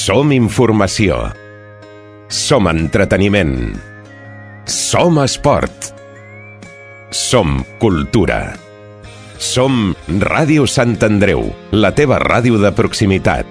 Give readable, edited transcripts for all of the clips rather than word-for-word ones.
Som informació. Som entreteniment. Som esport. Som cultura. Som Ràdio Sant Andreu, la teva ràdio de proximitat.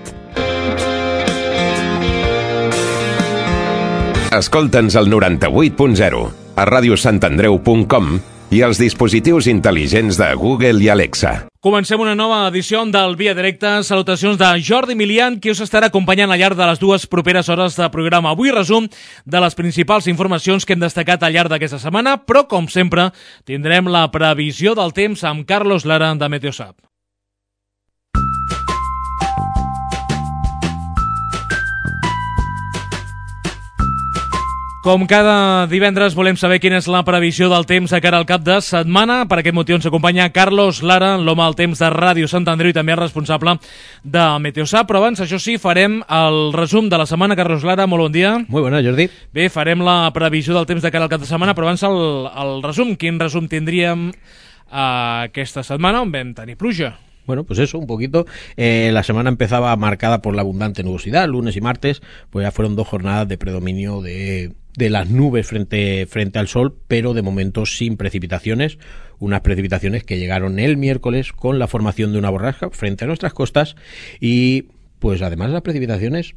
Escolta'ns al 98.0, a radiosantandreu.com i als dispositius intel·ligents de Google i Alexa. Comencem una nova edició del Via Directa. Salutacions de Jordi Milian, qui us estarà acompanyant al llarg de les dues properes hores de programa. Avui resum de les principals informacions que hem destacat al llarg d'aquesta setmana, però, com sempre, tindrem la previsió del temps amb Carlos Lara de Meteosat. Com cada divendres volem saber quina és la previsió del temps de cara al cap de setmana. Per aquest motiu ens acompanya Carlos Lara, l'home del temps de Ràdio Sant Andreu i també el responsable de Meteosat. Però abans, això sí, farem el resum de la setmana. Carlos Lara, molt bon dia. Muy buenas, Jordi. Bé, farem la previsió del temps de cara al cap de setmana, però abans el resum. Quin resum tindríem aquesta setmana on vam tenir pluja? Bueno, pues eso, un poquito. La semana empezaba marcada por la abundante nubosidad. Lunes y martes, pues ya fueron 2 jornadas de predominio de las nubes frente al sol, pero de momento sin precipitaciones. Unas precipitaciones que llegaron el miércoles con la formación de una borrasca frente a nuestras costas y pues además las precipitaciones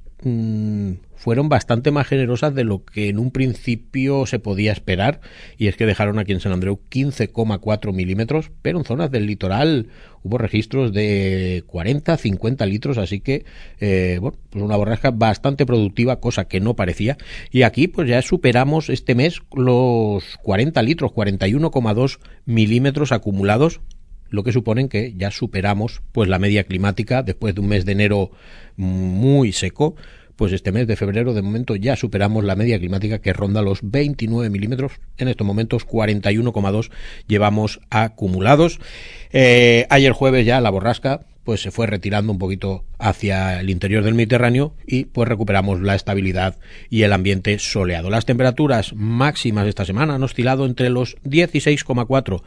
fueron bastante más generosas de lo que en un principio se podía esperar, y es que dejaron aquí en San Andreu 15,4 milímetros, pero en zonas del litoral hubo registros de 40, 50 litros, así que bueno, pues una borrasca bastante productiva, cosa que no parecía, y aquí pues ya superamos este mes los 40 litros, 41,2 milímetros acumulados, lo que suponen que ya superamos pues la media climática después de un mes de enero muy seco. Pues este mes de febrero de momento ya superamos la media climática, que ronda los 29 milímetros. En estos momentos 41,2 llevamos acumulados. Ayer jueves ya la borrasca pues se fue retirando un poquito hacia el interior del Mediterráneo y pues recuperamos la estabilidad y el ambiente soleado. Las temperaturas máximas esta semana han oscilado entre los 16,4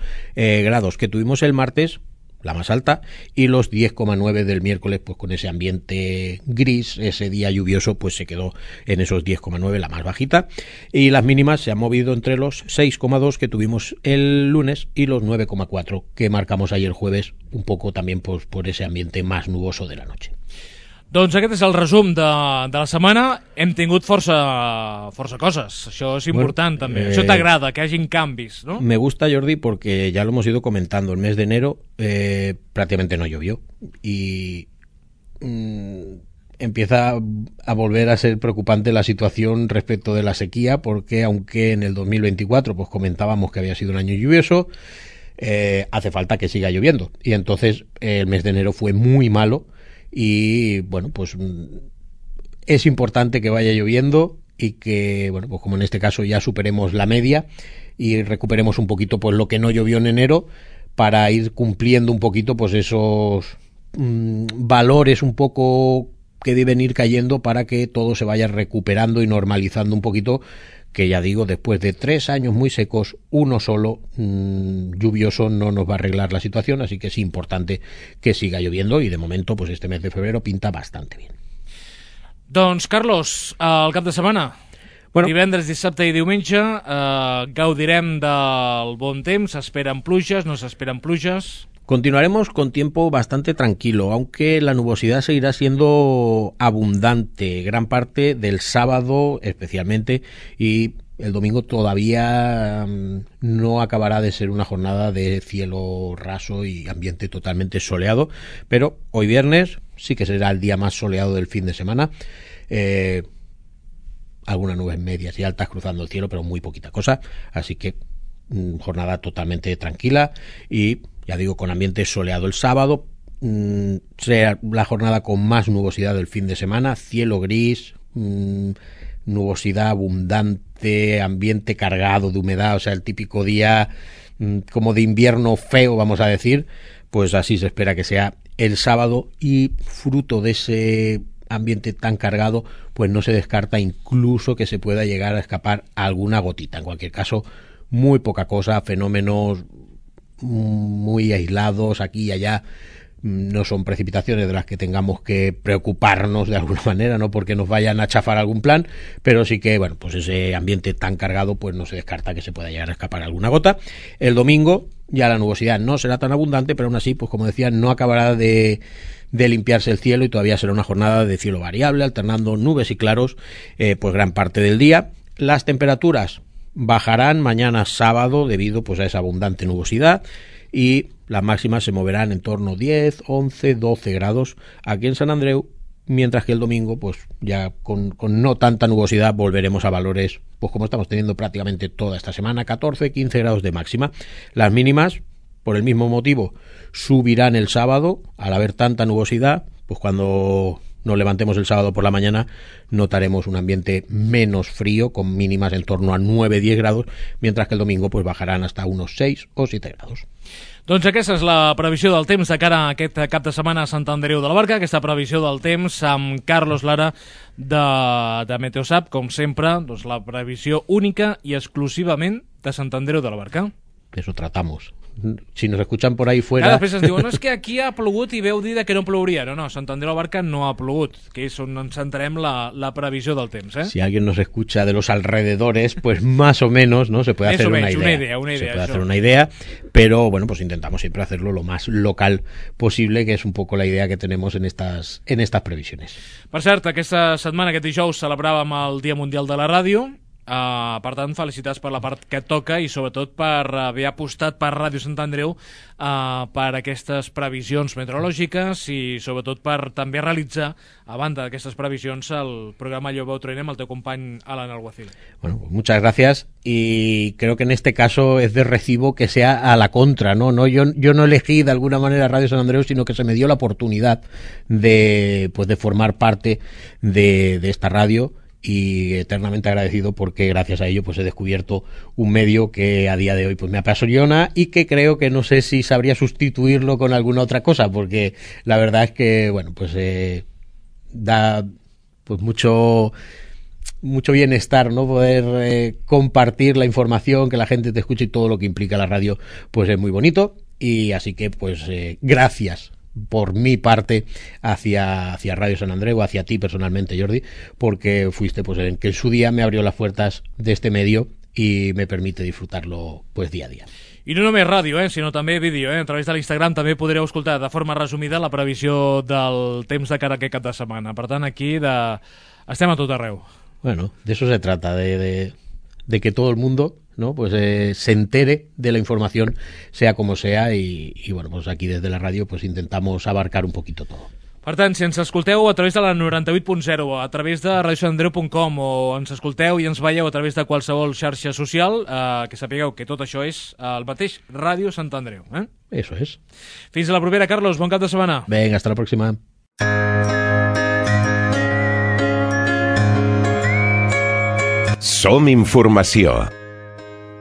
grados que tuvimos el martes, la más alta, y los 10,9 del miércoles, pues con ese ambiente gris, ese día lluvioso, pues se quedó en esos 10,9, la más bajita, y las mínimas se han movido entre los 6,2 que tuvimos el lunes y los 9,4 que marcamos ayer jueves, un poco también pues por ese ambiente más nuboso de la noche. Doncs aquest és el resum de la setmana. Hem tingut força coses. Això és important, bueno, també. Això t'agrada, que hagin canvis, ¿no? Me gusta, Jordi, porque ya lo hemos ido comentando. El mes de enero prácticamente no llovió. Y empieza a volver a ser preocupante la situación respecto de la sequía, porque aunque en el 2024 pues comentábamos que había sido un año lluvioso, hace falta que siga lloviendo. Y entonces el mes de enero fue muy malo. Y bueno, pues es importante que vaya lloviendo y que, bueno, pues como en este caso ya superemos la media y recuperemos un poquito pues lo que no llovió en enero, para ir cumpliendo un poquito pues esos valores un poco que deben ir cayendo, para que todo se vaya recuperando y normalizando un poquito, que ya digo, después de 3 años muy secos, uno solo lluvioso no nos va a arreglar la situación, así que es importante que siga lloviendo, y de momento pues este mes de febrero pinta bastante bien. Doncs, Carlos, el cap de setmana, bueno, divendres, dissabte i diumenge, gaudirem del bon temps, s'esperen pluges, no s'esperen pluges? Continuaremos con tiempo bastante tranquilo, aunque la nubosidad seguirá siendo abundante gran parte del sábado especialmente, y el domingo todavía no acabará de ser una jornada de cielo raso y ambiente totalmente soleado, pero hoy viernes sí que será el día más soleado del fin de semana. Algunas nubes medias y altas cruzando el cielo, pero muy poquita cosa, así que jornada totalmente tranquila y, ya digo, con ambiente soleado. El sábado será la jornada con más nubosidad del fin de semana, cielo gris, nubosidad abundante, ambiente cargado de humedad, o sea, el típico día como de invierno feo, vamos a decir, pues así se espera que sea el sábado, y fruto de ese ambiente tan cargado, pues no se descarta incluso que se pueda llegar a escapar alguna gotita. En cualquier caso, muy poca cosa, fenómenos muy aislados aquí y allá, No son precipitaciones de las que tengamos que preocuparnos de alguna manera, no porque nos vayan a chafar algún plan, pero sí que, bueno, pues ese ambiente tan cargado, pues no se descarta que se pueda llegar a escapar alguna gota. El domingo ya la nubosidad no será tan abundante, pero aún así, pues como decía, no acabará de limpiarse el cielo y todavía será una jornada de cielo variable, alternando nubes y claros, pues gran parte del día. Las temperaturas bajarán mañana sábado debido pues a esa abundante nubosidad y las máximas se moverán en torno a 10, 11, 12 grados aquí en Sant Andreu, mientras que el domingo, pues ya con no tanta nubosidad, volveremos a valores, pues como estamos teniendo prácticamente toda esta semana, 14, 15 grados de máxima. Las mínimas, por el mismo motivo, subirán el sábado, al haber tanta nubosidad, pues cuando nos levantemos el sábado por la mañana notaremos un ambiente menos frío, con mínimas en torno a 9-10 grados, mientras que el domingo pues bajarán hasta unos 6 o 7 grados. Doncs aquesta és la previsió del temps de cara a aquest cap de setmana a Sant Andreu de la Barca, aquesta previsió del temps amb Carlos Lara de Meteosat, com sempre, doncs la previsió única i exclusivament de Sant Andreu de la Barca. De eso tratamos. Si nos escuchan por ahí fuera... Després ens diuen, no, és que aquí ha plogut i veu dir que no plouria. No, Sant Andreu de la Barca no ha plogut, que és on ens centrem la previsió del temps. Si alguien nos escucha de los alrededores, pues más o menos, ¿no? Se puede hacer una idea. Se puede hacer una idea, pero bueno, pues intentamos siempre hacerlo lo más local posible, que es un poco la idea que tenemos en estas previsiones. Per cert, aquesta setmana, aquest dijous, celebràvem el Dia Mundial de la Ràdio. Per tant, felicitats per la part que et toca i sobretot per haver apostat per Ràdio Sant Andreu per aquestes previsions meteorològiques i sobretot per també realitzar, a banda d'aquestes previsions, el programa Yo Veo Tren amb el teu company Alan Alguacil. Bueno, pues muchas gracias y creo que en este caso es de recibo que sea a la contra, ¿no? Yo no elegí de alguna manera Radio Sant Andreu, sino que se me dio la oportunidad de formar parte de esta radio, y eternamente agradecido porque gracias a ello pues he descubierto un medio que a día de hoy pues me apasiona y que creo que no sé si sabría sustituirlo con alguna otra cosa, porque la verdad es que bueno, pues da pues mucho bienestar, ¿no? Poder compartir la información, que la gente te escuche y todo lo que implica la radio, pues es muy bonito. Y así que pues gracias por mi parte hacia Radio Sant Andreu, hacia ti personalmente, Jordi, porque fuiste pues el que en su día me abrió las puertas de este medio y me permite disfrutarlo pues día a día. I no només ràdio, sinó també vídeo. A través de l'Instagram també podreu escoltar de forma resumida la previsió del temps de cara a aquest cap de setmana. Per tant, aquí estem a tot arreu. Bueno, de eso se trata, de que todo el mundo, ¿no? Pues se entere de la información, sea como sea, y bueno, pues aquí desde la radio pues intentamos abarcar un poquito todo. Per tant, si ens escolteu a través de la 98.0, a través de radiosantandreu.com, o ens escolteu i ens veieu a través de qualsevol xarxa social, que sapigueu que tot això és el mateix Ràdio Sant Andreu. Eso es. Fins a la propera, Carlos. Bon cap de setmana. Venga, hasta la próxima. Som informació.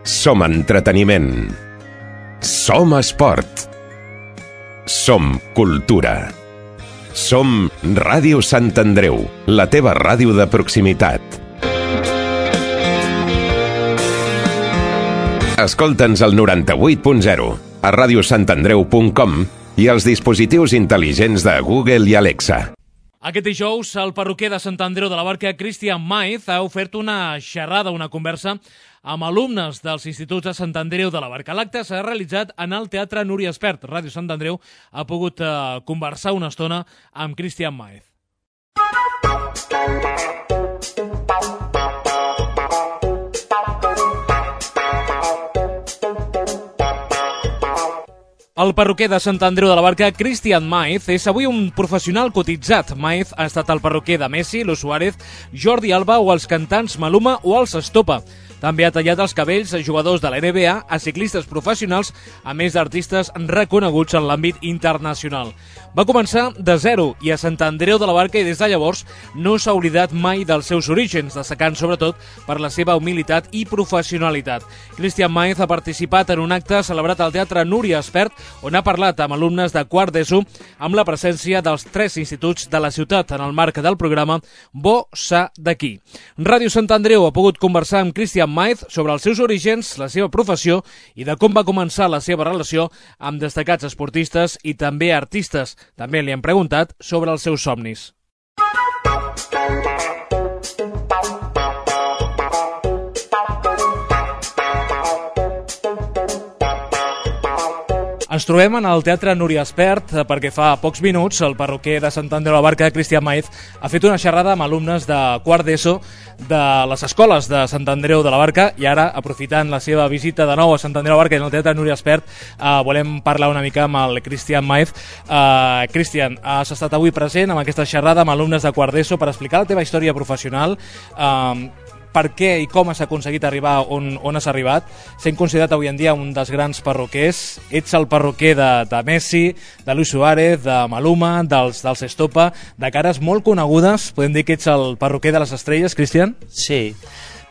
Som entreteniment. Som esport. Som cultura. Som Ràdio Sant Andreu, la teva ràdio de proximitat. Escolta'ns al 98.0, a radiosantandreu.com i als dispositius intel·ligents de Google i Alexa. Aquest dijous, el perruquer de Sant Andreu de la Barca, Cristian Maiz, ha ofert una xerrada, una conversa amb alumnes dels instituts de Sant Andreu de la Barca. L'acte s'ha realitzat en el Teatre Núria Espert. Ràdio Sant Andreu ha pogut conversar una estona amb Cristian Maiz. El perruquer de Sant Andreu de la Barca, Cristian Maiz, és avui un professional cotitzat. Maiz ha estat el perruquer de Messi, Lu Suárez, Jordi Alba o els cantants Maluma o els Estopa. També ha tallat els cabells a jugadors de la NBA, a ciclistes professionals, a més d'artistes reconeguts en l'àmbit internacional. Va començar de zero i a Sant Andreu de la Barca i des de llavors no s'ha oblidat mai dels seus orígens, destacant sobretot per la seva humilitat i professionalitat. Cristian Maiz ha participat en un acte celebrat al Teatre Núria Espert, on ha parlat amb alumnes de quart d'ESO amb la presència dels 3 instituts de la ciutat en el marc del programa Bo Sa d'aquí. Ràdio Sant Andreu ha pogut conversar amb Cristian Christian Maez sobre els seus orígens, la seva professió i de com va començar la seva relació amb destacats esportistes i també artistes. També li han preguntat sobre els seus somnis. Ens trobem en el Teatre Núria Espert perquè fa pocs minuts el parroquer de Sant Andreu de la Barca, Christian Maez, ha fet una xerrada amb alumnes de quart d'ESO de les escoles de Sant Andreu de la Barca i ara, aprofitant la seva visita de nou a Sant Andreu de la Barca i en el Teatre Núria Espert, volem parlar una mica amb el Christian Maez. Christian, has estat avui present amb aquesta xerrada amb alumnes de quart d'ESO per explicar la teva història professional, per què i com has aconseguit arribar on has arribat, sent considerat avui en dia un dels grans parroquers. Ets el parroquer de Messi, de Luis Suárez, de Maluma, dels Estopa, de cares molt conegudes. Podem dir que ets el parroquer de les estrelles, Cristian? Sí,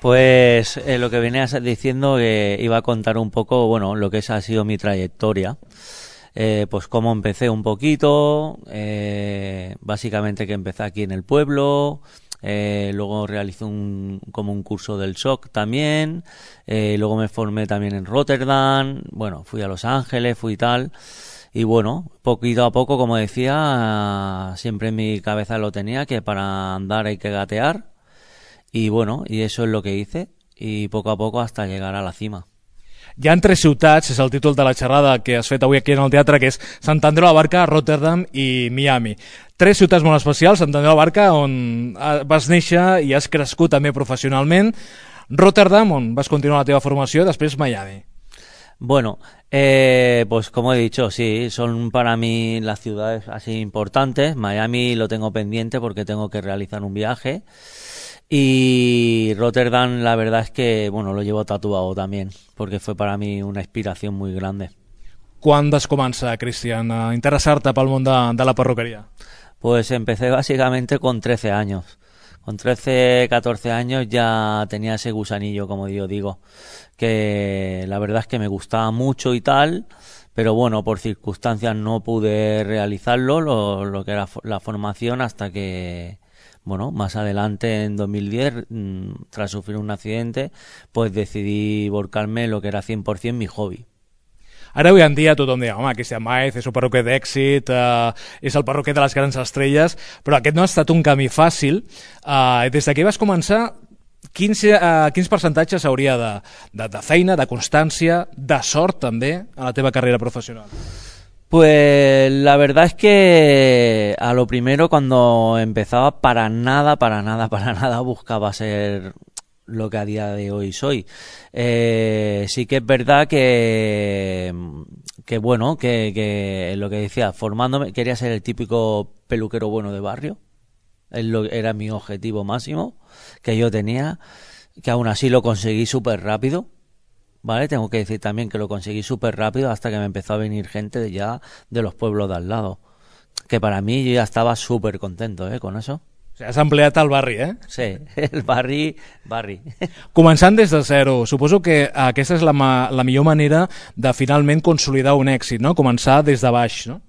pues lo que venías diciendo, que iba a contar un poco, bueno, lo que ha sido mi trayectoria. Pues cómo empecé un poquito, básicamente que empecé aquí en el pueblo. Luego realicé como un curso del SOC también, luego me formé también en Rotterdam, bueno, fui a Los Ángeles, fui tal, y bueno, poquito a poco, como decía, siempre en mi cabeza lo tenía, que para andar hay que gatear, y bueno, y eso es lo que hice, y poco a poco hasta llegar a la cima. Hi ha 3 ciutats, és el títol de la xerrada que has fet avui aquí en el teatre, que és Sant Andreu de la Barca, Rotterdam i Miami. 3 ciutats molt especials, Sant Andreu de la Barca, on vas néixer i has crescut també professionalment, Rotterdam, on vas continuar la teva formació, després Miami. Bueno, pues como he dicho, sí, son para mí las ciudades así importantes. Miami lo tengo pendiente porque tengo que realizar un viaje. Y Rotterdam, la verdad es que, bueno, lo llevo tatuado también, porque fue para mí una inspiración muy grande. Quan vas començar, Cristian, a interessar-te pel món de la perruquería? Pues empecé básicamente con 13 años. Con 13, 14 años ya tenía ese gusanillo, como yo digo, que la verdad es que me gustaba mucho y tal, pero bueno, por circunstancias no pude realizarlo, lo que era la formación, hasta que... Bueno, más adelante, en 2010, tras sufrir un accidente, pues decidí volcarme en lo que era 100% mi hobby. Ara, avui en dia, tothom diu, home, Christian Maez és un perruquer d'èxit, és el perruquer de les grans estrelles, però aquest no ha estat un camí fàcil. Des que vas començar, quins percentatges hauria de feina, de constància, de sort també, a la teva carrera professional? Pues la verdad es que a lo primero, cuando empezaba, para nada buscaba ser lo que a día de hoy soy. Sí que es verdad que bueno, que lo que decía, formándome, quería ser el típico peluquero bueno de barrio. Era mi objetivo máximo que yo tenía, que aún así lo conseguí súper rápido. Vale, tengo que decir también que lo conseguí súper rápido, hasta que me empezó a venir gente ya de los pueblos de al lado. Que para mí yo ya estaba súper contento con eso. O sigui, has empleat el barri, eh? Sí, el barri. Començant des de zero, suposo que aquesta és la millor manera de finalment consolidar un èxit, ¿no? Començar des de baix, ¿no?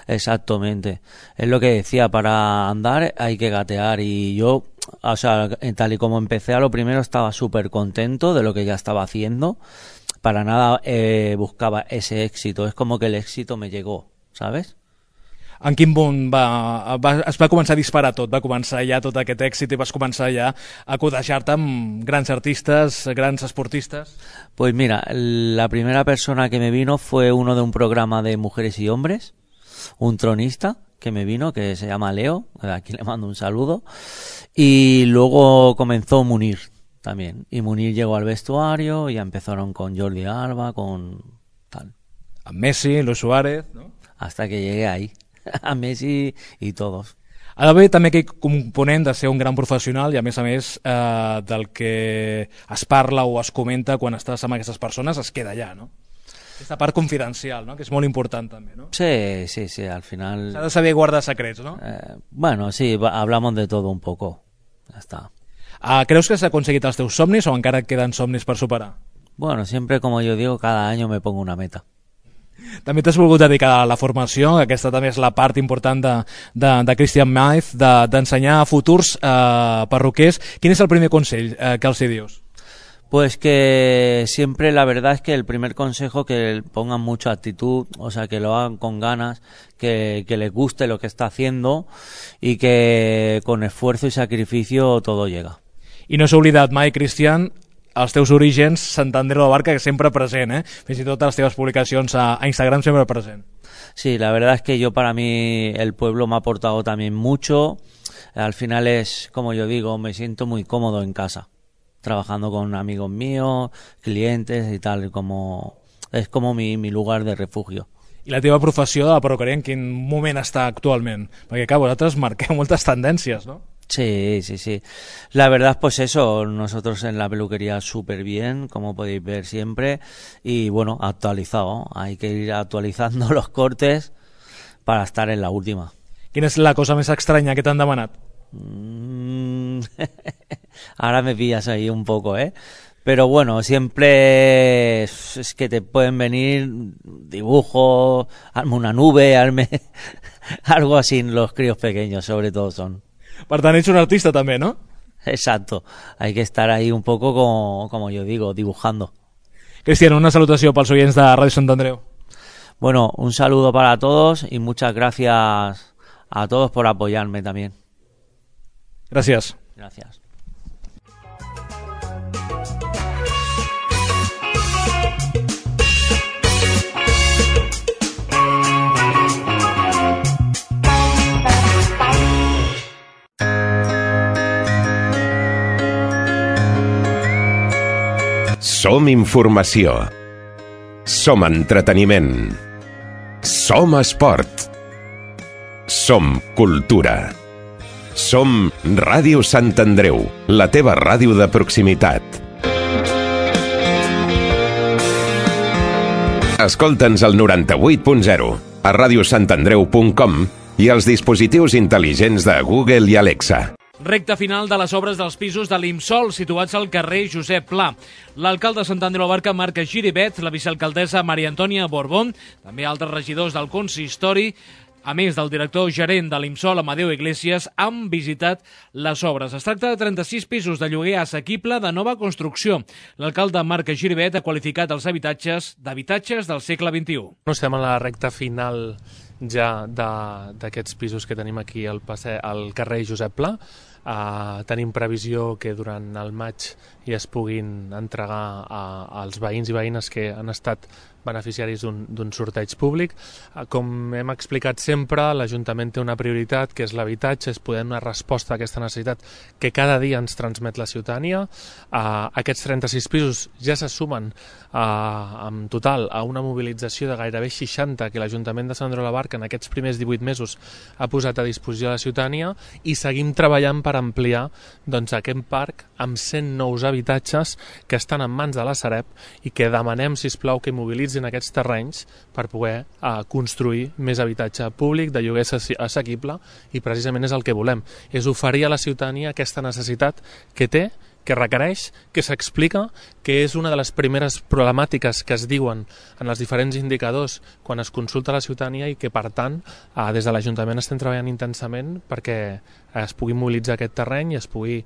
Exactamente. Es lo que decía, para andar hay que gatear, y yo, o sea, tal y como empecé, a lo primero estaba súper contento de lo que ya estaba haciendo. Para nada buscaba ese éxito. Es como que el éxito me llegó, ¿sabes? En quin punt es va començar a disparar tot? Va començar ja tot aquest èxit i vas començar ja a codejar-te amb grans artistes, grans esportistes? Pues mira, la primera persona que me vino fue uno de un programa de mujeres y hombres, un tronista que me vino, que se llama Leo, aquí le mando un saludo, y luego comenzó Munir también, y Munir llegó al vestuario y empezaron con Jordi Alba, con tal. A Messi, Luis Suárez, ¿no? Hasta que llegué ahí, a Messi y todos. Ha d'haver també aquell component de ser un gran professional i, a més, del que es parla o es comenta quan estàs amb aquestes persones es queda allà, no? Aquesta part confidencial, ¿no? Que és molt important també, ¿no? Sí, al final... S'ha de saber guardar secrets, ¿no? Bueno, sí, hablamos de todo un poco. Ya está. ¿Creus que has aconseguit els teus somnis o encara et queden somnis per superar? Bueno, siempre, como yo digo, cada año me pongo una meta. També t'has volgut dedicar a la formació, aquesta també és la part important de Christian Maez, d'ensenyar a futurs perruquers. Quin és el primer consell que els hi dius? Pues que siempre la verdad es que el primer consejo que pongan mucha actitud, o sea, que lo hagan con ganas, que les guste lo que está haciendo y que con esfuerzo y sacrificio todo llega. I no s'ha oblidat mai, Cristian, els teus orígens, Sant Andreu de la Barca, que sempre present, fins i tot a les teves publicacions a Instagram sempre present. Sí, la verdad es que para mí el pueblo me ha aportado también mucho. Al final es, como yo digo, me siento muy cómodo en casa, trabajando con amigos míos, clientes y tal, es como mi lugar de refugio. I la teva professió de la perruqueria en quin moment està actualment? Perquè, clar, vosaltres marqueu moltes tendències, no? Sí. La verdad, pues eso, nosotros en la peluquería súper bien, como podéis ver siempre, y bueno, actualizado. Hay que ir actualizando los cortes para estar en la última. Quina és la cosa més estranya que t'han demanat? Ahora me pillas ahí un poco, pero bueno, siempre es que te pueden venir dibujo, hazme una nube, hazme algo así, los críos pequeños sobre todo son. Per tant, ets un artista també, no? Exacto, hay que estar ahí un poco como yo digo, dibujando. Cristian, una salutació pels oients de Ràdio Sant Andreu. Bueno, un saludo para todos y muchas gracias a todos por apoyarme también. Gràcies. Gracias. Som informació. Som entreteniment. Som esport. Som cultura. Som Ràdio Sant Andreu, la teva ràdio de proximitat. Escolta'ns al 98.0, a radiosantandreu.com i als dispositius intel·ligents de Google i Alexa. Recta final de les obres dels pisos de l'Imsol, situats al carrer Josep Pla. L'alcalde de Sant Andreu de la Barca, Marc Giribet, la vicealcaldessa Maria Antònia Borbón, també altres regidors del consistori, a més del director gerent de l'Imsol, Amadeu Iglesias, han visitat les obres. Es tracta de 36 pisos de lloguer assequible de nova construcció. L'alcalde Marc Giribet ha qualificat els habitatges d'habitatges del segle XXI. Estem a la recta final ja d'aquests pisos que tenim aquí al carrer Josep Pla. Tenim previsió que durant el maig ja es puguin entregar als veïns i veïnes que han estat beneficiaris d'un sorteig públic. Com hem explicat sempre, l'Ajuntament té una prioritat, que és l'habitatge, és poder donar resposta a aquesta necessitat que cada dia ens transmet la ciutadania. Aquests 36 pisos ja se sumen en total a una mobilització de gairebé 60 que l'Ajuntament de Sant Andreu de la Barca en aquests primers 18 mesos ha posat a disposició de la ciutadania, i seguim treballant per ampliar aquest parc amb 100 nous habitatges que estan en mans de la Sareb i que demanem, sisplau, que mobilitzin aquests terrenys per poder construir més habitatge públic de lloguer assequible, i precisament és el que volem, és oferir a la ciutadania aquesta necessitat que té, que requereix, que s'explica, que és una de les primeres problemàtiques que es diuen en els diferents indicadors quan es consulta a la ciutadania, i que per tant des de l'Ajuntament estem treballant intensament perquè es pugui mobilitzar aquest terreny i es pugui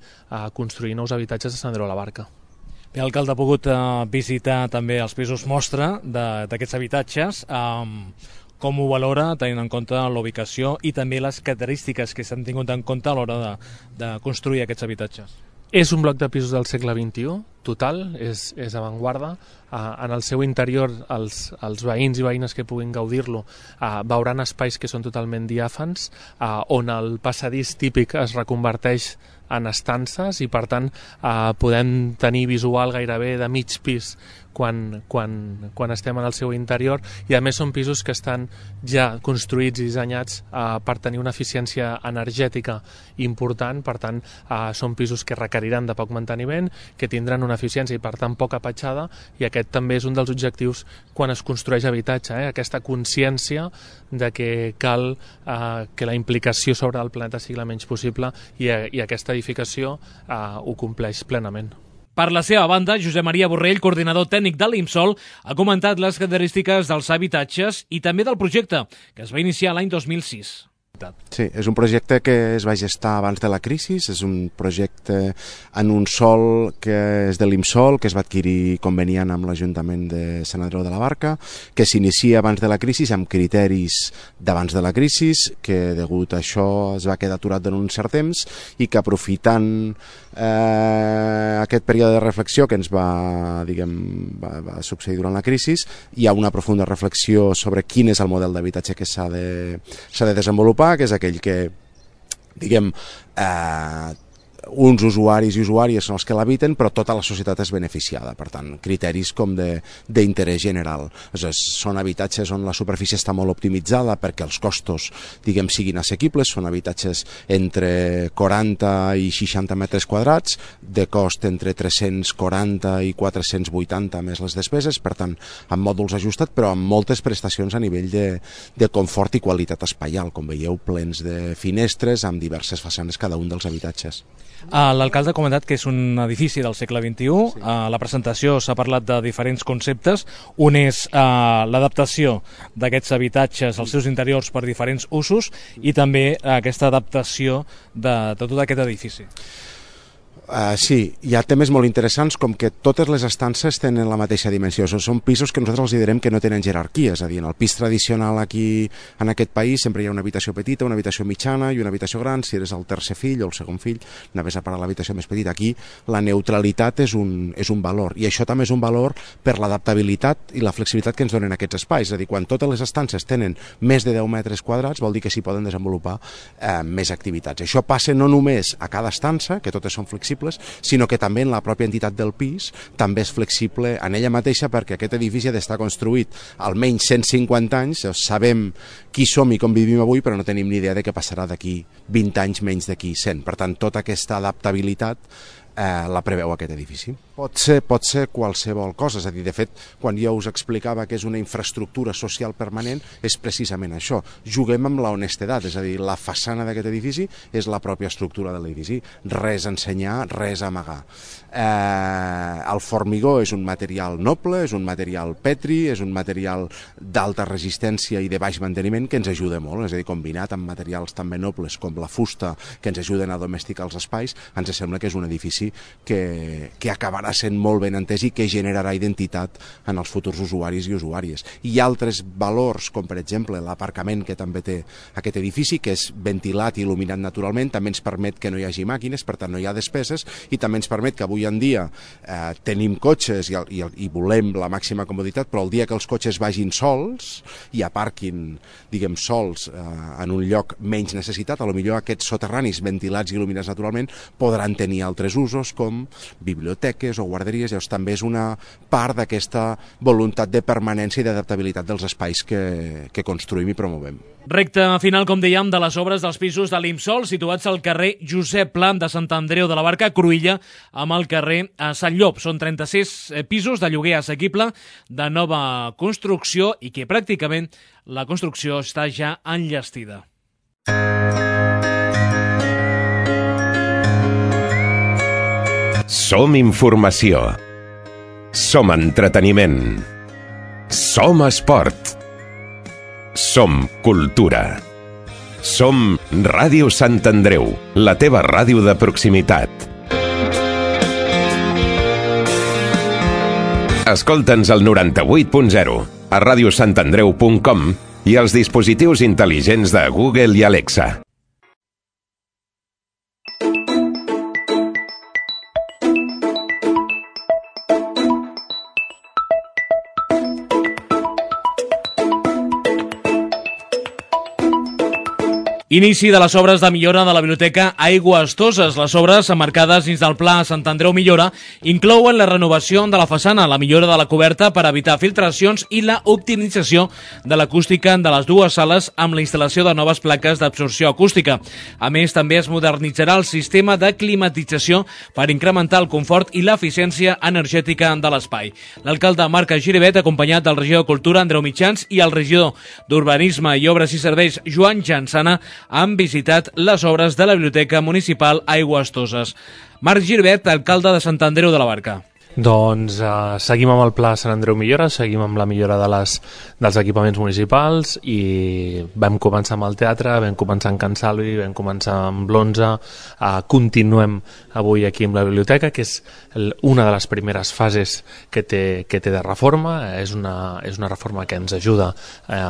construir nous habitatges a Sant Andreu de la Barca. Bé, l'alcalde ha pogut visitar també els pisos mostra d'aquests habitatges. Com ho valora, tenint en compte la ubicació i també les característiques que s'han tingut en compte a l'hora de construir aquests habitatges? És un bloc de pisos del segle XXI, total, és avantguarda. En el seu interior, els veïns i veïnes que puguin gaudir-lo veuran espais que són totalment diàfans, on el passadís típic es reconverteix en estances, i per tant podem tenir visual gairebé de mig pis quan estem en el seu interior, i a més són pisos que estan ja construïts i dissenyats per tenir una eficiència energètica important. Per tant són pisos que requeriran de poc manteniment, que tindran una eficiència i per tant poca petjada, i aquest també és un dels objectius quan es construeix habitatge, aquesta consciència de que cal que la implicació sobre el planeta sigui la menys possible, i aquesta edificació ho compleix plenament. Per la seva banda, Josep Maria Borrell, coordinador tècnic de l'Imsol, ha comentat les característiques dels habitatges i també del projecte, que es va iniciar l'any 2006. Sí, és un projecte que es va gestar abans de la crisi, és un projecte en un sòl que és de l'IMSOL, que es va adquirir conveniant amb l'Ajuntament de Sant Andreu de la Barca, que s'inicia abans de la crisi amb criteris d'abans de la crisi, que degut a això es va quedar aturat durant un cert temps i que aprofitant aquest període de reflexió que ens va succeir durant la crisi, hi ha una profunda reflexió sobre quin és el model d'habitatge que s'ha de desenvolupar, que és aquell que, uns usuaris i usuàries són els que l'habiten, però tota la societat és beneficiada. Per tant, criteris com d'interès general. Són habitatges on la superfície està molt optimitzada perquè els costos, siguin assequibles, són habitatges entre 40 i 60 metres quadrats, de cost entre 340 i 480 més les despeses, per tant, amb mòduls ajustats, però amb moltes prestacions a nivell de confort i qualitat espaial, com veieu, plens de finestres amb diverses façanes cada un dels habitatges. L'alcalde ha comentat que és un edifici del segle XXI. Sí. A la presentació s'ha parlat de diferents conceptes. Un és l'adaptació d'aquests habitatges als seus interiors per diferents usos i també aquesta adaptació de tot aquest edifici. Sí, hi ha temes molt interessants com que totes les estances tenen la mateixa dimensió. Són pisos que nosaltres els direm que no tenen jerarquia, és a dir, en el pis tradicional aquí en aquest país sempre hi ha una habitació petita, una habitació mitjana i una habitació gran. Si eres el tercer fill o el segon fill, anaves a parar l'habitació més petita. Aquí la neutralitat és un valor, i això també és un valor per l'adaptabilitat i la flexibilitat que ens donen aquests espais. És a dir, quan totes les estances tenen més de 10 metres quadrats vol dir que s'hi poden desenvolupar més activitats. Això passa no només a cada estança, que totes són flexibles, sinó que també en la pròpia entitat del pis també és flexible en ella mateixa, perquè aquest edifici ha d'estar construït almenys 150 anys, sabem qui som i com vivim avui, però no tenim ni idea de què passarà d'aquí 20 anys menys d'aquí 100. Per tant, tota aquesta adaptabilitat la preveu aquest edifici. Pot ser qualsevol cosa, és a dir, de fet, quan jo us explicava que és una infraestructura social permanent, és precisament això. Juguem amb la honestedat, és a dir, la façana d'aquest edifici és la pròpia estructura de l'edifici. Res a ensenyar, res a amagar. El formigó és un material noble, és un material petri, és un material d'alta resistència i de baix manteniment que ens ajuda molt, és a dir, combinat amb materials també nobles com la fusta que ens ajuden a domesticar els espais, ens sembla que és un edifici que acabarà sent molt ben entès i que generarà identitat en els futurs usuaris i usuàries. I altres valors, com per exemple l'aparcament que també té aquest edifici, que és ventilat i il·luminat naturalment, també ens permet que no hi hagi màquines, per tant no hi ha despeses, i també ens permet que avui en dia tenim cotxes i volem la màxima comoditat, però el dia que els cotxes vagin sols i aparquin, sols en un lloc menys necessitat, potser aquests soterranis ventilats i il·luminats naturalment podran tenir altres usos com biblioteques o guarderies. Llavors també és una part d'aquesta voluntat de permanència i d'adaptabilitat dels espais que construïm i promovem. Recta final, com dèiem, de les obres dels pisos de l'IMSOL situats al carrer Josep Pla de Sant Andreu de la Barca, Cruïlla, amb el carrer Sant Llop. Són 36 pisos de lloguer assequible de nova construcció i que pràcticament la construcció està ja enllestida. Som informació. Som entreteniment. Som esport. Som cultura. Som Ràdio Sant Andreu, la teva ràdio de proximitat. Escolta'ns al 98.0, a radiosantandreu.com i als dispositius intel·ligents de Google i Alexa. Inici de les obres de millora de la biblioteca Aigües Toses. Les obres, emmarcades dins del Pla Sant Andreu Millora, inclouen la renovació de la façana, la millora de la coberta per evitar filtracions i la optimització de l'acústica de les dues sales amb la instal·lació de noves plaques d'absorció acústica. A més, també es modernitzarà el sistema de climatització per incrementar el confort i l'eficiència energètica de l'espai. L'alcalde Marc Giribet, acompanyat del regidor de Cultura, Andreu Mitjans, i el regidor d'Urbanisme i Obres i Serveis, Joan Jansana, han visitat les obres de la Biblioteca Municipal Aigües Toses. Marc Giribet, alcalde de Sant Andreu de la Barca. Doncs seguim amb el Pla Sant Andreu Millora, seguim amb la millora dels equipaments municipals i vam començar amb el teatre, vam començar amb Can Salvi, vam començar amb l'11, continuem avui aquí amb la biblioteca, que és una de les primeres fases que té de reforma. És una reforma que ens ajuda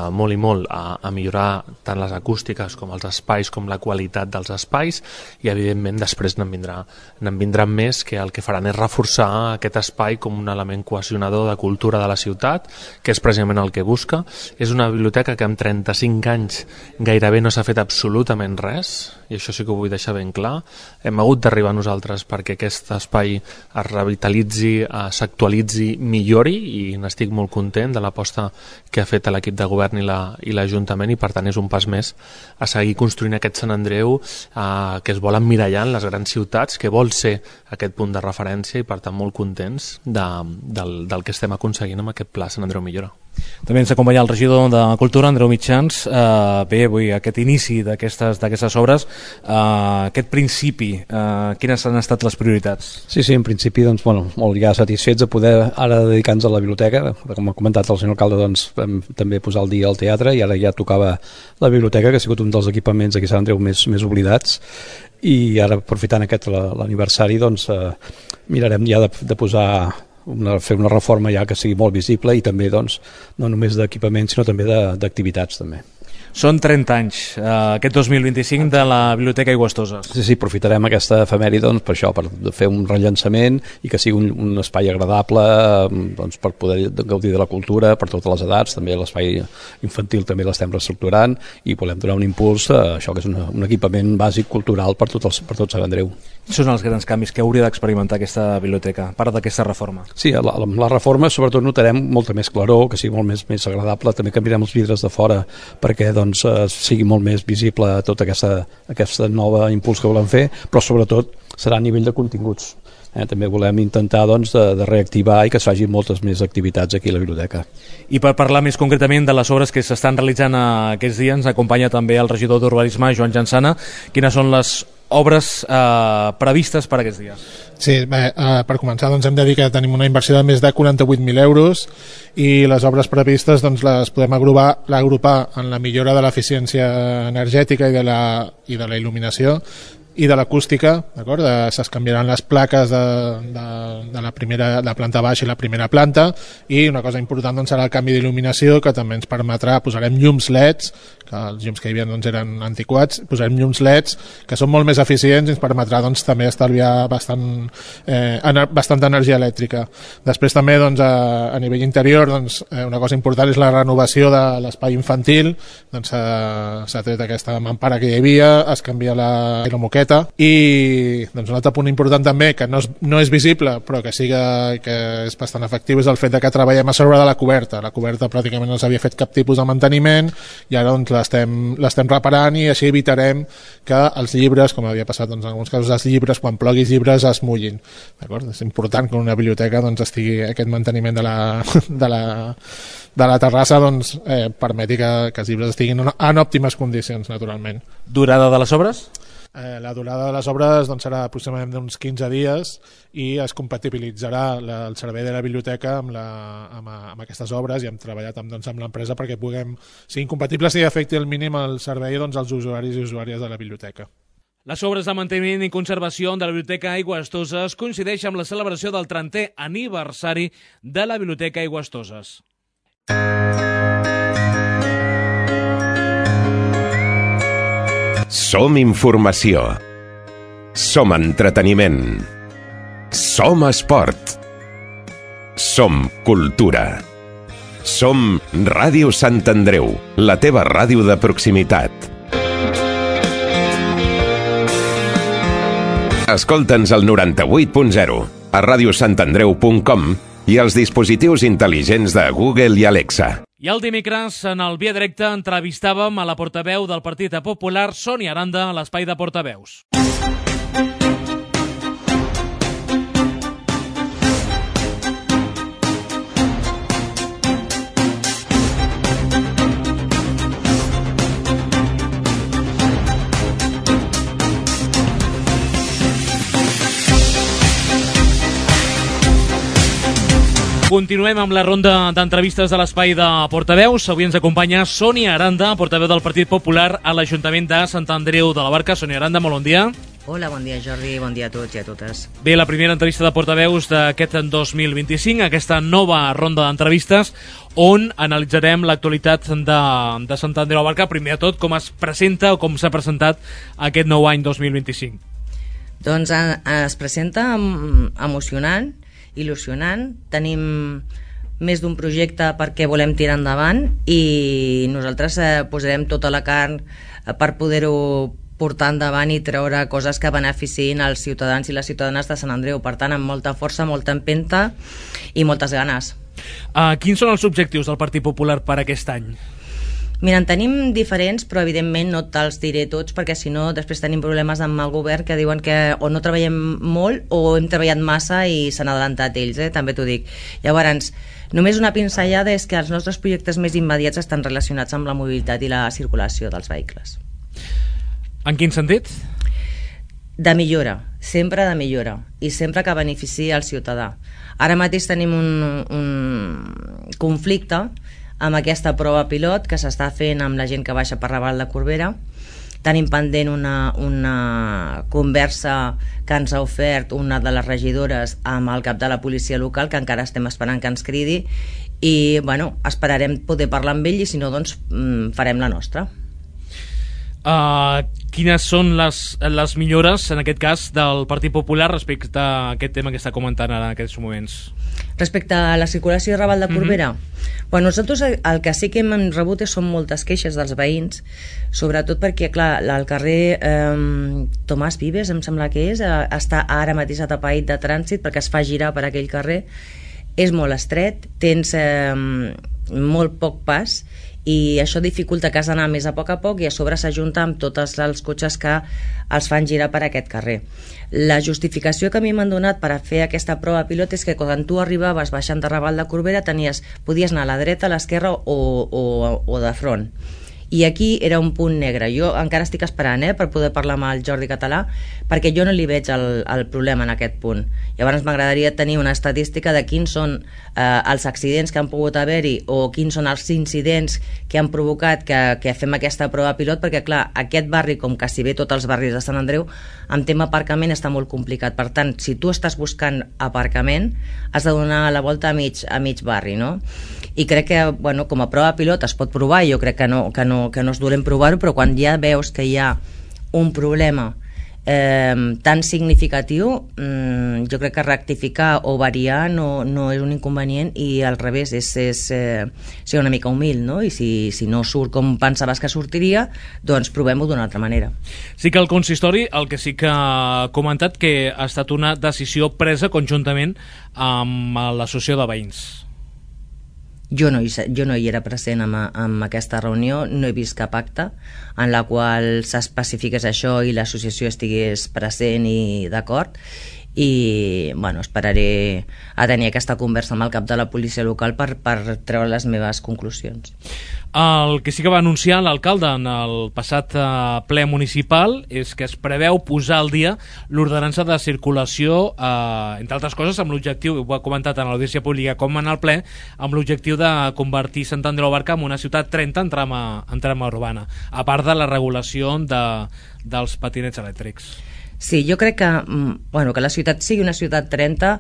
molt i molt a millorar tant les acústiques com els espais, com la qualitat dels espais, i evidentment després n'en vindran més, que el que faran és reforçar aquest espai com un element cohesionador de cultura de la ciutat, que és precisament el que busca. És una biblioteca que en 35 anys gairebé no s'ha fet absolutament res, i això sí que ho vull deixar ben clar. Hem hagut d'arribar nosaltres perquè aquest espai es revitalitzi, s'actualitzi, millori, i n'estic molt content de l'aposta que ha fet l'equip de govern i l'Ajuntament, i per tant és un pas més a seguir construint aquest Sant Andreu que es vol emmirallar en les grans ciutats, que vol ser aquest punt de referència, i per tant molt contents del que estem aconseguint amb aquest Pla Sant Andreu Millora. També ens acompanya el regidor de Cultura, Andreu Mitjans. Bé, avui aquest inici d'aquestes obres, aquest principi, quines han estat les prioritats? Sí, en principi, doncs, molt ja satisfets de poder ara dedicar-nos a la biblioteca. Com ha comentat el senyor alcalde, doncs, vam també posar al dia el teatre, i ara ja tocava la biblioteca, que ha sigut un dels equipaments aquí a Sant Andreu més oblidats, i ara, aprofitant l'aniversari, doncs, mirarem ja de posar fer una reforma ja que sigui molt visible, i també doncs, no només d'equipaments sinó també d'activitats també. Són 30 anys, aquest 2025, de la Biblioteca Aigüestoses. Sí, aprofitarem aquesta efemèride doncs, per això, per fer un rellançament i que sigui un espai agradable, doncs, per poder gaudir de la cultura per totes les edats. També l'espai infantil també l'estem reestructurant, i volem donar un impuls a això, que és un equipament bàsic cultural per tot Sant Andreu. Són els grans canvis que hauria d'experimentar aquesta biblioteca, a part d'aquesta reforma? Sí, la reforma sobretot notarem molta més claror, que sigui molt més agradable. També canviarem els vidres de fora perquè doncs, sigui molt més visible tot aquesta nova impuls que volem fer, però sobretot serà a nivell de continguts. També volem intentar doncs, de reactivar i que es facin moltes més activitats aquí a la biblioteca. I per parlar més concretament de les obres que s'estan realitzant aquests dies, ens acompanya també el regidor d'Urbanisme, Joan Jansana. Quines són les obres previstes per aquests dies? Sí, per començar doncs, hem de dir que tenim una inversió de més de 48.000 euros, i les obres previstes doncs, les podem agrupar en la millora de l'eficiència energètica i de la il·luminació i de l'acústica, d'acord? Es canviaran les plaques de la planta baixa i la primera planta, i una cosa important doncs, serà el canvi d'il·luminació, que també ens permetrà, posarem llums LEDs, que els llums que hi havia doncs, eren antiquats, posarem llums LEDs que són molt més eficients, i ens permetrà doncs, també estalviar bastanta energia elèctrica. Després també doncs, a nivell interior doncs, una cosa important és la renovació de l'espai infantil. Doncs, s'ha tret aquesta mampara que hi havia, es canvia la moqueta, i doncs, un altre punt important també, que no és visible però que és bastant efectiu, és el fet que treballem a sobre de la coberta. La coberta pràcticament no s'havia fet cap tipus de manteniment, i ara doncs, l'estem reparant, i així evitarem que els llibres, com havia passat doncs, en alguns casos, els llibres, quan ploguis llibres, es mullin. D'acord? És important que en una biblioteca doncs, estigui aquest manteniment de la terrassa, doncs, permeti que els llibres estiguin en òptimes condicions, naturalment. Durada de les obres? La durada de les obres doncs, serà aproximadament d'uns 15 dies, i es compatibilitzarà el servei de la biblioteca amb aquestes obres, i hem treballat amb l'empresa perquè siguin compatibles i afecti al mínim el servei doncs, als usuaris i usuàries de la biblioteca. Les obres de manteniment i conservació de la Biblioteca Aigüestoses coincideixen amb la celebració del 30è aniversari de la Biblioteca Aigüestoses. Som informació. Som entreteniment. Som esport. Som cultura. Som Ràdio Sant Andreu, la teva ràdio de proximitat. Escolta'ns al 98.0, a radiosantandreu.com i als dispositius intel·ligents de Google i Alexa. I el dimecres, en el Via Directe, entrevistàvem a la portaveu del Partit Popular, Sònia Aranda, a l'espai de portaveus. Continuem amb la ronda d'entrevistes de l'espai de portaveus. Avui ens acompanya Sònia Aranda, portaveu del Partit Popular a l'Ajuntament de Sant Andreu de la Barca. Sònia Aranda, molt bon dia. Hola, bon dia Jordi, bon dia a tots i a totes. Bé, la primera entrevista de portaveus d'aquest 2025, aquesta nova ronda d'entrevistes on analitzarem l'actualitat de Sant Andreu de la Barca. Primer de tot, com es presenta o com s'ha presentat aquest nou any 2025? Doncs es presenta emocionant, il·lusionant. Tenim més d'un projecte perquè volem tirar endavant i nosaltres posarem tota la carn per poder-ho portar endavant i treure coses que beneficiïn els ciutadans i les ciutadanes de Sant Andreu. Per tant, amb molta força, molta empenta i moltes ganes. Quins són els objectius del Partit Popular per aquest any? Mira, en tenim diferents, però evidentment no te'ls diré tots, perquè si no després tenim problemes amb el govern que diuen que o no treballem molt o hem treballat massa i s'han adelantat ells, també t'ho dic. Llavors, només una pinzellada és que els nostres projectes més immediats estan relacionats amb la mobilitat i la circulació dels vehicles. En quin sentit? De millora, sempre de millora, i sempre que beneficiï el ciutadà. Ara mateix tenim un conflicte amb aquesta prova pilot que s'està fent amb la gent que baixa per Raval de Corbera. Tenim pendent una conversa que ens ha ofert una de les regidores amb el cap de la policia local, que encara estem esperant que ens cridi, i bueno, esperarem poder parlar amb ell i si no, doncs farem la nostra. Quines són les millores, en aquest cas, del Partit Popular respecte a aquest tema que està comentant ara en aquests moments? Respecte a la circulació de Raval de Corbera, bueno, nosaltres el que sí que hem rebut són moltes queixes dels veïns, sobretot perquè, clar, el carrer Tomàs Vives, em sembla que és, està ara mateix atapeït de trànsit perquè es fa girar per aquell carrer. És molt estret, tens molt poc pas i això dificulta que has d'anar més a poc i a sobre s'ajunta amb tots els cotxes que els fan girar per aquest carrer. La justificació que a mi m'han donat per a fer aquesta prova pilot és que quan tu arribaves baixant de Raval de Corbera podies anar a la dreta, a l'esquerra o de front. I aquí era un punt negre. Jo encara estic esperant per poder parlar amb el Jordi Català, perquè jo no li veig el problema en aquest punt. Llavors m'agradaria tenir una estadística de quins són els accidents que han pogut haver-hi o quins són els incidents que han provocat que fem aquesta prova pilot, perquè clar, aquest barri, com quasi bé tots els barris de Sant Andreu, amb tema aparcament està molt complicat. Per tant, si tu estàs buscant aparcament, has de donar la volta a mig barri, no? I crec que, bueno, com a prova pilot es pot provar, jo crec que no és dolent provar-ho, però quan ja veus que hi ha un problema tan significatiu, jo crec que rectificar o variar no és un inconvenient i al revés, és ser una mica humil, no? I si no surt com pensaves que sortiria, doncs provem-ho d'una altra manera. Sí que el consistori, el que sí que ha comentat, que ha estat una decisió presa conjuntament amb l'associació de veïns. Jo no hi era present en aquesta reunió, no he vist cap acte en la qual s'especifiqués això i l'associació estigués present i d'acord, i bueno, esperaré a tenir aquesta conversa amb el cap de la policia local per treure les meves conclusions. El que sí que va anunciar l'alcalde en el passat ple municipal és que es preveu posar al dia l'ordenança de circulació, entre altres coses amb l'objectiu, ho ha comentat en l'audiència pública com en el ple, amb l'objectiu de convertir Sant Andreu de la Barca en una ciutat 30 en trama urbana, a part de la regulació dels patinets elèctrics. Sí, jo crec que la ciutat sigui una ciutat 30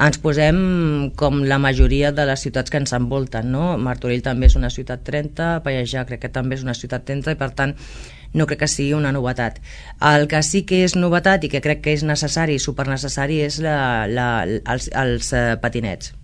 ens posem com la majoria de les ciutats que ens envolten, no? Martorell també és una ciutat 30, Pallejà crec que també és una ciutat 30 i per tant no crec que sigui una novetat. El que sí que és novetat i que crec que és necessari, supernecessari, és els patinets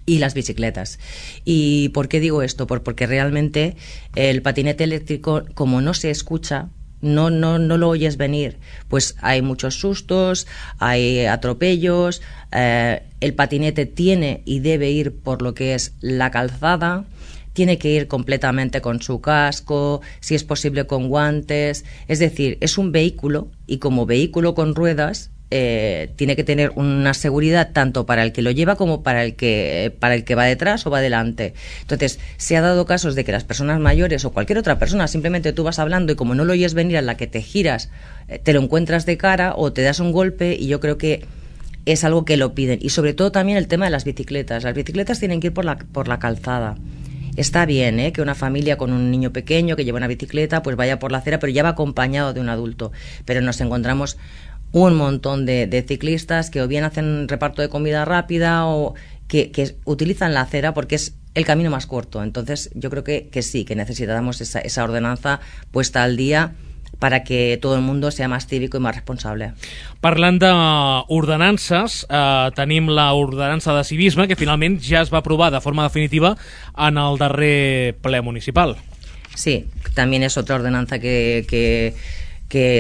y las bicicletas. ¿Y por qué digo esto? Porque realmente el patinete eléctrico, como no se escucha, no lo oyes venir, pues hay muchos sustos, hay atropellos, el patinete tiene y debe ir por lo que es la calzada, tiene que ir completamente con su casco, si es posible con guantes, es decir, es un vehículo y como vehículo con ruedas tiene que tener una seguridad tanto para el que lo lleva como para el que va detrás o va delante. Entonces, se ha dado casos de que las personas mayores o cualquier otra persona, simplemente tú vas hablando y como no lo oyes venir, a la que te giras, te lo encuentras de cara o te das un golpe, y yo creo que es algo que lo piden. Y sobre todo también el tema de las bicicletas. Las bicicletas tienen que ir por la calzada. Está bien, que una familia con un niño pequeño que lleva una bicicleta pues vaya por la acera, pero ya va acompañado de un adulto. Pero nos encontramos un montón de ciclistas que o bien hacen reparto de comida rápida o que utilizan la acera porque es el camino más corto. Entonces yo creo que sí, que necesitamos esa ordenanza puesta al día para que todo el mundo sea más cívico i més responsable. Parlant d'ordenances, tenim l'ordenança de civisme que finalment ja es va aprovar de forma definitiva en el darrer ple municipal. Sí, también es otra ordenanza que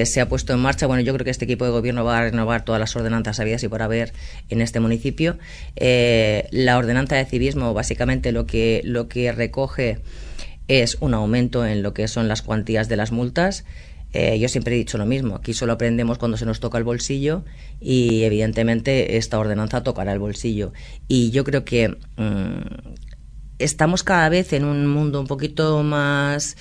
se ha puesto en marcha. Bueno, yo creo que este equipo de gobierno va a renovar todas las ordenanzas habidas y por haber en este municipio. La ordenanza de civismo básicamente lo que recoge es un aumento en lo que son las cuantías de las multas. Yo siempre he dicho lo mismo, aquí solo aprendemos cuando se nos toca el bolsillo y evidentemente esta ordenanza tocará el bolsillo. Y yo creo que estamos cada vez en un mundo un poquito más...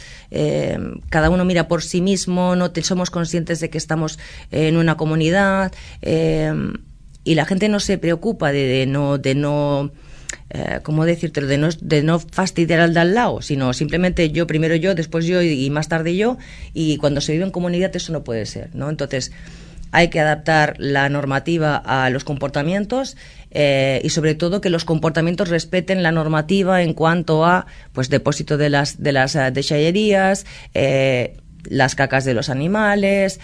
cada uno mira por sí mismo, somos conscientes de que estamos en una comunidad y la gente no se preocupa de no ¿cómo decírtelo? De no fastidiar al de al lado, sino simplemente primero yo, después yo y más tarde yo, y cuando se vive en comunidad eso no puede ser, ¿no? Entonces hay que adaptar la normativa a los comportamientos y sobre todo que los comportamientos respeten la normativa en cuanto a pues depósito de las deixallerías, las cacas de los animales,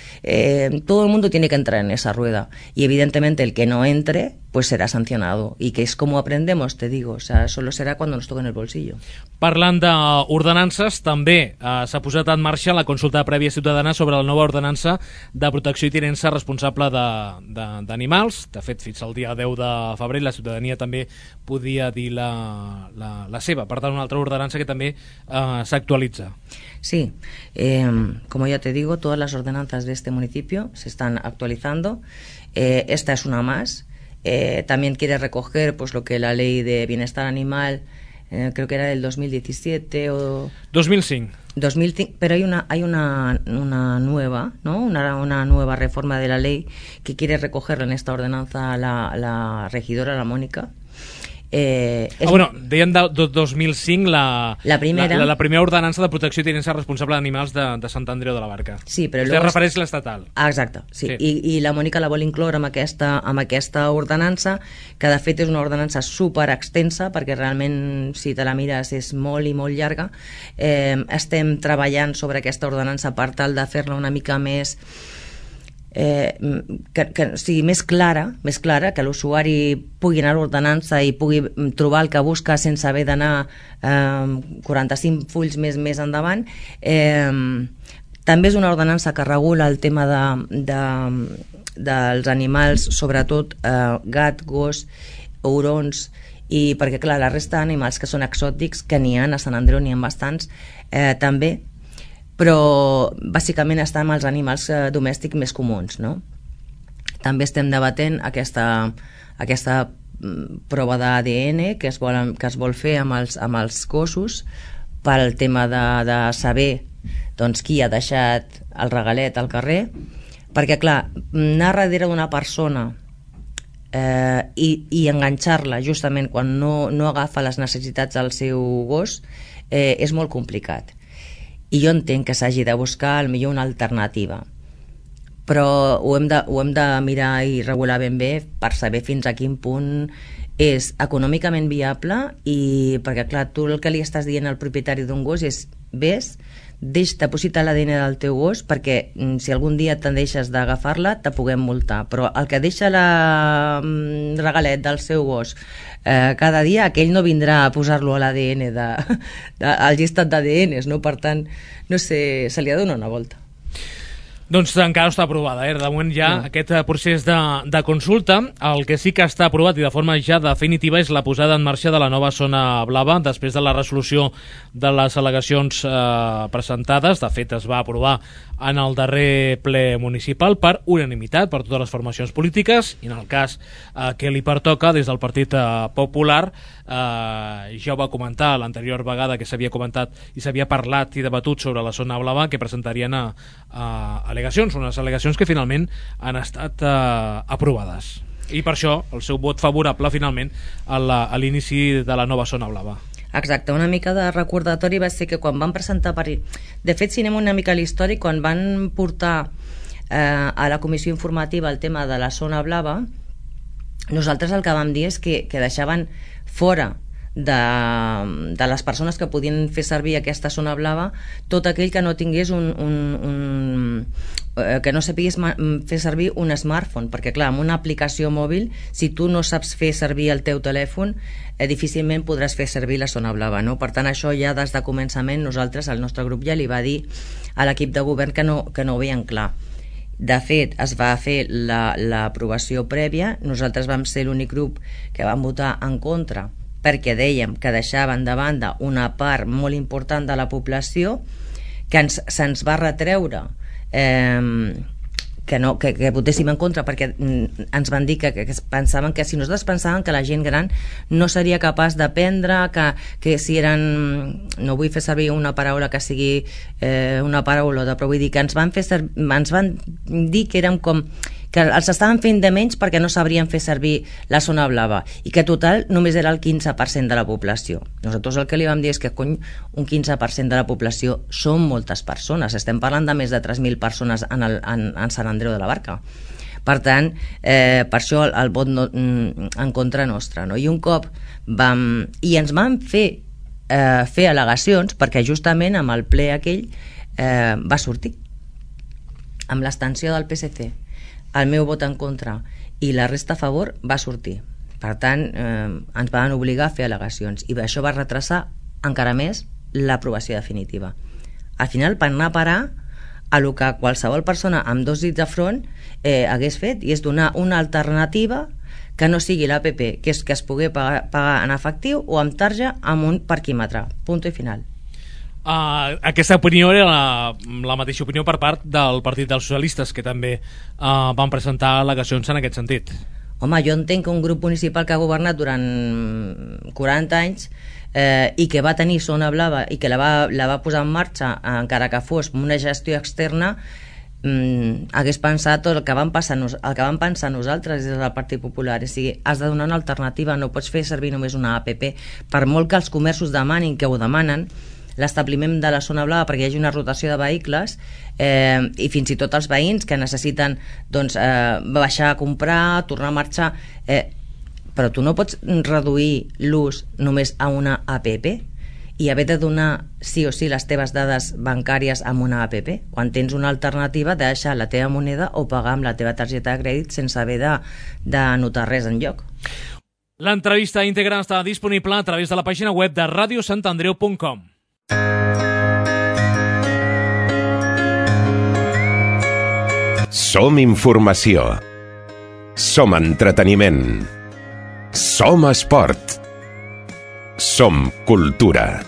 todo el mundo tiene que entrar en esa rueda y evidentemente el que no entre pues será sancionado y que es como aprendemos, te digo, o sea, solo será cuando nos toquen el bolsillo. Parlant d'ordenances, també s'ha posat en marxa la consulta prèvia ciutadana sobre la nova ordenança de protecció i tinença responsable d'animals. De fet, fins al dia 10 de febrer la ciutadania també podia dir la seva. Per tant, una altra ordenança que també s'actualitza. Sí, como ya te digo, todas las ordenanzas de este municipio se están actualizando. Esta es una más. También quiere recoger pues lo que la ley de bienestar animal, creo que era del 2017 o... 2005. Pero hay una nueva, ¿no? Una nueva reforma de la ley que quiere recogerla en esta ordenanza la regidora, la Mónica. Deien de 2005 la primera ordenança de protecció i tinença responsable d'animals de Sant Andreu de la Barca. Sí, però Vostè refereix l'estatal. Exacte, sí. I la Mònica la vol incloure amb aquesta ordenança, que de fet és una ordenança super extensa, perquè realment, si te la mires, és molt i molt llarga. Estem treballant sobre aquesta ordenança per tal de fer-la una mica més... que sigui més clara, que l'usuari pugui anar a l'ordenança i pugui trobar el que busca sense haver d'anar 45 fulls més endavant. També és una ordenança que regula el tema dels animals, sobretot gat, gos, hurons, i perquè clar, la resta d'animals que són exòtics, que n'hi ha a Sant Andreu, n'hi ha bastants també, però bàsicament està amb els animals domèstics més comuns, no? També estem debatent aquesta prova d'ADN que es vol fer amb els gossos pel tema de saber doncs, qui ha deixat el regalet al carrer, perquè clar, anar darrere d'una persona i enganxar-la justament quan no agafa les necessitats del seu gos és molt complicat. I jo entenc que s'hagi de buscar potser una alternativa, però ho hem de mirar i regular ben bé per saber fins a quin punt és econòmicament viable, i perquè clar, tu el que li estàs dient al propietari d'un gos és deposita l'ADN del teu gos perquè si algun dia te'n deixes d'agafar-la te puguem multar, però el que deixa el regalet del seu gos cada dia, aquell no vindrà a posar-lo a l'ADN al llistat d'ADNs, no? Per tant, no sé, se li ha de donar una volta. Doncs encara no està aprovada, de moment ja aquest procés de consulta. El que sí que està aprovat i de forma ja definitiva és la posada en marxa de la nova zona blava després de la resolució de les al·legacions presentades. De fet, es va aprovar en el darrer ple municipal per unanimitat per totes les formacions polítiques, i en el cas que li pertoca des del Partit Popular, ja ho va comentar l'anterior vegada que s'havia comentat i s'havia parlat i debatut sobre la zona blava, que presentarien unes al·legacions que finalment han estat aprovades. I per això el seu vot favorable finalment a l'inici de la nova zona blava. Exacte, una mica de recordatori va ser que quan van presentar de fet, si anem una mica a l'històric, quan van portar a la comissió informativa el tema de la zona blava, nosaltres el que vam dir és que deixaven fora de les persones que podien fer servir aquesta zona blava tot aquell que no tingués que no sapigués fer servir un smartphone, perquè clar, amb una aplicació mòbil, si tu no saps fer servir el teu telèfon, difícilment podràs fer servir la zona blava, no? Per tant, això ja des de començament nosaltres, el nostre grup ja li va dir a l'equip de govern que no ho veien clar. De fet, es va fer l'aprovació prèvia, nosaltres vam ser l'únic grup que vam votar en contra perquè dèiem que deixaven de banda una part molt important de la població que se'ns va retreure que votéssim en contra perquè ens van dir que pensaven que si nosaltres pensàvem que la gent gran no seria capaç d'aprendre, que si eren, no vull fer servir una paraula que sigui una paraula, però vull dir que ens van dir que érem com que els estaven fent de menys perquè no sabrien fer servir la zona blava i que total només era el 15% de la població. Nosaltres el que li vam dir és que un 15% de la població són moltes persones, estem parlant de més de 3.000 persones en Sant Andreu de la Barca. Per tant, per això el vot en contra nostre, no? I un cop ens van fer al·legacions perquè justament amb el ple aquell va sortir amb l'abstenció del PSC, el meu vot en contra i la resta a favor va sortir. Per tant, ens van obligar a fer al·legacions i això va retrasar encara més l'aprovació definitiva. Al final van anar a parar a el que qualsevol persona amb 2 dits de front hagués fet, i és donar una alternativa que no sigui l'APP, que és que es pugui pagar en efectiu o amb tarja amb un parquímetre. Punto i final. Aquesta opinió era la mateixa opinió per part del Partit dels Socialistes, que també van presentar al·legacions en aquest sentit. Home, jo entenc que un grup municipal que ha governat durant 40 anys i que va tenir zona blava i que la va posar en marxa, encara que fos una gestió externa, hagués pensat el que vam pensar nosaltres des del Partit Popular. És a dir, has de donar una alternativa, no pots fer servir només una APP, per molt que els comerços demanin, que ho demanen, l'establiment de la zona blava perquè hi hagi una rotació de vehicles i fins i tot els veïns que necessiten baixar a comprar, tornar a marxar, però tu no pots reduir l'ús només a una APP i haver de donar sí o sí les teves dades bancàries amb una APP quan tens una alternativa de deixar la teva moneda o pagar amb la teva targeta de crèdit sense haver d'anotar res enlloc. L'entrevista íntegra està disponible a través de la pàgina web de radiosantandreu.com. Som informació. Som entreteniment. Som esport. Som cultura.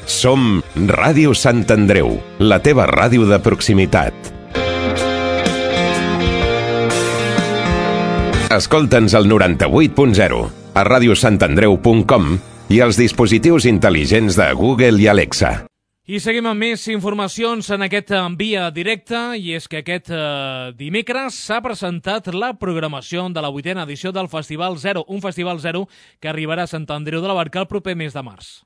Som Ràdio Sant Andreu, la teva ràdio de proximitat. Escolta'ns al 98.0, a radiosantandreu.com i als dispositius intel·ligents de Google i Alexa. I seguim amb més informacions en aquest Via Directa, i és que aquest dimecres s'ha presentat la programació de la 8a edició del Festival Zero, un Festival Zero que arribarà a Sant Andreu de la Barca el proper mes de març.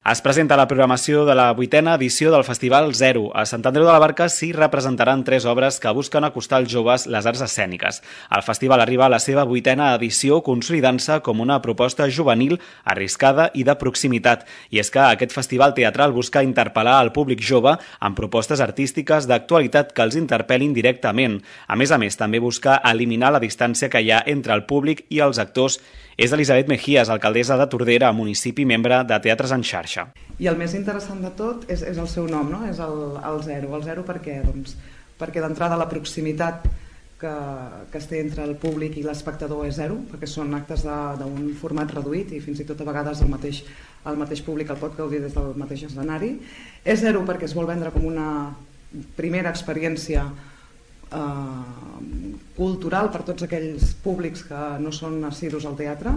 Es presenta la programació de la 8a edició del Festival Zero. A Sant Andreu de la Barca s'hi representaran 3 obres que busquen acostar als joves les arts escèniques. El festival arriba a la seva 8a edició consolidant-se com una proposta juvenil, arriscada i de proximitat. I és que aquest festival teatral busca interpel·lar al públic jove amb propostes artístiques d'actualitat que els interpel·lin directament. A més, també busca eliminar la distància que hi ha entre el públic i els actors. És Elisabet Mejías, alcaldessa de Tordera, municipi membre de Teatres en Xarxa. I el més interessant de tot és el seu nom, no? És el zero. El zero per què? Doncs perquè d'entrada la proximitat que es té entre el públic i l'espectador és zero, perquè són actes d'un format reduït i fins i tot a vegades el mateix públic el pot gaudir des del mateix escenari. És zero perquè es vol vendre com una primera experiència cultural per tots aquells públics que no són assidus al teatre,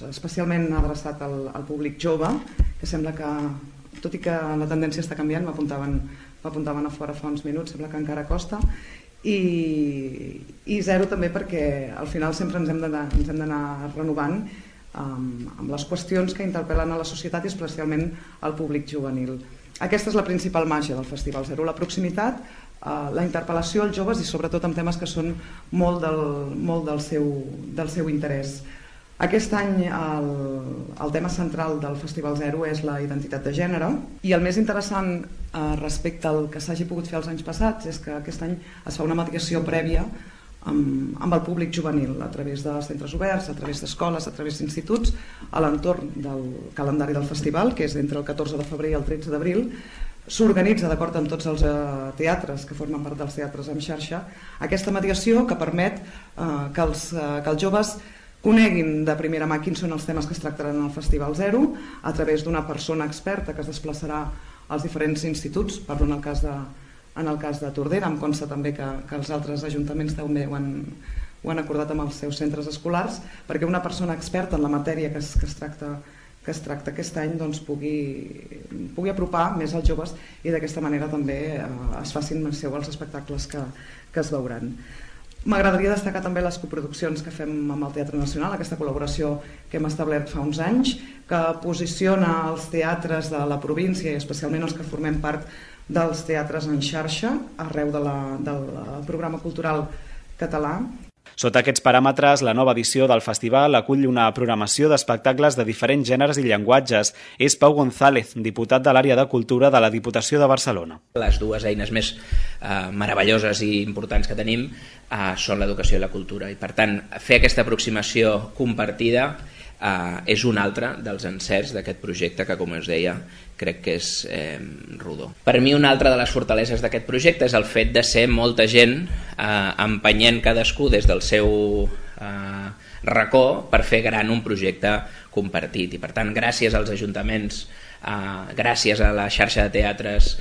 especialment adreçat al públic jove, que sembla que, tot i que la tendència està canviant, m'apuntaven a fora fa uns minuts, sembla que encara costa, i 0 també perquè al final sempre ens hem d'anar renovant amb les qüestions que interpel·len a la societat i especialment al públic juvenil. Aquesta és la principal màgia del Festival 0, la proximitat, la interpel·lació als joves i sobretot amb temes que són molt del seu interès. Aquest any el tema central del Festival 0 és la identitat de gènere i el més interessant respecte al que s'hagi pogut fer els anys passats és que aquest any es fa una mediació prèvia amb el públic juvenil a través de centres oberts, a través d'escoles, a través d'instituts, a l'entorn del calendari del festival, que és entre el 14 de febrer i el 13 d'abril. S'organitza d'acord amb tots els teatres que formen part dels teatres en xarxa aquesta mediació que permet que els joves coneguin de primera mà quins són els temes que es tractaran al Festival 0 a través d'una persona experta que es desplaçarà als diferents instituts. Parlo en el cas de Tordera, em consta també que els altres ajuntaments també ho han acordat amb els seus centres escolars, perquè una persona experta en la matèria que es tracta aquest any doncs, pugui apropar més als joves i d'aquesta manera també es facin més seu els espectacles que es veuran. M'agradaria destacar també les coproduccions que fem amb el Teatre Nacional, aquesta col·laboració que hem establert fa uns anys, que posiciona els teatres de la província i especialment els que formem part dels teatres en xarxa arreu del programa cultural català. Sota aquests paràmetres, la nova edició del festival acull una programació d'espectacles de diferents gèneres i llenguatges. És Pau González, diputat de l'àrea de cultura de la Diputació de Barcelona. Les dues eines més meravelloses i importants que tenim són l'educació i la cultura. I per tant, fer aquesta aproximació compartida és un altre dels encerts d'aquest projecte que, com us deia, crec que és rodó. Per mi una altra de les fortaleses d'aquest projecte és el fet de ser molta gent empenyent cadascú des del seu racó per fer gran un projecte compartit. I per tant, gràcies als ajuntaments, gràcies a la xarxa de teatres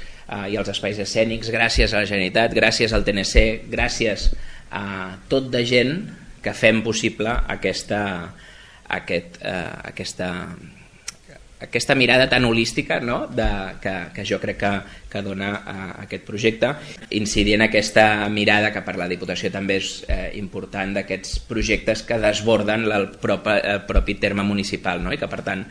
i als espais escènics, gràcies a la Generalitat, gràcies al TNC, gràcies a tot de gent que fem possible aquesta mirada tan holística, no? que jo crec que dona aquest projecte, incidir en aquesta mirada que per la Diputació també és important d'aquests projectes que desborden el propi terme municipal, no? I que per tant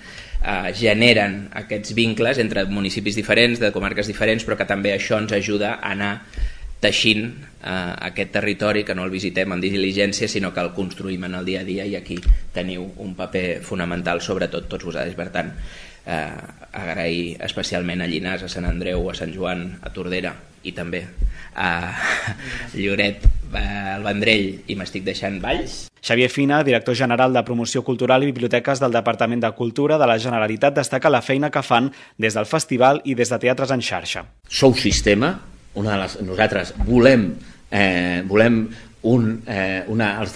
generen aquests vincles entre municipis diferents, de comarques diferents, però que també això ens ajuda a anar teixint aquest territori, que no el visitem en diligència sinó que el construïm en el dia a dia, i aquí teniu un paper fonamental, sobretot tots vosaltres. Per tant, agrair especialment a Llinars, a Sant Andreu, a Sant Joan, a Tordera i també a Lloret, al Vendrell, i m'estic deixant Valls. Xavier Fina, director general de Promoció Cultural i Biblioteques del Departament de Cultura de la Generalitat, destaca la feina que fan des del festival i des de Teatres en Xarxa. Sou sistema. Nosaltres volem els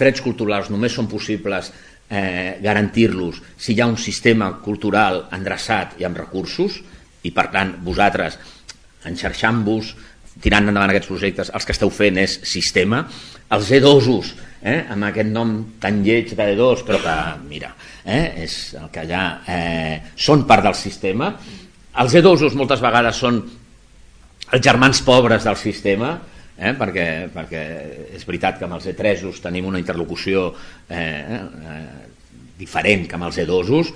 drets culturals només són possibles garantir-los si hi ha un sistema cultural endreçat i amb recursos, i per tant vosaltres enxarxant-vos, tirant endavant aquests projectes, els que esteu fent és sistema. Els E2-os, amb aquest nom tan lleig de E2, però que mira, és el que allà són part del sistema. Els E2-os moltes vegades són els germans pobres del sistema, perquè és veritat que amb els E3-os tenim una interlocució diferent que amb els E2-os.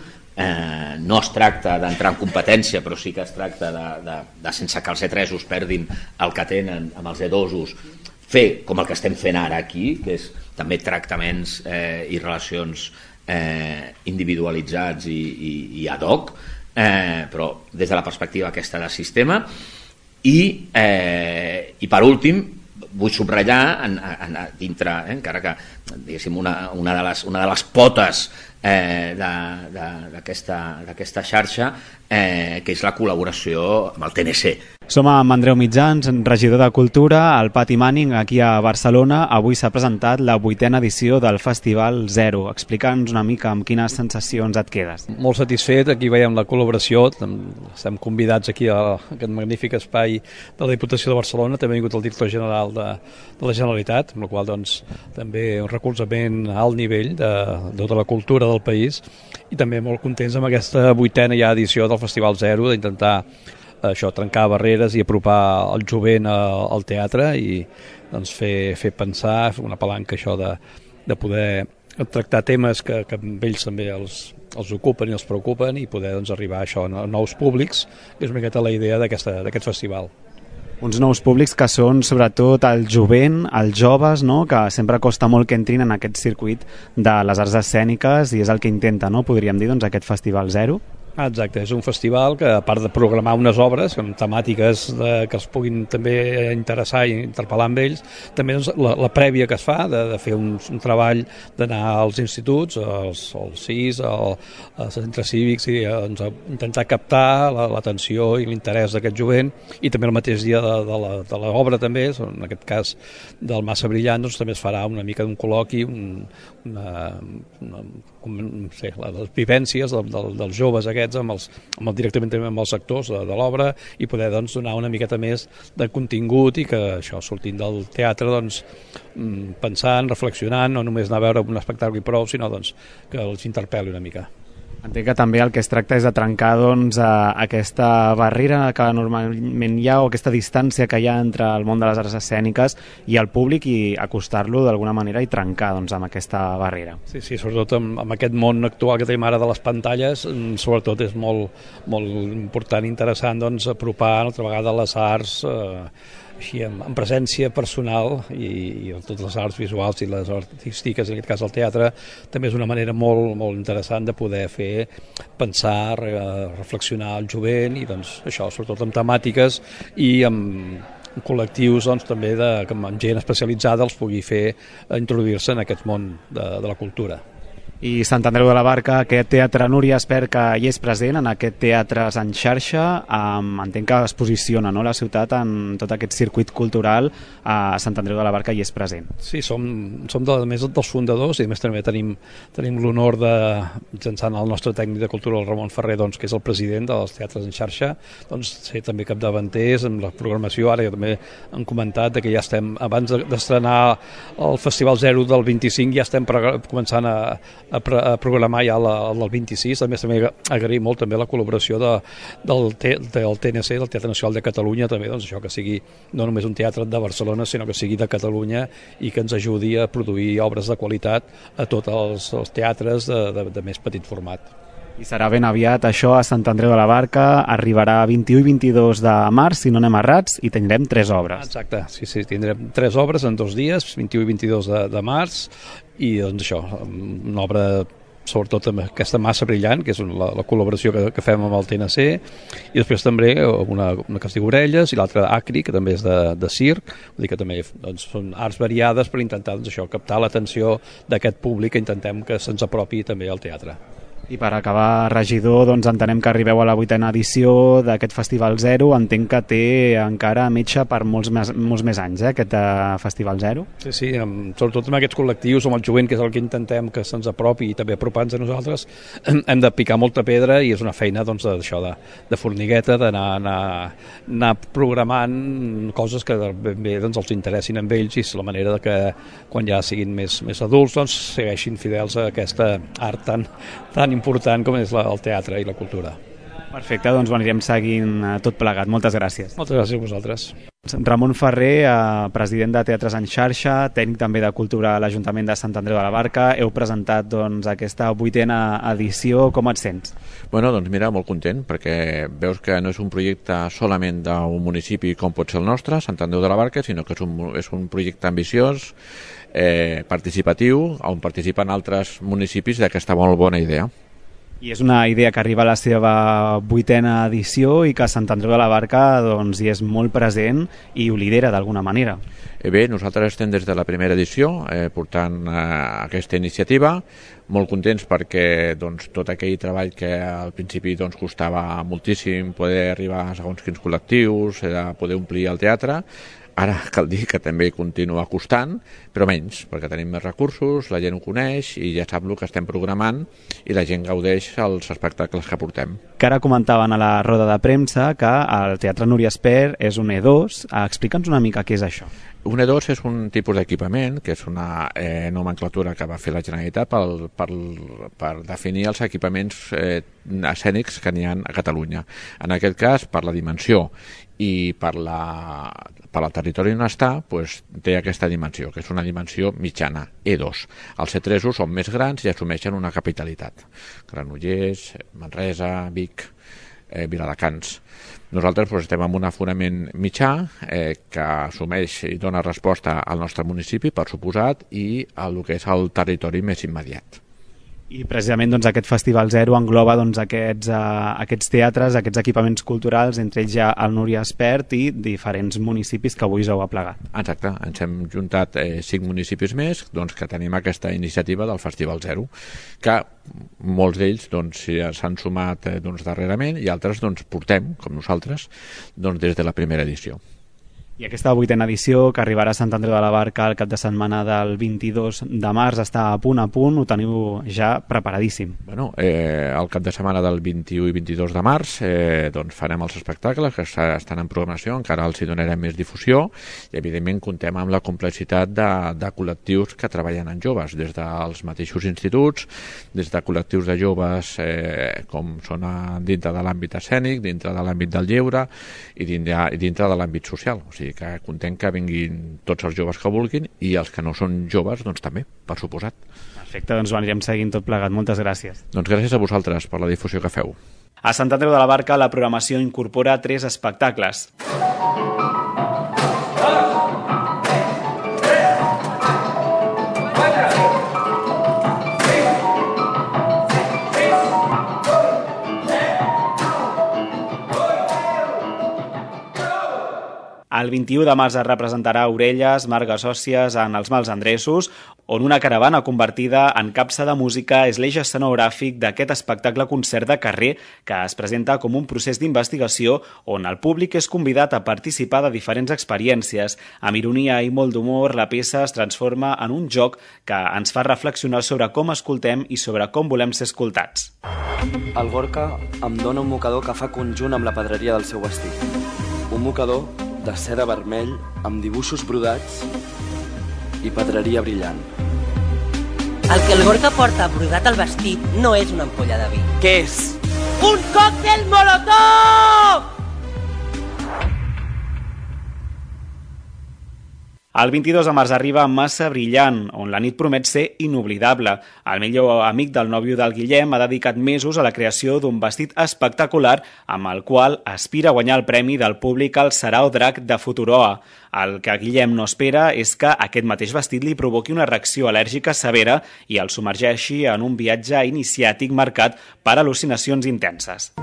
No es tracta d'entrar en competència, però sí que es tracta de sense que els E3-os perdin el que tenen amb els E2-os, fer com el que estem fent ara aquí, que és també tractaments i relacions individualitzats i ad hoc, però des de la perspectiva aquesta de sistema. I per últim vull subratllar dintre, encara que diguéssim una de les potes d'aquesta xarxa, que és la col·laboració amb el TNC. Som amb Andreu Mitjans, regidor de Cultura, al Pati Manning, aquí a Barcelona. Avui s'ha presentat la 8a edició del Festival 0. Explica'ns una mica amb quines sensacions et quedes. Molt satisfet, aquí veiem la col·laboració, estem convidats aquí a aquest magnífic espai de la Diputació de Barcelona, també ha vingut el director general de la Generalitat, amb la qual doncs, també un recolzament a alt nivell de tota la cultura del país, i també molt contents amb aquesta 8a ja edició del Festival 0, d'intentar això, trencar barreres i apropar el jovent al teatre i doncs, fer pensar, fer una palanca això de poder tractar temes que amb ells també els ocupen i els preocupen i poder doncs, arribar a això, a nous públics, que és una miqueta la idea d'aquest festival. Uns nous públics que són sobretot el jovent, els joves, no? Que sempre costa molt que entrin en aquest circuit de les arts escèniques i és el que intenta, no? Podríem dir, doncs, aquest Festival Zero. Exacte, és un festival que a part de programar unes obres amb temàtiques que els puguin també interessar i interpel·lar amb ells, també doncs, la prèvia que es fa de fer un treball d'anar als instituts, als CIS, als centres cívics i doncs, intentar captar l'atenció i l'interès d'aquest jovent i també el mateix dia de l'obra també, en aquest cas del Massa Brillant, doncs, també es farà una mica d'un col·loqui, les vivències dels joves aquests directament amb els actors de l'obra i poder doncs, donar una miqueta més de contingut i que això, sortint del teatre doncs, pensant, reflexionant, no només anar a veure un espectacle i prou, sinó doncs, que els interpel·li una mica. Entenc que també el que es tracta és de trencar doncs, aquesta barrera que normalment hi ha o aquesta distància que hi ha entre el món de les arts escèniques i el públic i acostar-lo d'alguna manera i trencar doncs, amb aquesta barrera. Sí, sobretot amb aquest món actual que tenim ara de les pantalles, sobretot és molt important i interessant doncs, apropar altra vegada les arts així, en presència personal i totes les arts visuals i les artístiques, en aquest cas el teatre, també és una manera molt interessant de poder fer pensar, reflexionar el jovent i doncs, això, sobretot amb temàtiques i amb col·lectius doncs, també que amb gent especialitzada els pugui fer introduir-se en aquest món de la cultura. I Sant Andreu de la Barca, aquest teatre, Núria, espero que hi és present en aquest Teatres en xarxa. Entenc que es posiciona, no, la ciutat en tot aquest circuit cultural. A Sant Andreu de la Barca hi és present. Sí, som més dels fundadors i a més també tenim l'honor de, mitjançant el nostre tècnic de cultura, el Ramon Ferrer, doncs, que és el president dels Teatres en xarxa, doncs, ser també capdavanters en la programació. Ara ja també han comentat que ja estem, abans d'estrenar el Festival Zero del 25, ja estem començant a programar ja el 26. A més, també agrair molt també la col·laboració del TNC, del Teatre Nacional de Catalunya, també, doncs, això que sigui no només un teatre de Barcelona, sinó que sigui de Catalunya i que ens ajudi a produir obres de qualitat a tots els teatres de més petit format. I serà ben aviat això a Sant Andreu de la Barca, arribarà 21 i 22 de març, si no anem errats, i tindrem 3 obres. Exacte, sí, tindrem 3 obres en 2 dies, 21 i 22 de març, i doncs això, una obra sobretot amb aquesta Massa Brillant, que és la col·laboració que fem amb el TNC, i després també una que es diu Orelles i l'altra Acri, que també és de circ, vull dir que també doncs, són arts variades per intentar doncs, això, captar l'atenció d'aquest públic que intentem que se'ns apropi també al teatre. I per acabar, regidor, doncs entenem que arribeu a la 8ª edició d'aquest Festival Zero. Entenc que té encara metge per molts més anys, aquest Festival Zero. Sí, sobretot amb aquests col·lectius, amb el jovent, que és el que intentem que se'ns apropi i també apropar-nos a nosaltres, hem de picar molta pedra i és una feina doncs, d'això de formigueta, d'anar programant coses que bé doncs, els interessin amb ells i és la manera de que quan ja siguin més adults doncs, segueixin fidels a aquesta art tan important com és el teatre i la cultura. Perfecte, doncs ho anirem seguint tot plegat. Moltes gràcies. Moltes gràcies a vosaltres. Ramon Ferrer, president de Teatres en xarxa, tècnic també de cultura a l'Ajuntament de Sant Andreu de la Barca. Heu presentat doncs, aquesta 8ª edició. Com et sents? Bueno, doncs mira, molt content, perquè veus que no és un projecte solament d'un municipi com pot ser el nostre, Sant Andreu de la Barca, sinó que és un projecte ambiciós, participatiu, on participen altres municipis d'aquesta molt bona idea. I és una idea que arriba a la seva 8ª edició i que Sant Andreu de la Barca doncs, hi és molt present i ho lidera d'alguna manera. Bé, nosaltres estem des de la primera edició portant aquesta iniciativa, molt contents perquè doncs, tot aquell treball que al principi doncs, costava moltíssim poder arribar a segons quins col·lectius, poder omplir el teatre, Ara cal dir que també continua costant, però menys, perquè tenim més recursos, la gent ho coneix i ja sap el que estem programant i la gent gaudeix els espectacles que portem. Que ara comentaven a la roda de premsa que el Teatre Núria Espert és un E2. Explica'ns una mica què és això. Un E2 és un tipus d'equipament, que és una nomenclatura que va fer la Generalitat per definir els equipaments escènics que n'hi ha a Catalunya. En aquest cas, per la dimensió i per el territori on està, té aquesta dimensió, que és una dimensió mitjana, E2. Els E3 són més grans i assumeixen una capitalitat. Granollers, Manresa, Vic, Viladecans. Nosaltres estem en un aforament mitjà que assumeix i dona resposta al nostre municipi, per suposat, i al que és el territori més immediat. I precisament aquest Festival Zero engloba aquests teatres, aquests equipaments culturals, entre ells ja el Núria Espert i diferents municipis que avui us heu aplegat. Exacte, ens hem juntat 5 municipis més que tenim aquesta iniciativa del Festival Zero, que molts d'ells s'han sumat darrerament i altres portem, com nosaltres, des de la primera edició. I aquesta 8a edició, que arribarà a Sant Andreu de la Barca el cap de setmana del 22 de març, està a punt, ho teniu ja preparadíssim. El cap de setmana del 21 i 22 de març farem els espectacles que estan en programació, encara els hi donarem més difusió i evidentment contem amb la complexitat de col·lectius que treballen en joves, des dels mateixos instituts, des de col·lectius de joves com són dintre de l'àmbit escènic, dintre de l'àmbit del lleure i dintre de l'àmbit social. O sigui que contem que vinguin tots els joves que vulguin i els que no són joves també, per suposat. Perfecte, ho anirem seguint tot plegat. Moltes gràcies. Gràcies a vosaltres per la difusió que feu. A Sant Andreu de la Barca la programació incorpora 3 espectacles. El 21 de març es representarà Orelles, Margues Òssies en els Mals Endreços, on una caravana convertida en capsa de música és l'eix escenogràfic d'aquest espectacle-concert de carrer que es presenta com un procés d'investigació on el públic és convidat a participar de diferents experiències. Amb ironia i molt d'humor, la peça es transforma en un joc que ens fa reflexionar sobre com escoltem i sobre com volem ser escoltats. El Gorka em dona un mocador que fa conjunt amb la pedreria del seu vestit. Un mocador de seda vermell amb dibuixos brodats i pedreria brillant. El que el Gorka porta brodat al vestit no és una ampolla de vi. Què és? ¡Un còctel molotov! El 22 de març arriba Massa Brillant, on la nit promet ser inoblidable. El millor amic del nòvio del Guillem ha dedicat mesos a la creació d'un vestit espectacular amb el qual aspira a guanyar el premi del públic al Sarao Drac de Futuroa. El que Guillem no espera és que aquest mateix vestit li provoqui una reacció al·lèrgica severa i el submergeixi en un viatge iniciàtic marcat per al·lucinacions intenses.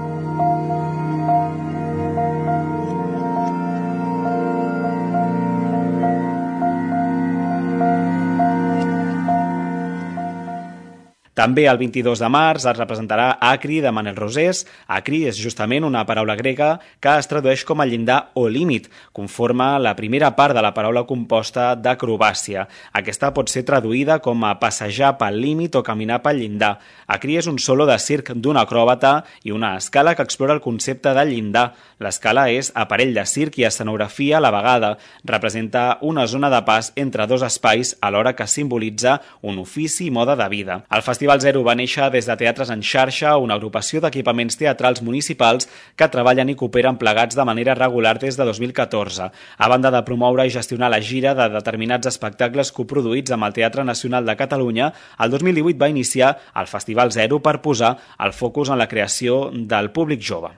També el 22 de març es representarà Acri de Manel Rosés. Acri és justament una paraula grega que es tradueix com a llindar o límit. Conforma la primera part de la paraula composta d'acrobàcia. Aquesta pot ser traduïda com a passejar pel límit o caminar pel llindar. Acri és un solo de circ d'un acròbata i una escala que explora el concepte de llindar. L'escala és aparell de circ i escenografia a la vegada. Representa una zona de pas entre dos espais alhora que simbolitza un ofici i moda de vida. El Festival Zero va néixer des de Teatres en Xarxa, una agrupació d'equipaments teatrals municipals que treballen i cooperen plegats de manera regular des de 2014. A banda de promoure i gestionar la gira de determinats espectacles coproduïts amb el Teatre Nacional de Catalunya, el 2018 va iniciar el Festival Zero per posar el focus en la creació del públic jove.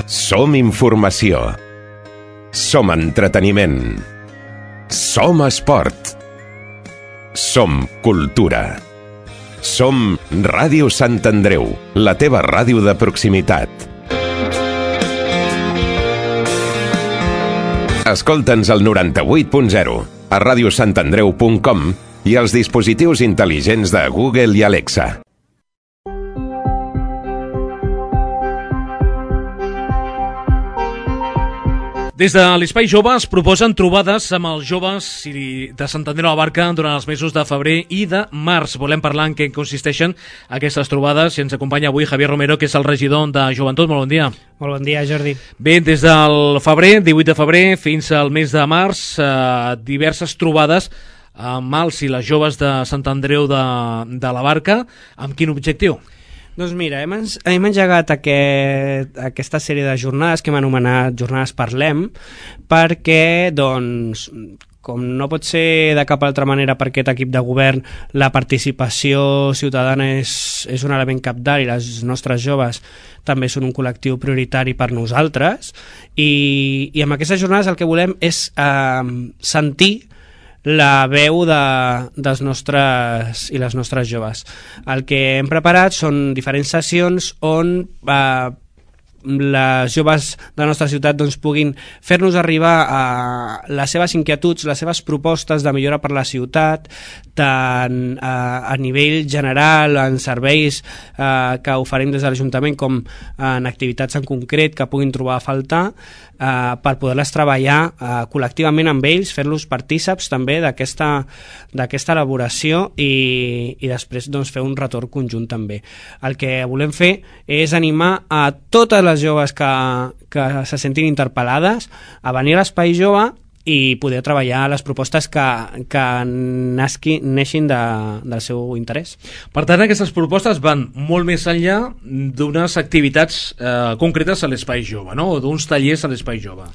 Som informació. Som entreteniment. Som esport. Som cultura. Som Ràdio Sant Andreu, la teva ràdio de proximitat. Escolta'ns al 98.0, a radiosantandreu.com i als dispositius intel·ligents de Google i Alexa. Des de l'Espai Jove es proposen trobades amb els joves de Sant Andreu de la Barca durant els mesos de febrer i de març. Volem parlar en què consisteixen aquestes trobades i ens acompanya avui Javier Romero, que és el regidor de Joventut. Molt bon dia. Molt bon dia, Jordi. Bé, des del febrer, 18 de febrer, fins al mes de març, diverses trobades amb els i les joves de Sant Andreu de la Barca. Amb quin objectiu? Doncs mira, hem engegat aquesta sèrie de jornades que hem anomenat Jornades Parlem, perquè, doncs, com no pot ser de cap altra manera per aquest equip de govern, la participació ciutadana és un element cabdal i les nostres joves també són un col·lectiu prioritari per nosaltres, i amb aquestes jornades el que volem és sentir la veu dels nostres i les nostres joves. El que hem preparat són diferents sessions on les joves de la nostra ciutat doncs, puguin fer-nos arribar a les seves inquietuds, les seves propostes de millora per la ciutat, tant a nivell general, en serveis que oferim des de l'Ajuntament, com en activitats en concret que puguin trobar a faltar, per poder-les treballar col·lectivament amb ells, fer-los partíceps també d'aquesta elaboració i després doncs, fer un retorn conjunt també. El que volem fer és animar a totes les joves que se sentin interpel·lades a venir a l'Espai Jove i poder treballar les propostes que neixin del seu interès. Per tant, aquestes propostes van molt més enllà d'unes activitats concretes a l'Espai Jove, no? O d'uns tallers a l'Espai Jove.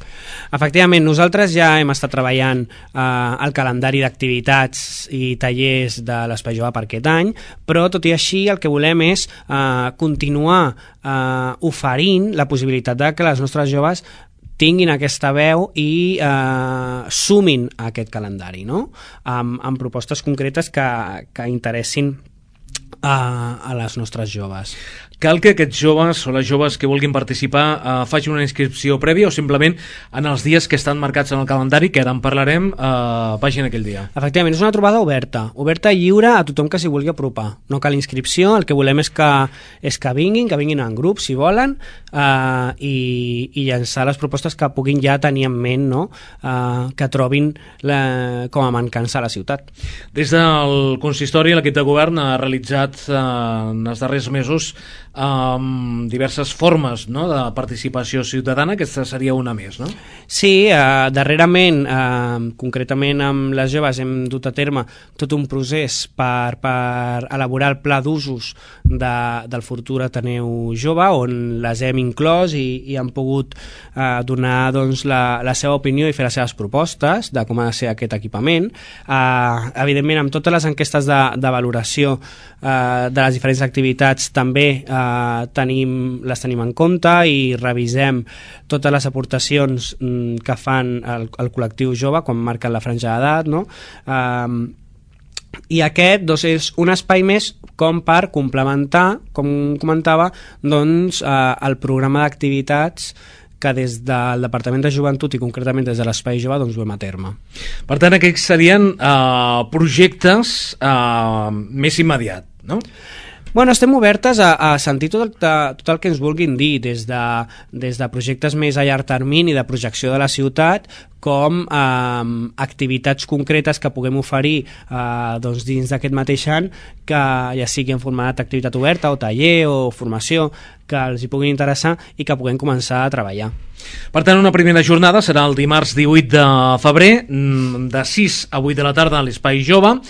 Efectivament, nosaltres ja hem estat treballant el calendari d'activitats i tallers de l'Espai Jove per aquest any, però tot i així el que volem és continuar oferint la possibilitat de que les nostres joves tinguin aquesta veu i sumin a aquest calendari, no? Amb propostes concretes que interessin a les nostres joves. Cal que aquests joves o les joves que vulguin participar facin una inscripció prèvia o simplement en els dies que estan marcats en el calendari, que ara en parlarem, vagin aquell dia? Efectivament, és una trobada oberta i lliure a tothom que s'hi vulgui apropar. No cal inscripció, el que volem és que vinguin en grup, si volen, i llançar les propostes que puguin ja tenir en ment, no? Que trobin com a mancança a la ciutat. Des del consistori, l'equip de govern ha realitzat en els darrers mesos diverses formes, no?, de participació ciutadana. Aquesta seria una més, no? Sí, darrerament, concretament amb les joves, hem dut a terme tot un procés per elaborar el pla d'usos del futur Ateneu Jove, on les hem inclòs i han pogut donar doncs, la seva opinió i fer les seves propostes de com ha de ser aquest equipament. Evidentment, amb totes les enquestes de valoració de les diferents activitats també les tenim en compte i revisem totes les aportacions que fan el col·lectiu jove quan marquen la franja d'edat, no? I aquest doncs, és un espai més com per complementar, com comentava, doncs, el programa d'activitats que des del Departament de Joventut i concretament des de l'Espai Jove doncs, duem a terme. Per tant, aquests serien projectes més immediat, no? Bueno, estem obertes a sentir tot el que ens vulguin dir, des de projectes més a llarg termini de projecció de la ciutat, com activitats concretes que puguem oferir doncs dins d'aquest mateix any, que ja sigui en format d'activitat oberta o taller o formació, que els hi puguin interessar i que puguem començar a treballar. Per tant, una primera jornada serà el dimarts 18 de febrer, de 6 a 8 de la tarda a l'Espai Jove.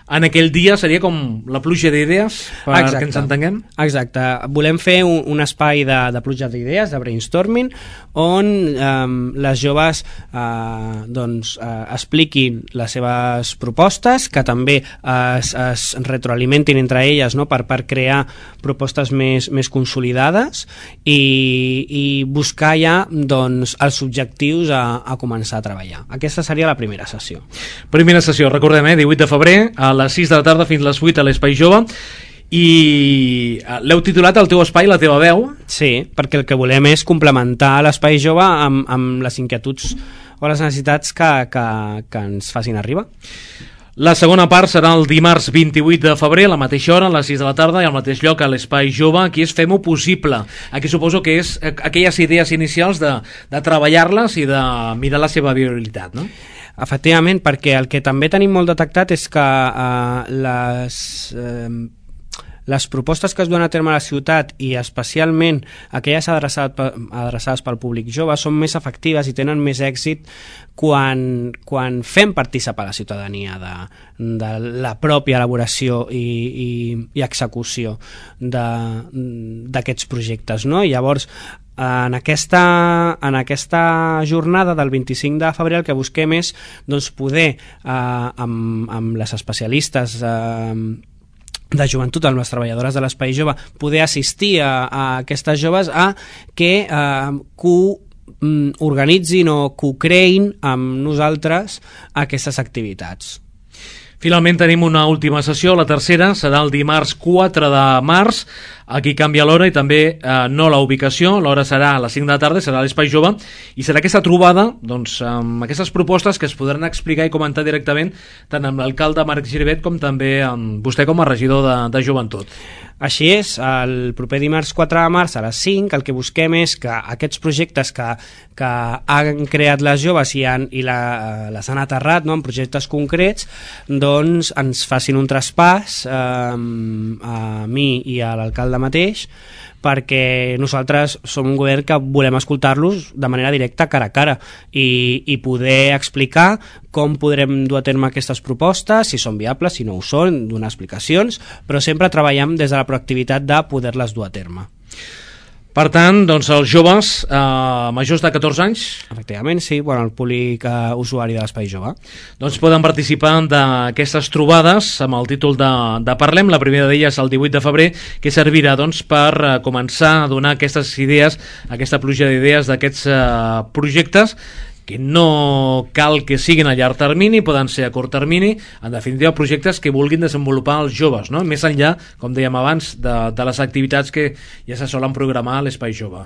En aquell dia seria com la pluja d'idees, que ens entenguem? Exacte. Volem fer un espai de pluja d'idees, de brainstorming, on les joves expliquin les seves propostes, que també es retroalimentin entre elles, no? per crear propostes més consolidades i buscar ja doncs, els objectius a començar a treballar. Aquesta seria la primera sessió. Primera sessió, recordem, 18 de febrer, a les 6 de la tarda fins a les 8 a l'Espai Jove. I l'heu titulat El teu espai, la teva veu? Sí, perquè el que volem és complementar l'Espai Jove amb les inquietuds o les necessitats que ens facin arribar. La segona part serà el dimarts 28 de febrer, a la mateixa hora, a les 6 de la tarda, i al mateix lloc, a l'Espai Jove. Aquí és Fem-ho possible. Aquí suposo que és aquelles idees inicials de treballar-les i de mirar la seva viabilitat, no? Efectivament, perquè el que també tenim molt detectat és que les propostes que es duen a terme a la ciutat, i especialment aquelles adreçades pel públic jove, són més efectives i tenen més èxit quan fem participar la ciutadania de la pròpia elaboració i execució d'aquests projectes, no? I llavors, en aquesta jornada del 25 de febrer el que busquem és poder, amb les especialistes de joventut, amb les treballadores de l'Espai Jove, poder assistir a aquestes joves a que organitzin o co-creïn amb nosaltres aquestes activitats. Finalment tenim una última sessió, la tercera serà el dimarts 4 de març. Aquí canvia l'hora i també no la ubicació. L'hora serà a les 5 de la tarda, serà a l'Espai Jove, i serà aquesta trobada amb aquestes propostes que es podran explicar i comentar directament tant amb l'alcalde Marc Giribet com també amb vostè com a regidor de Joventut. Així és, el proper dimarts 4 de març a les 5 el que busquem és que aquests projectes que han creat les joves i les han aterrat, no, en projectes concrets, doncs ens facin un traspàs a mi i a l'alcalde mateix, perquè nosaltres som un govern que volem escoltar-los de manera directa, cara a cara, i poder explicar com podrem dur a terme aquestes propostes, si són viables, si no ho són, donar explicacions, però sempre treballem des de la proactivitat de poder-les dur a terme. Per tant, doncs els joves majors de 14 anys... Efectivament, sí, el públic usuari de l'Espai Jove. Doncs poden participar d'aquestes trobades amb el títol de Parlem. La primera d'elles el 18 de febrer, que servirà per començar a donar aquestes idees, aquesta pluja d'idees d'aquests projectes, que no cal que siguin a llarg termini, poden ser a curt termini, en definitiva projectes que vulguin desenvolupar els joves, no? Més enllà, com dèiem abans, de les activitats que ja se solen programar a l'Espai Jove.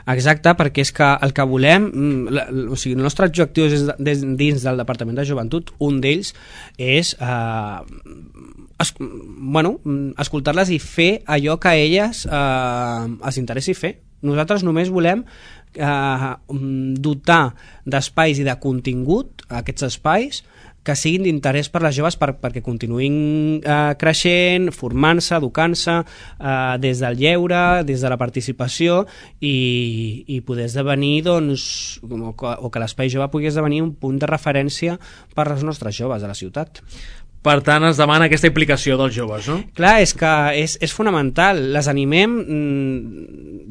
Exacte, perquè és que el que volem, el nostre objectiu dins del Departament de Joventut, un d'ells és escoltar-les i fer allò que a elles els interessi fer. Nosaltres només volem dotar d'espais i de contingut aquests espais que siguin d'interès per les joves perquè continuïn creixent, formant-se, educant-se des del lleure, des de la participació i poder esdevenir o que l'Espai Jove pugui esdevenir un punt de referència per als nostres joves de la ciutat. Per tant, es demana aquesta implicació dels joves, no? Clar, és que és fonamental. Les animem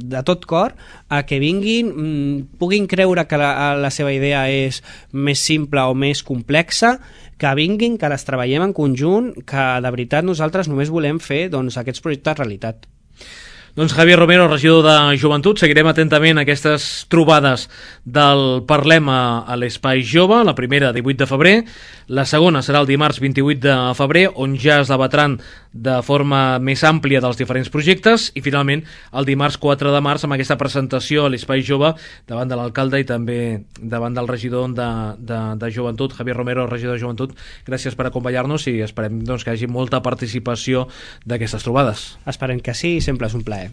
de tot cor a que vinguin, puguin creure que la seva idea és més simple o més complexa, que vinguin, que les treballem en conjunt, que de veritat nosaltres només volem fer aquests projectes realitat. Doncs Javier Romero, regidor de Joventut, seguirem atentament aquestes trobades del Parlem a l'Espai Jove, la primera 18 de febrer, la segona serà el dimarts 28 de febrer, on ja es debatran de forma més àmplia dels diferents projectes, i finalment el dimarts 4 de març amb aquesta presentació a l'Espai Jove davant de l'alcalde i també davant del regidor de Joventut, Javier Romero, regidor de Joventut. Gràcies per acompanyar-nos i esperem que hi hagi molta participació d'aquestes trobades. Esperem que sí, sempre és un plaer.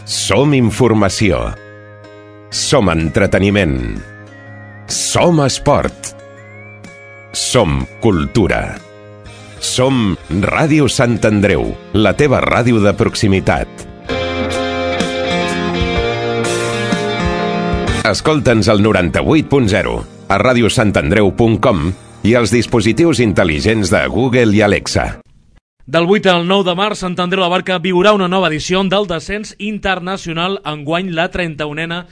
Som informació. Som entreteniment. Som esport. Som cultura. Som Ràdio Sant Andreu, la teva ràdio de proximitat. Escolta'ns al 98.0, a radiosantandreu.com i als dispositius intel·ligents de Google i Alexa. Del 8 al 9 de març, Sant Andreu de la Barca viurà una nova edició del descens internacional, enguany la 31a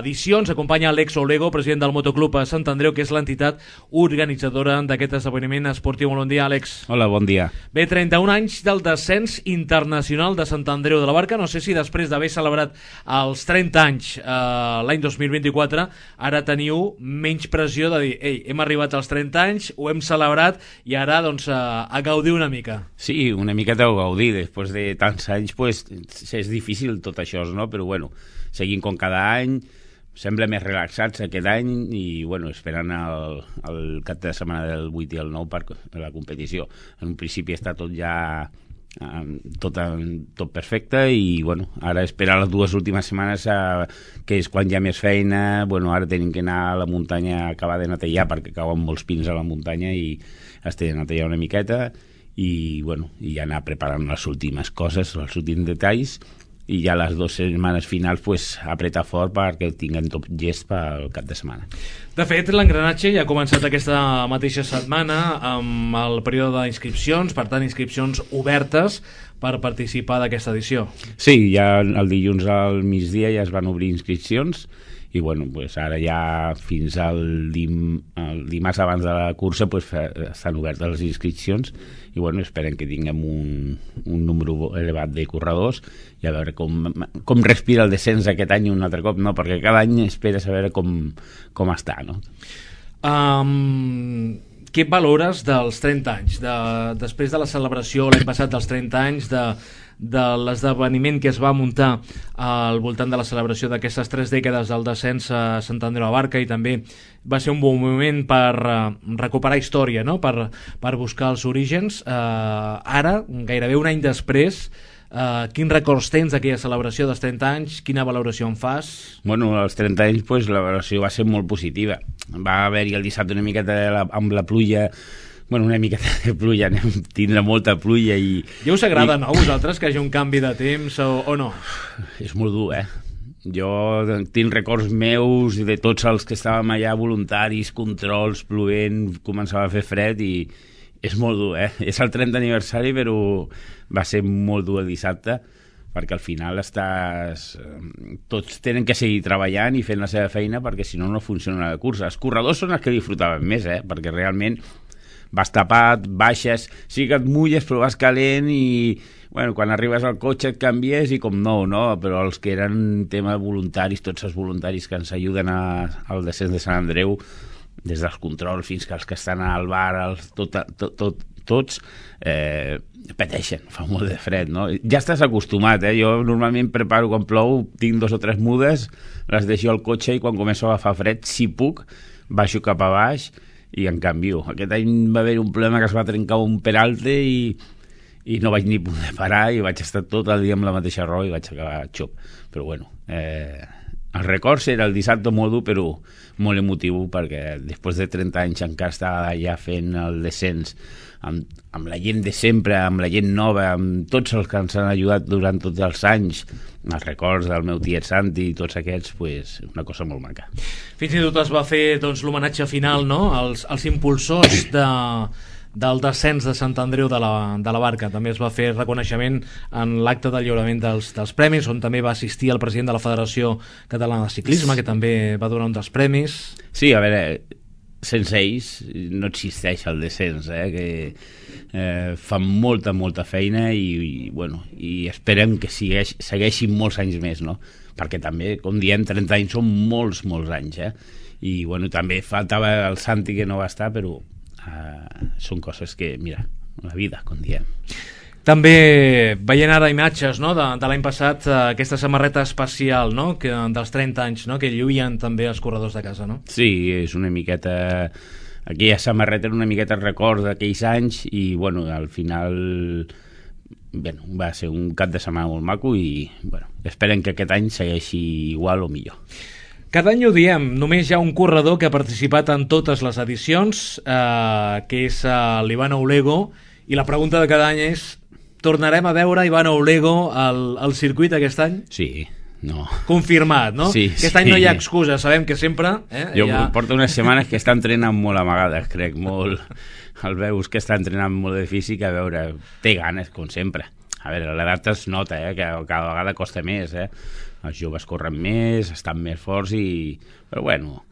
edició. Ens acompanya Alex Olego, president del Motoclub a Sant Andreu, que és l'entitat organitzadora d'aquest esdeveniment esportiu. Bon dia, Àlex. Hola, bon dia. Bé, 31 anys del descens internacional de Sant Andreu de la Barca. No sé si després d'haver celebrat els 30 anys l'any 2024, ara teniu menys pressió de dir, ei, hem arribat als 30 anys, ho hem celebrat i ara doncs a gaudir una mica. Sí, una miqueta ho gaudir, després de tants anys pues, és difícil tot això, no? Però bueno, seguim com cada any, sembla més relaxats aquest any i, bueno, esperant el cap de setmana del 8 i el 9 per la competició. En un principi està tot ja tot perfecte i, bueno, ara esperar les 2 últimes setmanes que és quan hi ha més feina. Bueno, ara tenim que anar a la muntanya a acabar de netejar perquè cauen molts pins a la muntanya i has de netejar una miqueta i, bueno, i anar preparant les últimes coses, els últims detalls, i ja les 2 setmanes finals pues, apretar fort perquè tinguen tot gest pel cap de setmana. De fet, l'engranatge ja ha començat aquesta mateixa setmana amb el període d'inscripcions, per tant, inscripcions obertes per participar d'aquesta edició. Sí, ja el dilluns al migdia ja es van obrir inscripcions i, bueno, pues ara ja fins al dimarts abans de la cursa pues, estan obertes les inscripcions i, bueno, esperem que tinguem un número elevat de corredors i a veure com respira el descens aquest any un altre cop, no? Perquè cada any esperes a veure com està, no? Què valores dels 30 anys? Després de la celebració l'any passat dels 30 anys de l'esdeveniment que es va muntar al voltant de la celebració d'aquestes 3 dècades del descens a Sant Andreu de la Barca, i també va ser un bon moment per recuperar història, no? per buscar els orígens. Ara, gairebé un any després, quins records tens d'aquella celebració dels 30 anys? Quina valoració en fas? Bueno, als 30 anys pues, la valoració va ser molt positiva. Va haver-hi el dissabte una miqueta amb la pluja, bueno, una miqueta de pluja, tindrà molta pluja i... Ja us agrada, no, a vosaltres, que hi hagi un canvi de temps o no? És molt dur, Jo tinc records meus de tots els que estàvem allà, voluntaris, controls, plovent, començava a fer fred i és molt dur, És el 30 aniversari, però va ser molt dur el dissabte, perquè al final tots tenen que seguir treballant i fent la seva feina perquè si no, no funciona la cursa. Els corredors són els que disfrutaven més, perquè realment vas tapat, baixes, sí que et mulles però vas calent i, bueno, quan arribes al cotxe et canvies i com no, però els que eren tema voluntaris, tots els voluntaris que ens ajuden al descens de Sant Andreu, des dels controls fins que els que estan al bar, tots pateixen, fa molt de fred, no? Ja estàs acostumat, Jo normalment preparo quan plou, tinc 2 o 3 mudes, les deixo al cotxe i quan començo a agafar fred, si puc, baixo cap a baix i en canvio. Aquest any va haver un problema que es va trencar un peralte i no vaig ni poder parar i vaig estar tot el dia amb la mateixa roba i vaig acabar xop. Però bueno, el record era el dissabte molt dur però molt emotiu perquè després de 30 anys encara estava ja fent el descens amb la gent de sempre, amb la gent nova, amb tots els que ens han ajudat durant tots els anys, els records del meu tiet Santi i tots aquests, pues, una cosa molt maca. Fins i tot es va fer l'homenatge final, no?, als impulsors del descens de Sant Andreu de la Barca. També es va fer reconeixement en l'acte del lliurament dels premis, on també va assistir el president de la Federació Catalana de Ciclisme, que també va donar un dels premis. Sí, a veure, sense ells no existeix el descens, que fan molta feina i esperem que segueixin molts anys més, no? Perquè també, com diem, 30 anys són molts anys, i bueno, també faltava el Santi que no va estar, però són coses que, mira, la vida, com diem. També veient ara imatges, no?, de l'any passat, aquesta samarreta especial, no?, dels 30 anys, no?, que lluïen també els corredors de casa, no? Sí, és una miqueta... Aquella samarreta era una miqueta record d'aquells anys i, bueno, al final va ser un cap de setmana molt maco i, bueno, esperem que aquest any segueixi igual o millor. Cada any ho diem, només hi ha un corredor que ha participat en totes les edicions, que és l'Ivan Oulego, i la pregunta de cada any és: tornarem a veure Ivan Oulego al circuit aquest any? Sí, no. Confirmat, no? Sí, aquest any no hi ha excusa, sabem que sempre... Jo porto unes setmanes que està entrenant molt amagades, crec, molt... El veus que està entrenant molt de físic, a veure, té ganes, com sempre. A veure, l'edat es nota, que cada vegada costa més, Els joves corren més, estan més forts i... Però bueno,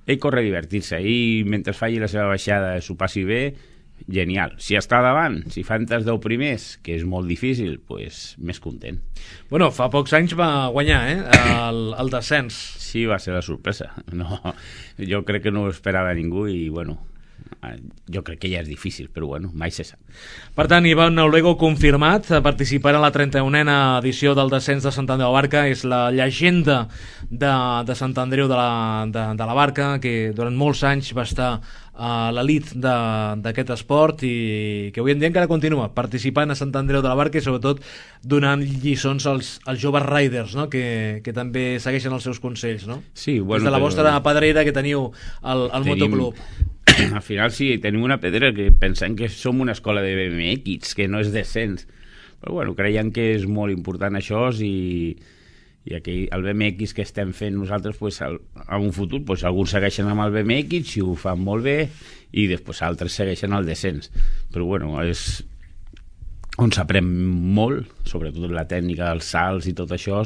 ell corre a divertir-se i mentre faci la seva baixada s'ho passi bé, genial. Si està davant, si fa entre els 10 primers, que és molt difícil, pues més content. Bueno, fa pocs anys va guanyar, el descens. Sí, va ser la sorpresa. No, jo crec que no ho esperava ningú i, bueno, jo crec que ja és difícil, però bueno, mai se sap. Per tant, Ivan Olego confirmat, participarà a la 31a edició del descens de Sant Andreu de la Barca, és la llegenda de Sant Andreu de la Barca, que durant molts anys va estar a l'elit d'aquest esport i que avui en dia encara continua participant a Sant Andreu de la Barca i sobretot donant lliçons als joves riders, no? que també segueixen els seus consells, no? Sí, bueno, des de la vostra pedrera que teniu al motoclub. Al final sí, tenim una pedra que pensem que som una escola de BMX, que no és descens, però bueno, creiem que és molt important això i aquí el BMX que estem fent nosaltres pues, en un futur pues, alguns segueixen amb el BMX i ho fan molt bé i després altres segueixen el descens, però bueno, és on s'aprèn molt, sobretot la tècnica dels salts i tot això,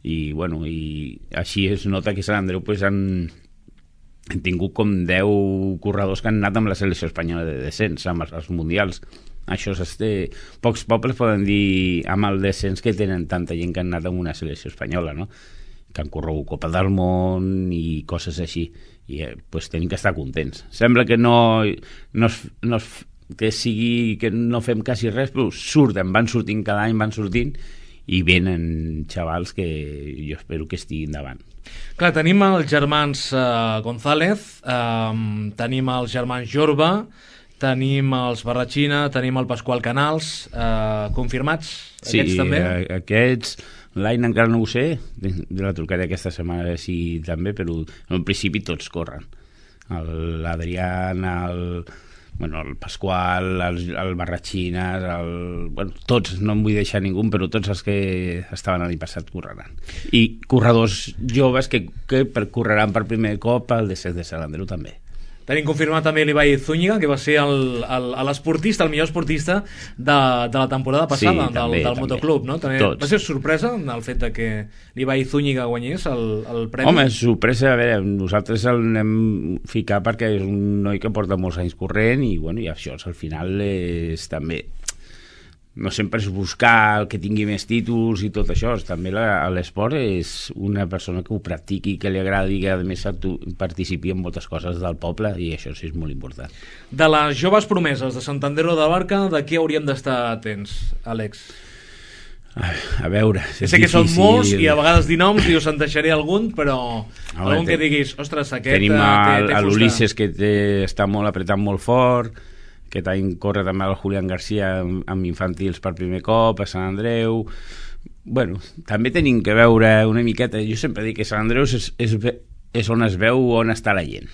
i bueno, i així es nota que Sant Andreu pues, han tingut com 10 corredors que han anat amb la selecció espanyola de descens, amb els mundials. Això pocs pobles poden dir amb el descens que tenen tanta gent que han anat amb una selecció espanyola, no? Que han corregut Copa del Món i coses així, i pues, tenim que estar contents. Sembla que que no fem quasi res, però van sortint cada any, van sortint i venen xavals que jo espero que estiguin davant. Clar, tenim els germans González, tenim els germans Jorba, tenim els Barratxina, tenim el Pasqual Canals, confirmats? Sí, aquests també? Aquests, l'any encara no ho sé, de la trucaré aquesta setmana sí també, però en principi tots corren. L'Adrián, el Pasqual, el Barratxina, tots, no em vull deixar ningú, però tots els que estaven l'any passat correran. I corredors joves que correran per primer cop al descens de Sant Andreu també. Tenim confirmat també l'Ibai Zúñiga, que va ser l'esportista, el millor esportista de la temporada passada, sí, del motoclub, no? Va ser sorpresa el fet de que l'Ibai Zúñiga guanyés el premi? Home, sorpresa, a veure, nosaltres el anem ficar perquè és un noi que porta molts anys corrent i, bueno, i això al final és també... No sempre és buscar el que tingui més títols i tot això, també l'esport és una persona que ho practiqui, que li agradi, que a més participi en moltes coses del poble i això sí és molt important. De les joves promeses de Sant Andreu de la Barca, de què hauríem d'estar atents, Àlex? A veure, sé que són molts i a vegades dir noms i us en deixaré algun, però algun que diguis, ostres, aquest tenim l'Ulisses que està molt apretant molt fort. Aquest any corre també el Julián García amb infantils per primer cop a Sant Andreu. Bueno, també tenim que veure una miqueta, jo sempre dic que Sant Andreu és on es veu on està la gent,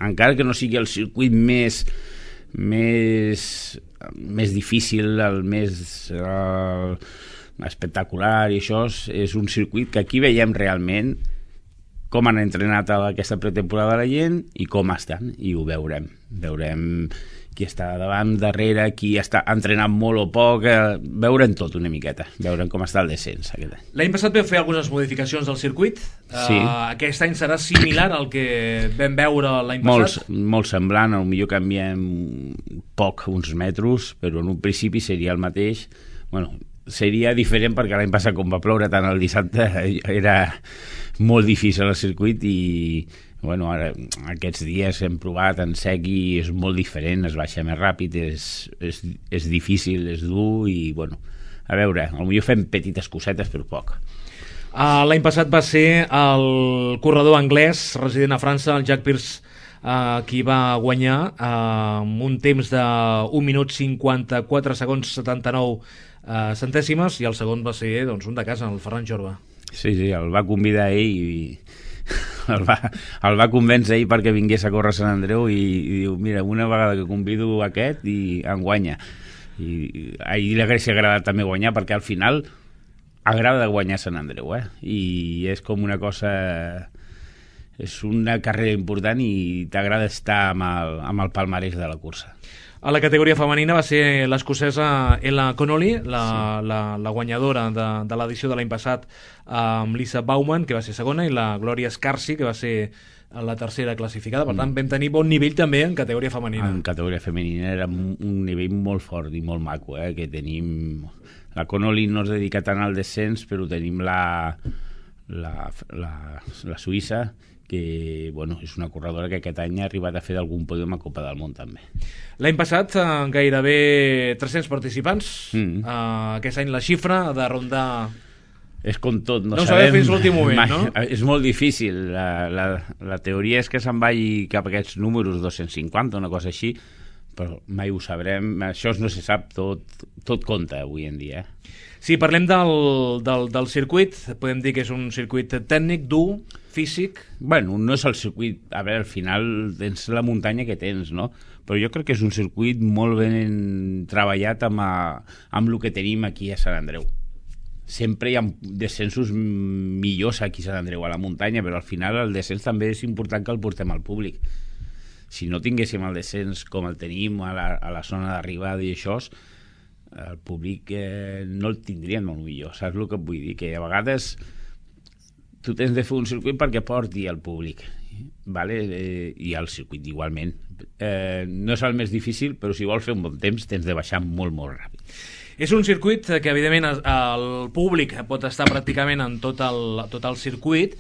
encara que no sigui el circuit més difícil, el més espectacular i això, és un circuit que aquí veiem realment com han entrenat aquesta pretemporada la gent i com estan, i ho veurem qui està davant, darrere, qui està entrenant molt o poc, veurem tot una miqueta, veurem com està el descens aquest any. L'any passat vam fer algunes modificacions del circuit, sí. Aquest any serà similar al que vam veure l'any passat? Molt semblant, potser canviem poc, uns metres, però en un principi seria el mateix. Bueno, seria diferent perquè l'any passat, com va ploure tant el dissabte, era molt difícil el circuit i bueno, ara, aquests dies hem provat en sec i és molt diferent, es baixa més ràpid, és difícil, és dur i, bueno, a veure, potser fem petites cosetes, però poc. L'any passat va ser el corredor anglès resident a França, el Jack Pierce, qui va guanyar amb un temps de 1 minut 54 segons 79 centèsimes i el segon va ser doncs, un de casa, el Ferran Jorba. Sí, el va convidar ell i el va convèncer ell perquè vingués a córrer a Sant Andreu i diu, mira, una vegada que convido aquest i em guanya, i a ell li hauria agradat també guanyar perquè al final agrada guanyar Sant Andreu, i és com una cosa, és una carrera important i t'agrada estar amb el palmarès de la cursa. A la categoria femenina va ser l'escocesa Ella Connolly, la guanyadora de l'edició de l'any passat, amb Lisa Bauman, que va ser segona, i la Gloria Scarsi, que va ser la tercera classificada. Per tant, vam tenir bon nivell també en categoria femenina. En categoria femenina era un nivell molt fort i molt maco, que tenim... La Connolly no es dedica tant al descens, però tenim la Suïssa, que bueno, és una corredora que aquest any ha arribat a fer d'algun pòdium a Copa del Món també. L'any passat gairebé 300 participants. Aquest any la xifra ha de rondar... És com tot, no sabem fins l'últim moment, mai, no? És molt difícil. La teoria és que se'n vagi cap a aquests números, 250, una cosa així, però mai ho sabrem. Això no se sap, tot compta avui en dia. Si parlem del circuit, podem dir que és un circuit tècnic, dur, físic... Bueno, no és el circuit... A veure, al final tens la muntanya que tens, no? Però jo crec que és un circuit molt ben treballat amb el que tenim aquí a Sant Andreu. Sempre hi ha descensos millors aquí a Sant Andreu, a la muntanya, però al final el descens també és important que el portem al públic. Si no tinguéssim el descens com el tenim a la zona d'arribada i això, el públic no el tindrien molt millor. Saps el que et vull dir? Que a vegades tu tens de fer un circuit perquè porti al públic, vale? I el circuit igualment. No és el més difícil, però si vols fer un bon temps tens de baixar molt, molt ràpid. És un circuit que, evidentment, el públic pot estar pràcticament en tot el circuit,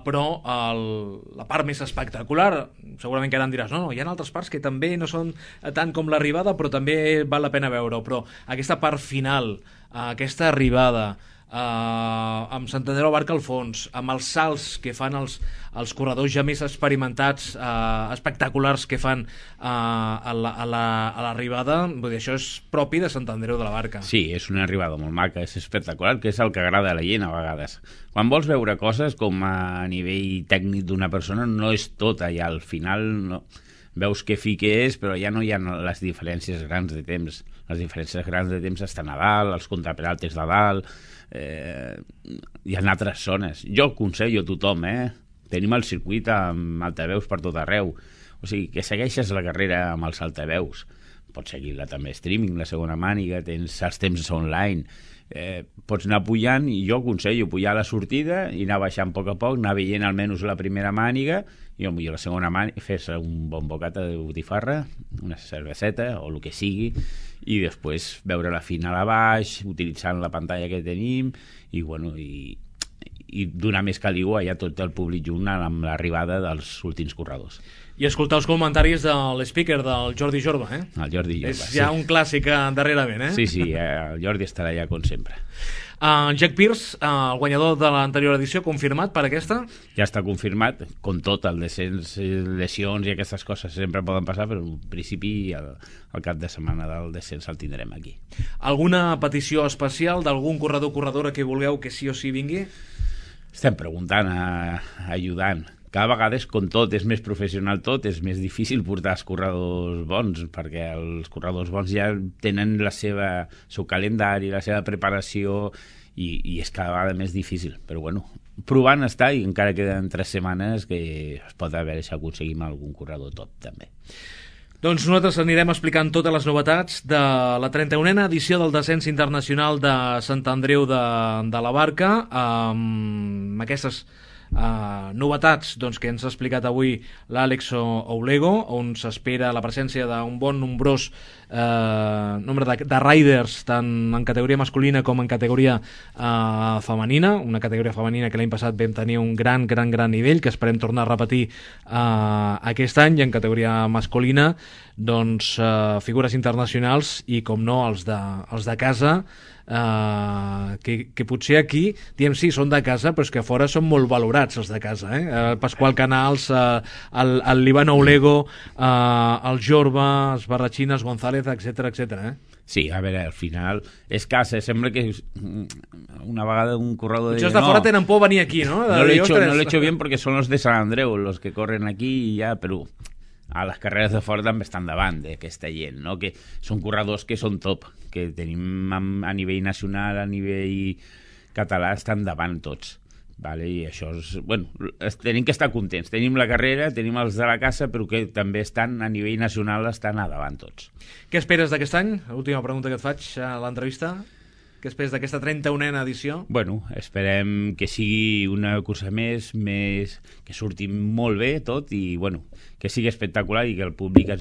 però la part més espectacular, segurament que ara em diràs, no, hi ha altres parts que també no són tant com l'arribada, però també val la pena veure-ho. Però aquesta part final, aquesta arribada, amb Sant Andreu Abarca al fons, amb els salts que fan els corredors ja més experimentats, espectaculars que fan a l'arribada, vull dir, això és propi de Sant Andreu de la Barca. Sí, és una arribada molt maca, és espectacular, que és el que agrada a la gent a vegades. Quan vols veure coses com a nivell tècnic d'una persona, no és tot allà, al final no. Veus que fi que és, però ja no hi ha les diferències grans de temps. Les diferències grans de temps estan a dalt, els contraperaltes de dalt, hi ha altres zones. Jo aconsello a tothom, tenim el circuit amb altaveus per tot arreu, o sigui, que segueixes la carrera amb els altaveus, pots seguir-la també streaming, la segona màniga, tens els temps online, pots anar pujant, i jo aconsello pujar a la sortida i anar baixant a poc, anar veient almenys la primera màniga i potser la segona màniga, fer-se un bon bocata de botifarra, una cerveseta o el que sigui, i després veure la final a baix, utilitzant la pantalla que tenim, i bueno, i donar més caliu allà tot el públic junt amb l'arribada dels últims corredors. I escoltar els comentaris de l'speaker, del Jordi Jorba, El Jordi Jorba, és ja un clàssic darrerament, Sí, el Jordi estarà allà com sempre. Jack Pierce, el guanyador de l'anterior edició, confirmat per aquesta? Ja està confirmat, com tot, el descens, lesions i aquestes coses sempre poden passar, però en principi el cap de setmana del descens el tindrem aquí. Alguna petició especial d'algun corredor o corredora que vulgueu que sí o sí vingui? Estem preguntant, ajudant. Cada vegada és com tot, és més professional tot, és més difícil portar els corredors bons, perquè els corredors bons ja tenen el seu calendari, la seva preparació, i és cada vegada més difícil. Però bueno, provant està, i encara queden 3 setmanes que es pot veure si aconseguim algun corredor top també. Doncs nosaltres anirem explicant totes les novetats de la 31a edició del descens internacional de Sant Andreu de la Barca, amb aquestes novetats que ens ha explicat avui l'Àlex Oulego, on s'espera la presència d'un bon nombrós nombre de riders tant en categoria masculina com en categoria femenina, una categoria femenina que l'any passat vam tenir un gran nivell, que esperem tornar a repetir aquest any, i en categoria masculina doncs figures internacionals i com no els de casa, que potser aquí diem sí, són de casa, però és que a fora són molt valorats els de casa, Pasqual Canals, el Líban Oulego, el Jorba, els Barrachines, González, etc. Sí, a veure, al final és casa, sembla que una vegada un corredor potser els de fora tenen por venir aquí, no? No lo he hecho bien porque son los de Sant Andreu los que corren aquí i ja, però a les carreres de fora també estan davant d'aquesta gent, no? Que són corredors que són top, que tenim a nivell nacional, a nivell català, estan davant tots, vale? I això és, bueno, tenim que estar contents, tenim la carrera, tenim els de la casa, però que també estan a nivell nacional, estan a davant tots. Què esperes d'aquest any? L'última pregunta que et faig a l'entrevista. Què esperes d'aquesta 31a edició? Bueno, esperem que sigui una cursa més, que surti molt bé tot, i bueno, que sigui espectacular i que el públic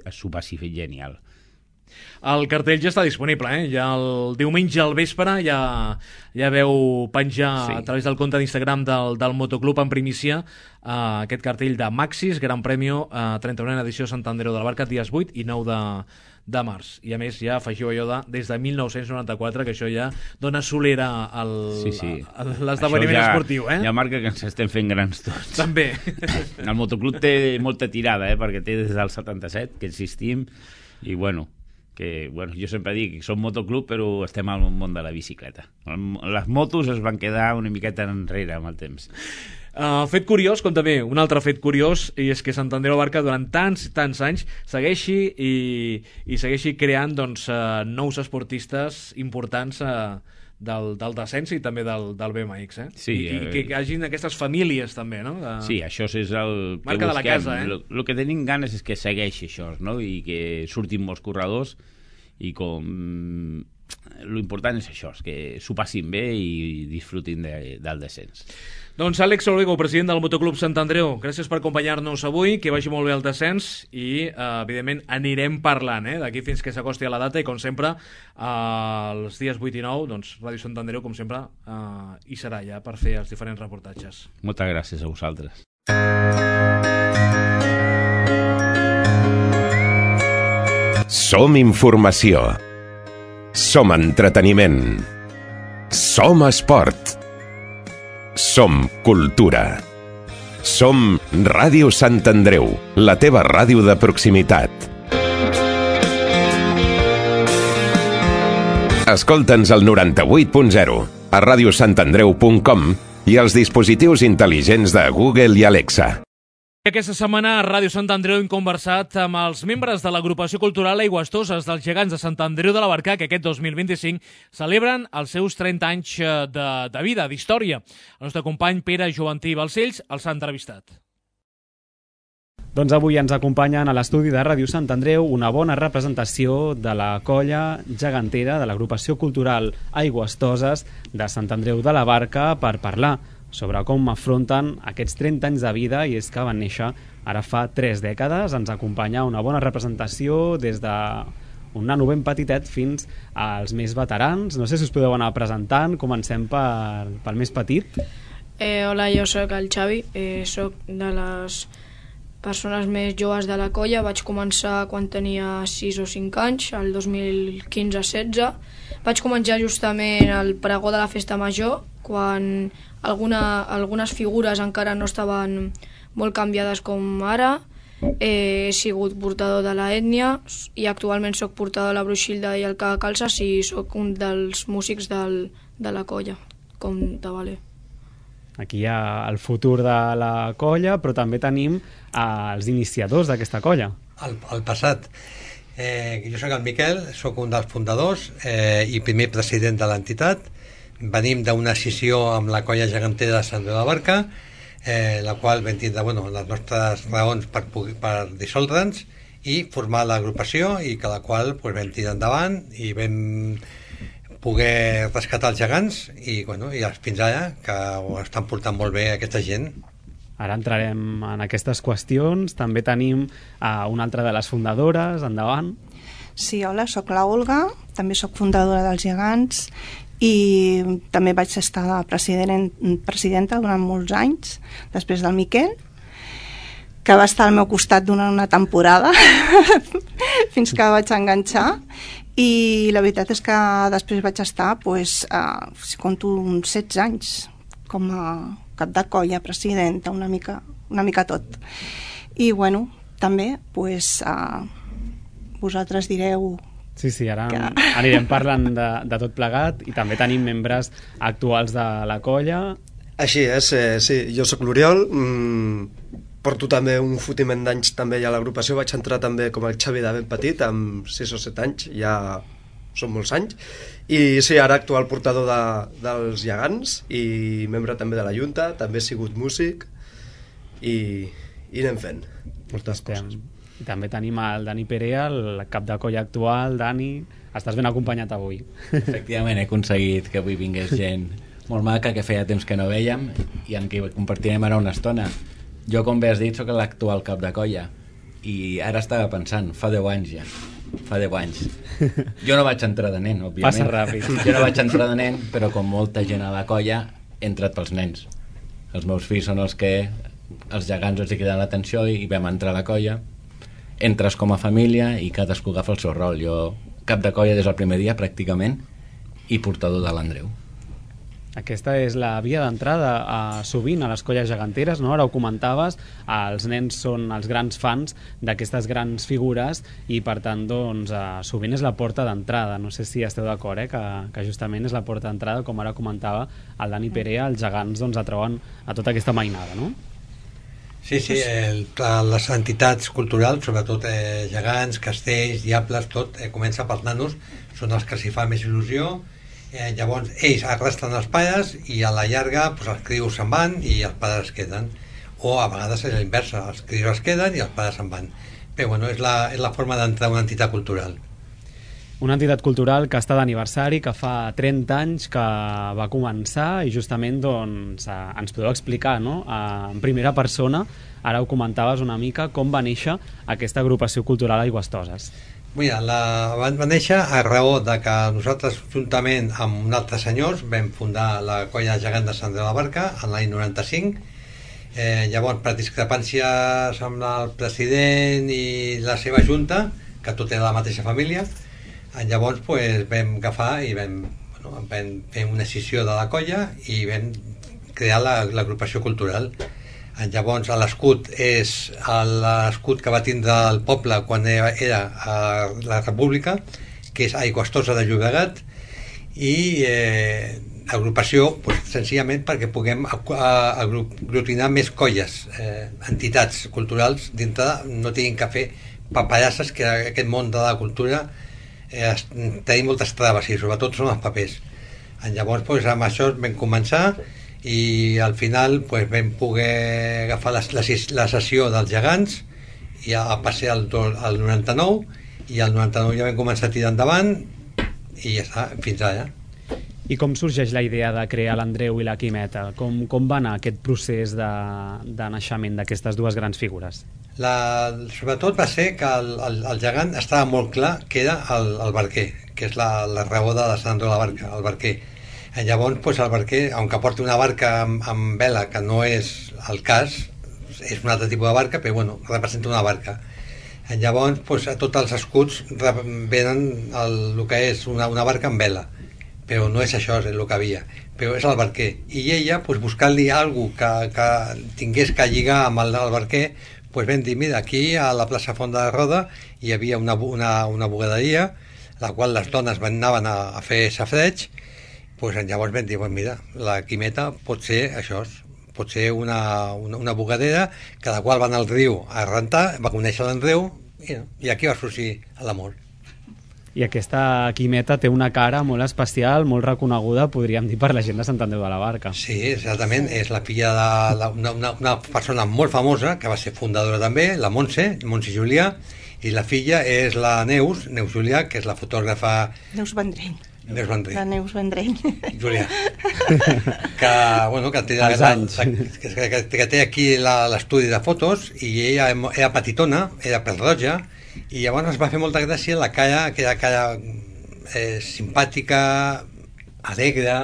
s'ho passi genial. El cartell ja està disponible, ja el diumenge al vespre ja veu penjar a través del compte d'Instagram del Motoclub en primícia aquest cartell de Maxis, Gran Premio 31a edició Sant Andreu de la Barca, dies 8 i 9 de març. I a més ja afegiu allò des de 1994, que això ja dona solera a l'esdeveniment esportiu. Ja marca que ens estem fent grans tots. També. El Motoclub té molta tirada, perquè té des del 77 que existim, i jo sempre dic que som motoclub però estem al món de la bicicleta. Les motos es van quedar una miqueta enrere amb el temps. Fet curiós, com també un altre fet curiós, i és que Sant Andreu Barca durant tants anys segueixi i segueixi creant nous esportistes importants del descens i també del BMX, Sí, i que hi hagin aquestes famílies també, no? Sí, això és el que marca busquem. De la casa, El que tenim ganes és que segueixi això, no? I que surtin molts corredors i lo important és això, és que s'ho passin bé i disfrutin del descens. Doncs Àlex Orego, president del Motoclub Sant Andreu, gràcies per acompanyar-nos avui, que vagi molt bé el descens i, evidentment, anirem parlant d'aquí fins que s'acosti a la data i, com sempre, els dies 8 i 9, doncs, Ràdio Sant Andreu, com sempre, hi serà ja per fer els diferents reportatges. Moltes gràcies a vosaltres. Som informació. Som entreteniment. Som esport. Som cultura. Som Ràdio Sant Andreu, la teva ràdio de proximitat. Escolta'ns al 98.0, a radiosantandreu.com i als dispositius intel·ligents de Google i Alexa. Aquesta setmana a Ràdio Sant Andreu hem conversat amb els membres de l'agrupació cultural Aigüestoses dels Gegants de Sant Andreu de la Barca, que aquest 2025 celebren els seus 30 anys de vida, d'història. El nostre company Pere Joventí Balcells els ha entrevistat. Doncs avui ens acompanyen a l'estudi de Ràdio Sant Andreu una bona representació de la colla gegantera de l'agrupació cultural Aigüestoses de Sant Andreu de la Barca per parlar sobre com afronten aquests 30 anys de vida, i és que van néixer ara fa 3 dècades. Ens acompanya una bona representació des d'un nano ben petitet fins als més veterans. No sé si us podeu anar presentant. Comencem pel més petit. Hola, jo sóc el Xavi, sóc de les persones més joves de la colla. Vaig començar quan tenia 6 o 5 anys, el 2015-16. Vaig començar justament al pregó de la Festa Major, quan algunes figures encara no estaven molt canviades com ara. He sigut portador de la ètnia i actualment sóc portador de la Bruixilda i el Cagacalces i sóc un dels músics de la colla, com de valer. Aquí hi ha el futur de la colla, però també tenim els iniciadors d'aquesta colla. El passat. Jo sóc el Miquel, sóc un dels fundadors i primer president de l'entitat. Venim d'una escissió amb la colla gegantera de Sant Andreu de la Barca, la qual vam tindre les nostres raons per dissoldre'ns i formar l'agrupació, i que la qual vam tirar endavant i vam poder rescatar els gegants i fins ara que ho estan portant molt bé aquesta gent. Ara entrarem en aquestes qüestions. També tenim una altra de les fundadores. Endavant. Sí, hola, sóc la Olga, també sóc fundadora dels Gegants i també vaig estar presidenta durant molts anys, després del Miquel, que va estar al meu costat durant una temporada fins que vaig enganxar, i la veritat és que després vaig estar, si compto, uns 16 anys com a cap de colla, presidenta, una mica tot. I també vosaltres direu. Sí, ara anirem parlant de tot plegat, i també tenim membres actuals de la colla. Així és, sí, jo sóc l'Oriol, porto també un fotiment d'anys també a l'agrupació. Vaig entrar també com el Xavi de ben petit, amb 6 o 7 anys, ja són molts anys, i sí, ara actual portador dels Gegants i membre també de la Junta, també he sigut músic i anem fent moltes coses. I també tenim el Dani Perea, el cap de colla actual. Dani, estàs ben acompanyat avui. Efectivament, he aconseguit que avui vingués gent molt maca, que feia temps que no vèiem i amb qui compartirem ara una estona. Jo, com bé has dit, sóc l'actual cap de colla i ara estava pensant, fa 10 anys ja, fa 10 anys. Jo no vaig entrar de nen, òbviament. Passa ràpid. Jo no vaig entrar de nen, però com molta gent a la colla, he entrat pels nens. Els meus fills són els que els gegants els hi criden l'atenció i vam entrar a la colla. Entres com a família i cadascú agafa el seu rol. Jo, cap de colla des del primer dia, pràcticament, i portador de l'Andreu. Aquesta és la via d'entrada sovint a les colles geganteres, no? Ara ho comentaves, els nens són els grans fans d'aquestes grans figures i per tant doncs, sovint és la porta d'entrada. No sé si esteu d'acord, que justament és la porta d'entrada, com ara comentava el Dani Perea, els gegants doncs, atrauen a tota aquesta mainada, no? Sí, les entitats culturals, sobretot gegants, castells, diables, tot comença pels nanos, són els que s'hi fa més il·lusió. Llavors ells arrastren els pares i a la llarga doncs, els crios se'n van i els pares es queden, o a vegades és l'inversa, els crios es queden i els pares se'n van, però bueno, és la forma d'entrar a una entitat cultural. Una entitat cultural que està d'aniversari, que fa 30 anys que va començar i justament doncs, ens podeu explicar, no? En primera persona, ara ho comentaves una mica, com va néixer aquesta agrupació cultural Aigüestoses. Mira, va néixer a raó de que nosaltres, juntament amb un altre senyors, vam fundar la colla gegant de Sant Andreu de la Barca en l'any 95. Llavors, per discrepàncies amb el president i la seva junta, que tot era la mateixa família, llavors vam agafar i vam fer una escissió de la colla i vam crear l'agrupació cultural. Llavors l'escut és l'escut que va tindre el poble quan era a la República, que és Aigüestosa de Llobregat, i agrupació senzillament perquè puguem aglutinar més colles, entitats culturals dintre, no tinguin que fer paperasses, que aquest món de la cultura tenim moltes traves i sobretot són els papers. Llavors amb això vam començar i al final vam poder agafar la sessió dels gegants i a passar al 99 i al 99 ja vam començar a tirar endavant i ja està, fins ara. I com sorgeix la idea de crear l'Andreu i la Quimeta? Com va anar aquest procés de naixement d'aquestes dues grans figures? Sobretot va ser que el gegant estava molt clar que era el barquer, que és la raó de Sant Andreu de la Barca, el barquer. Llavors el barquer, aunque porti una barca amb vela, que no és el cas, és un altre tipus de barca, però bueno, representa una barca. Llavors a tots els escuts venen el que és una barca amb vela, però no és això el que havia, però és el barquer. I ella, buscant-li alguna que tingués que lligar amb el barquer, vam dir, mira, aquí a la plaça Font de la Roda hi havia una bugaderia, la qual les dones anaven a fer safreig. Llavors vam dir, mira, la Quimeta pot ser això, pot ser una bugadera, cada qual va anar al riu a rentar, va conèixer l'Andreu i aquí va sorgir l'amor. I aquesta Quimeta té una cara molt especial, molt reconeguda, podríem dir, per la gent de Sant Andreu de la Barca. Sí, exactament, és la filla d'una persona molt famosa, que va ser fundadora també, la Montse Julià, i la filla és la Neus Julià, que és la fotògrafa... Neus Vendrell. La Neus Vendrell. Julià. Que té aquí l'estudi de fotos i ella era petitona, era pèl-roja, i llavors es va fer molta gràcia la cara, que era cara simpàtica, alegre,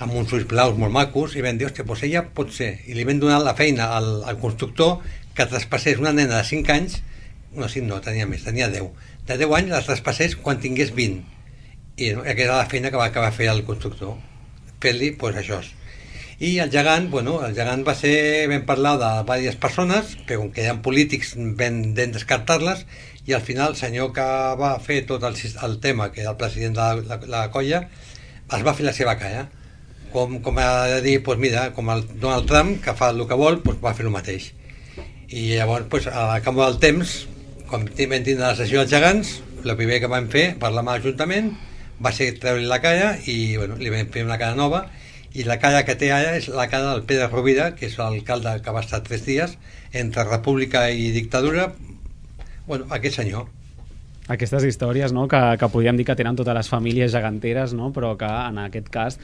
amb uns ulls blaus molt macos, i vam dir, hòstia, doncs ella pot ser. I li vam donar la feina al constructor que traspassés una nena de 5 anys, no, 5 no, tenia més, tenia 10. De 10 anys la traspassés quan tingués 20. I aquesta era la feina que va fer el constructor, fer-li això. I el gegant, el gegant va ser, vam parlar de diverses persones, però com que eren polítics vam descartar-les, i al final el senyor que va fer tot el tema, que era el president de la colla, es va fer la seva cara. Com ha de dir, mira, com el Donald Trump, que fa el que vol, va fer el mateix. I llavors, a canvi del temps, quan vam tindre la sessió dels gegants, el primer que vam fer, parlar amb l'Ajuntament, va ser treure-li la cara i li vam fer una cara nova, i la cara que té ara és la cara del Pere Rovira, que és l'alcalde que va estar 3 dies entre república i dictadura, aquest senyor. Aquestes històries, no?, que podríem dir que tenen totes les famílies geganteres, no?, però que en aquest cas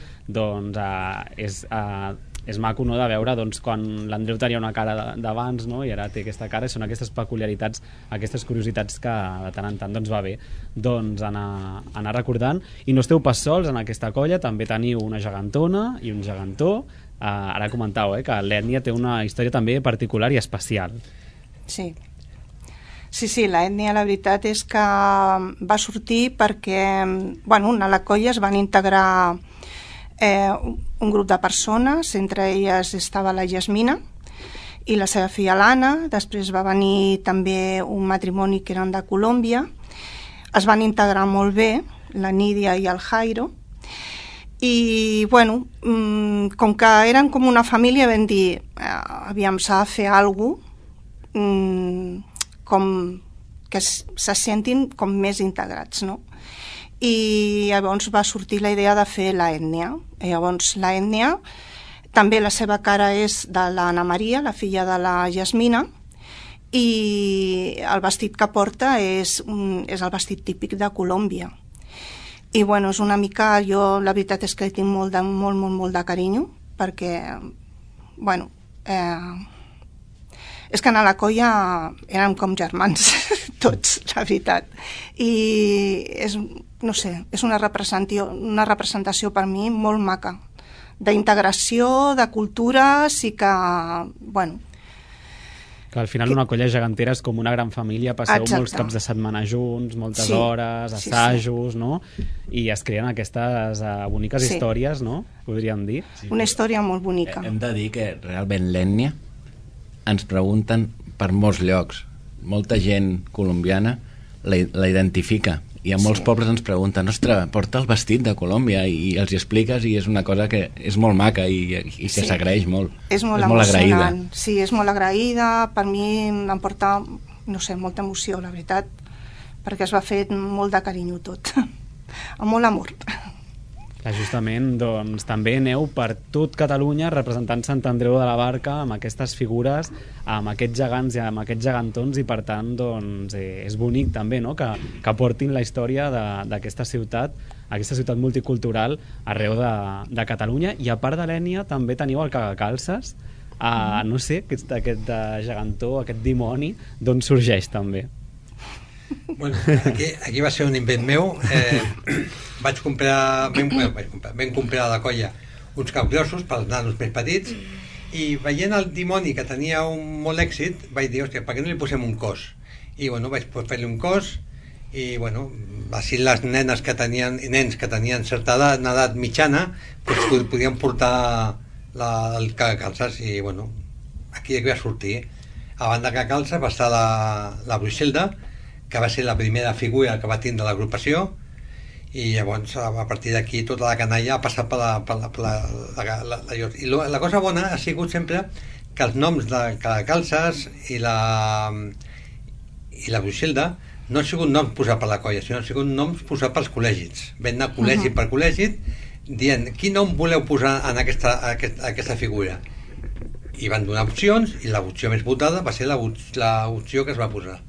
és maco, no?, de veure doncs, quan l'Andreu tenia una cara d'abans, no?, i ara té aquesta cara, i són aquestes peculiaritats, aquestes curiositats que de tant en tant doncs, va bé doncs, anar recordant. I no esteu pas sols en aquesta colla, també teniu una gegantona i un gegantó. Ara comentàveu que l'ètnia té una història també particular i especial. Sí, l'ètnia la veritat és que va sortir perquè a la colla es van integrar un grup de persones, entre elles estava la Yasmina i la seva filla l'Anna, després va venir també un matrimoni que eren de Colòmbia, es van integrar molt bé, la Nídia i el Jairo, i com que eren com una família vam dir aviam, s'ha de fer alguna cosa com que se sentin com més integrats, no? I llavors va sortir la idea de fer l'ètnia. Llavors l'ètnia, també la seva cara és de l'Anna Maria, la filla de la Yasmina, i el vestit que porta és el vestit típic de Colòmbia. I és una mica, jo la veritat és que tinc molt de carinyo, perquè és que a la colla érem com germans tots, la veritat, i és una representació per mi molt maca d'integració, de cultures, i que que al final una colla gegantera és com una gran família, passeu molts caps de setmana junts, moltes hores, assajos, no? I es creen aquestes boniques històries, no? Podríem dir. Una història molt bonica. Hem de dir que realment l'ètnia ens pregunten per molts llocs. Molta gent colombiana la identifica, i a molts pobles ens pregunten, ostres, porta el vestit de Colòmbia, i els hi expliques, i és una cosa que és molt maca i que s'agraeix molt. És molt agraïda. Sí, és molt agraïda. Per mi em porta, molta emoció, la veritat, perquè es va fer molt de carinyo tot, amb molt amor. Justament, doncs, també aneu per tot Catalunya representant Sant Andreu de la Barca amb aquestes figures, amb aquests gegants i amb aquests gegantons, i per tant doncs, és bonic també, no?, que portin la història d'aquesta ciutat, aquesta ciutat multicultural arreu de Catalunya. I a part de l'ètnia també teniu el Cagacalces, no sé, aquest gegantó, aquest dimoni, d'on sorgeix també? Aquí va ser un invent meu. Vam comprar a la colla uns capgrossos pels nanos més petits, i veient el dimoni que tenia molt èxit vaig dir, hòstia, per què no li posem un cos? I vaig fer-li un cos, i així les nenes que tenien, i nens que tenien certa edat mitjana, podien portar el Cagacalces. I aquí va sortir. A banda de Cagacalces va estar la Bruixelda, que va ser la primera figura que va tindre l'agrupació, i llavors a partir d'aquí tota la canalla ha passat per i la cosa bona ha sigut sempre que els noms de Cagacalces i la Bruixelda no han sigut noms posats per la colla, sinó han sigut noms posats pels col·legis. Vam anar col·legi per col·legi dient quin nom voleu posar en aquesta figura, i van donar opcions, i l'opció més votada va ser l'opció que es va posar.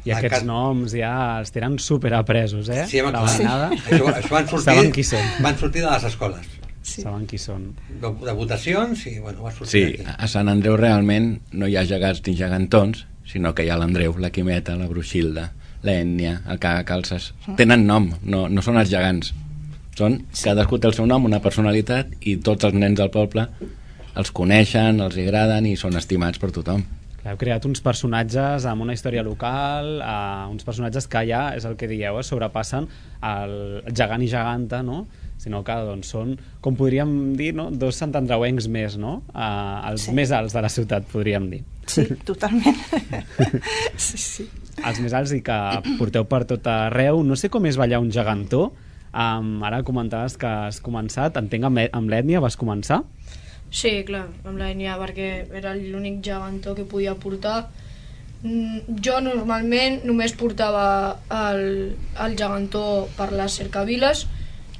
I aquests noms ja els tenen superapresos, eh? Sí, això van sortir de les escoles. Saben qui són. De votacions, i va sortir. Sí, a Sant Andreu realment no hi ha gegants ni gegantons, sinó que hi ha l'Andreu, la Quimeta, la Bruixilda, l'Ètnia, el Cagacalces. Tenen nom, no són els gegants. Cadascú té el seu nom, una personalitat, i tots els nens del poble els coneixen, els agraden i són estimats per tothom. Heu creat uns personatges amb una història local, uns personatges que ja, és el que dieu, sobrepassen el gegant i geganta, no? Sinó que són, com podríem dir, dos santandreuencs més, no? Els més alts de la ciutat, podríem dir. Sí, totalment. Sí. Els més alts, i que porteu per tot arreu. No sé com és ballar un gegantó. Ara comentaves que has començat, entenc amb l'ètnia vas començar? Sí, clar, amb l'ètnia, perquè era l'únic gegantó que podia portar. Jo normalment només portava el gegantó per les cercaviles,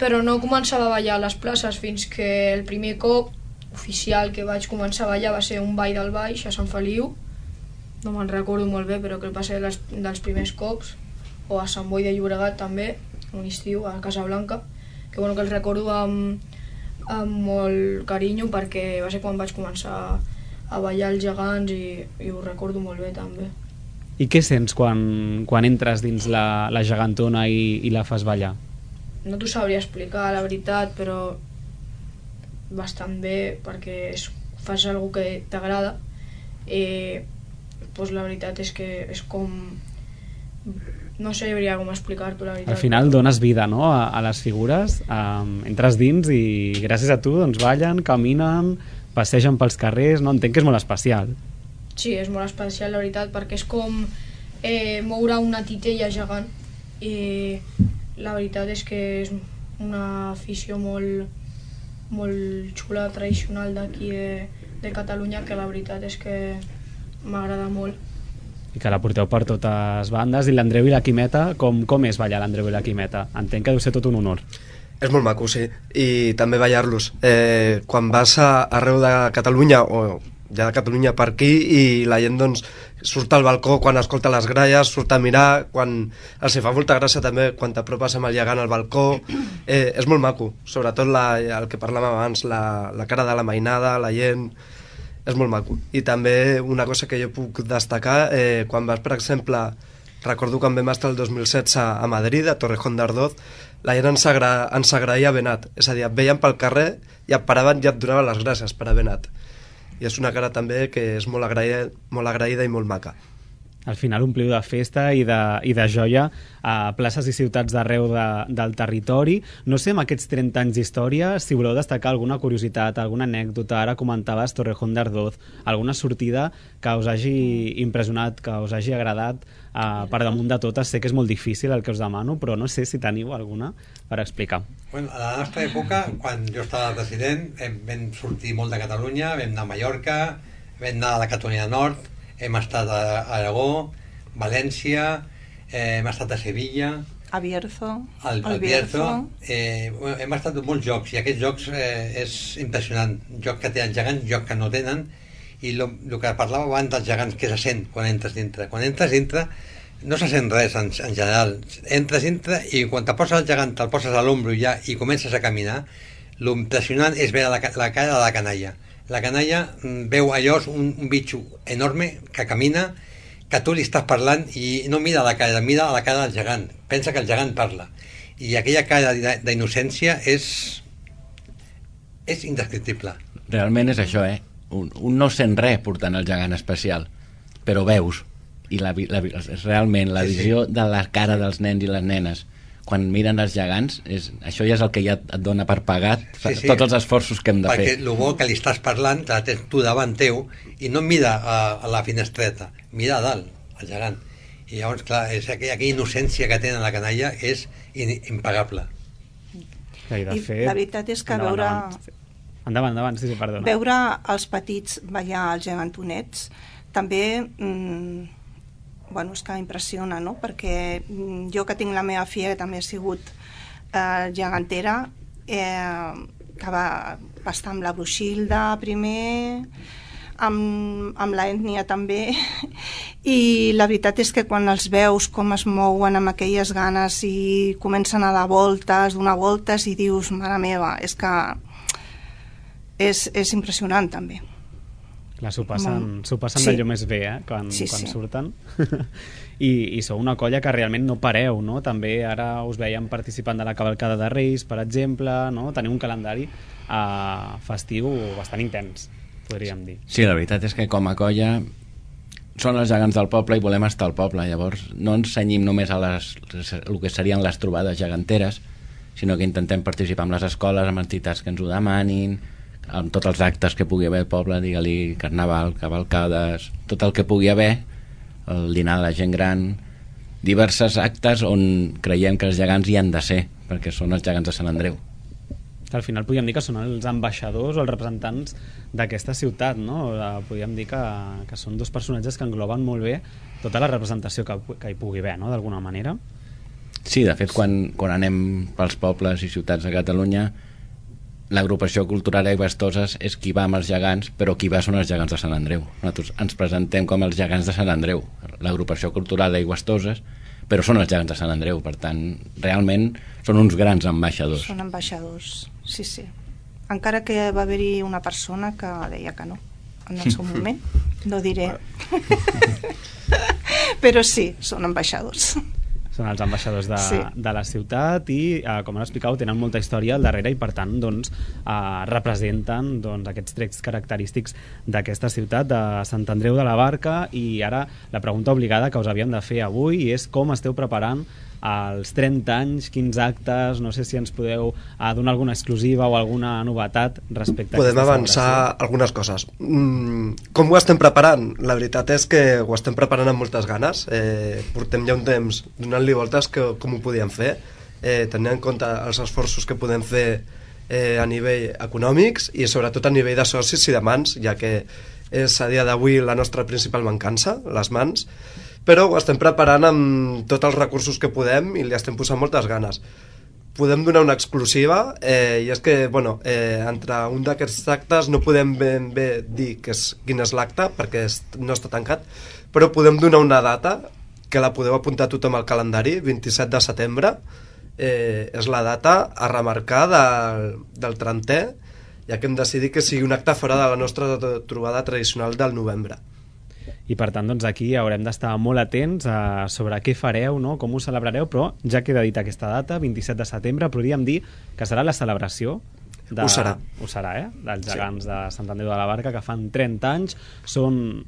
però no començava a ballar a les places fins que el primer cop oficial que vaig començar a ballar va ser un ball del Baix a Sant Feliu. No me'n recordo molt bé, però que va ser dels primers cops. O a Sant Boi de Llobregat també, un estiu, a Casablanca, que el recordo amb amb molt carinyo perquè va ser quan vaig començar a ballar els gegants i ho recordo molt bé també. I què sents quan entres dins la gegantona i la fas ballar? No t'ho sabria explicar, la veritat, però bastant bé perquè fas alguna que t'agrada i doncs la veritat és que és com... no sabria com explicar-t'ho, la veritat. Al final dones vida, no?, a les figures, entres dins i gràcies a tu doncs ballen, caminen, passegen pels carrers, no? Entenc que és molt especial. Sí, és molt especial, la veritat, perquè és com moure una titella gegant i la veritat és que és una afició molt xula, tradicional d'aquí de Catalunya, que la veritat és que m'agrada molt. I que la porteu per totes bandes. I l'Andreu i la Quimeta, com és ballar l'Andreu i la Quimeta? Entenc que deu ser tot un honor. És molt maco, sí, i també ballar-los. Quan vas arreu de Catalunya, o ja de Catalunya per aquí, i la gent doncs surt al balcó quan escolta les gralles, surt a mirar, quan els fa molta gràcia també quan t'apropes amb el gegant al balcó, és molt maco, sobretot el que parlàvem abans, la cara de la mainada, la gent, és molt maco. I també una cosa que jo puc destacar, quan vas, per exemple, recordo quan vam estar el 2016 a Madrid, a Torrejón de Ardoz, la gent ens agraïa haver anat, és a dir, et veien pel carrer i et paraven i et donaven les gràcies per haver anat. I és una cara també que és molt agraïda i molt maca. Al final ompliu de festa i de joia a places i ciutats d'arreu del territori. No sé, amb aquests 30 anys d'història, si voleu destacar alguna curiositat, alguna anècdota, ara comentaves Torrejón de Ardoz, alguna sortida que us hagi impressionat, que us hagi agradat, per damunt de totes. Sé que és molt difícil el que us demano, però no sé si teniu alguna per explicar. Bueno, a la nostra època, quan jo estava president, vam sortir molt de Catalunya, vam anar a Mallorca, vam anar a la Catalunya Nord, hem estat a Aragó, València, hem estat a Sevilla, a Bierzo, al Bierzo. Hem estat en molts jocs i aquests jocs és impressionant, joc que tenen gegants, joc que no tenen, i el que parlava abans dels gegants, que se sent quan entres dintre no se sent res en general, entres dintre i quan te poses el gegant te'l poses a l'ombro ja i comences a caminar, l'impressionant és veure la cara de la canalla. La canalla veu allò, un bitxo enorme que camina, que tu li estàs parlant i no mira la cara, mira la cara del gegant, pensa que el gegant parla, i aquella cara d'innocència és indescriptible. Realment és això, un no sent res portant el gegant especial, però veus, i realment la visió de la cara dels nens i les nenes quan miren els gegants, això ja és el que ja et dona per pagat tots els esforços que hem de fer. Perquè el bo que li estàs parlant, te la tens tu davant teu, i no mira a la finestreta, mira a dalt, al gegant. I llavors, clar, aquella innocència que tenen la canalla és impagable. I la veritat és que veure... Endavant, sí, perdona. Veure els petits ballar els gegantonets també... és que impressiona, no? Perquè jo que tinc la meva filla, que també ha sigut gegantera, que va estar amb la Bruixilda primer, amb la ètnia també, i la veritat és que quan els veus com es mouen amb aquelles ganes i comencen a dar voltes, donar voltes, i dius, mare meva, és que és impressionant també. Clar, s'ho passen d'allò més bé, quan surten. I sou una colla que realment no pareu, no? També ara us veiem participant de la cavalcada de Reis, per exemple, no? Teniu un calendari festiu bastant intens, podríem dir. Sí, la veritat és que com a colla són els gegants del poble i volem estar al poble, llavors no ens cenyim només a el que serien les trobades geganteres, sinó que intentem participar amb les escoles, amb entitats que ens ho demanin, amb tots els actes que pugui haver al poble, digue-li carnaval, cavalcades, tot el que pugui haver, el dinar de la gent gran, diversos actes on creiem que els gegants hi han de ser, perquè són els gegants de Sant Andreu. Al final podríem dir que són els ambaixadors o els representants d'aquesta ciutat, no? Podríem dir que són dos personatges que engloben molt bé tota la representació que hi pugui haver, no? D'alguna manera. Sí, de fet, quan anem pels pobles i ciutats de Catalunya, l'agrupació cultural Aigüestoses és qui va amb els gegants, però qui va són els gegants de Sant Andreu. Nosaltres ens presentem com els gegants de Sant Andreu, l'agrupació cultural Aigüestoses, però són els gegants de Sant Andreu, per tant, realment són uns grans ambaixadors. Són ambaixadors, sí. encara que va haver-hi una persona que deia que no, en el seu moment, no diré. Però sí, són ambaixadors. Són els ambaixadors Sí. de la ciutat i, com han explicat, tenen molta història al darrere i, per tant, doncs, representen aquests trets característics d'aquesta ciutat, de Sant Andreu de la Barca. I ara la pregunta obligada que us havíem de fer avui és com esteu preparant als 30 anys, quins actes, no sé si ens podeu donar alguna exclusiva o alguna novetat respecte a Podem aquesta avançar celebració. algunes coses. Com ho estem preparant? La veritat és que ho estem preparant amb moltes ganes. Portem ja un temps donant-li voltes com ho podíem fer, tenint en compte els esforços que podem fer a nivell econòmics i sobretot a nivell de socis i de mans, ja que és a dia d'avui la nostra principal mancança, les mans, però ho estem preparant amb tots els recursos que podem i li estem posant moltes ganes. Podem donar una exclusiva, i és que, entre un d'aquests actes no podem ben bé dir quin és l'acte, perquè no està tancat, però podem donar una data, que la podeu apuntar tothom al calendari, 27 de setembre, és la data a remarcar del 30è, ja que hem decidit que sigui un acte fora de la nostra trobada tradicional del novembre. I per tant, doncs, aquí haurem d'estar molt atents sobre què fareu, no? Com ho celebrareu, però ja queda dit aquesta data, 27 de setembre, podríem dir que serà la celebració Ho serà. Ho serà, dels gegants de Sant Andreu de la Barca, que fan 30 anys, són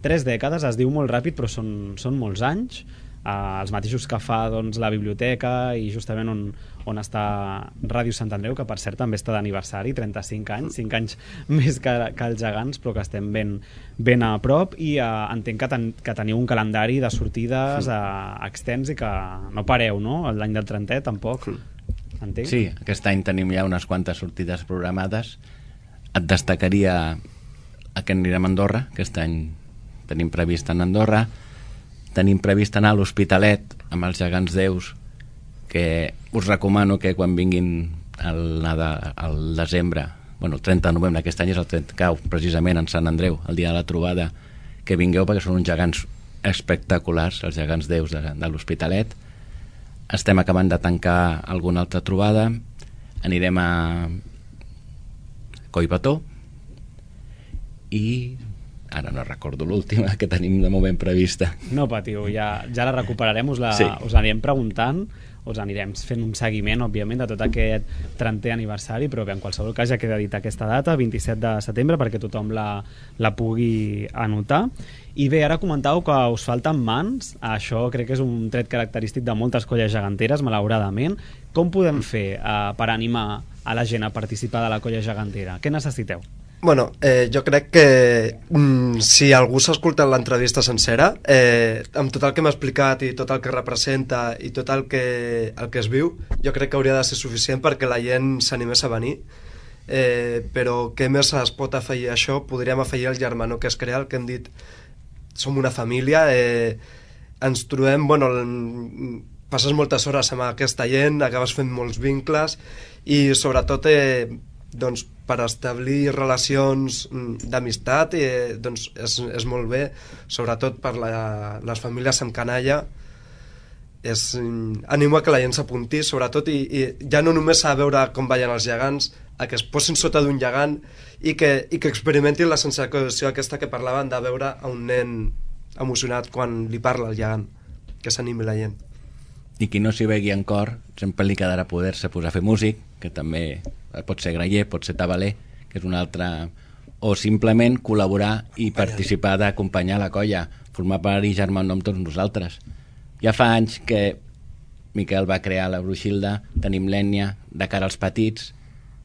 3 dècades, es diu molt ràpid, però són molts anys, els mateixos que fa la biblioteca i justament on està Ràdio Sant Andreu, que per cert també està d'aniversari, 35 anys, 5 anys més que els gegants, però que estem ben a prop. I entenc que teniu un calendari de sortides extens i que no pareu, no? L'any del 30è tampoc, entenc? Sí, aquest any tenim ja unes quantes sortides programades. Et destacaria que anirem a Andorra, aquest any tenim previst anar a Andorra, tenim previst anar a l'Hospitalet amb els gegants déus, que us recomano que quan vinguin al desembre, el 30 de novembre, aquest any és el 30, cau precisament en Sant Andreu, el dia de la trobada, que vingueu perquè són uns gegants espectaculars, els gegants déus de l'Hospitalet. Estem acabant de tancar alguna altra trobada, anirem a Collbató i ara no recordo l'última que tenim de moment prevista. No patiu, ja la recuperarem, us anirem preguntant, us anirem fent un seguiment, òbviament, de tot aquest 30è aniversari, però bé, en qualsevol cas ja queda dit aquesta data, 27 de setembre, perquè tothom la pugui anotar. I bé, ara comentàveu que us falten mans, això crec que és un tret característic de moltes colles geganteres, malauradament. Com podem fer per animar a la gent a participar de la colla gegantera? Què necessiteu? Jo crec que si algú s'ha escoltat l'entrevista sencera, amb tot el que m'ha explicat i tot el que representa i tot el que es viu, jo crec que hauria de ser suficient perquè la gent s'animés a venir. Però què més es pot afegir a això? Podríem afegir el germanor que es crea, el que hem dit, som una família, ens trobem, passes moltes hores amb aquesta gent, acabes fent molts vincles i sobretot per establir relacions d'amistat és molt bé, sobretot per les famílies amb canalla. Animo a que la gent s'apunti, sobretot, i ja no només a veure com ballen els gegants, a que es posin sota d'un gegant i que experimentin la sensació aquesta que parlaven de veure a un nen emocionat quan li parla el gegant, que s'animi la gent. I qui no s'hi vegi en cor, sempre li quedarà poder-se posar a fer músic, que també pot ser graller, pot ser tabaler, que és una altra... O simplement col·laborar i participar d'acompanyar la colla, formar part i germanar amb tots nosaltres. Ja fa anys que Miquel va crear la Bruixilda, tenim l'ètnia de cara als petits,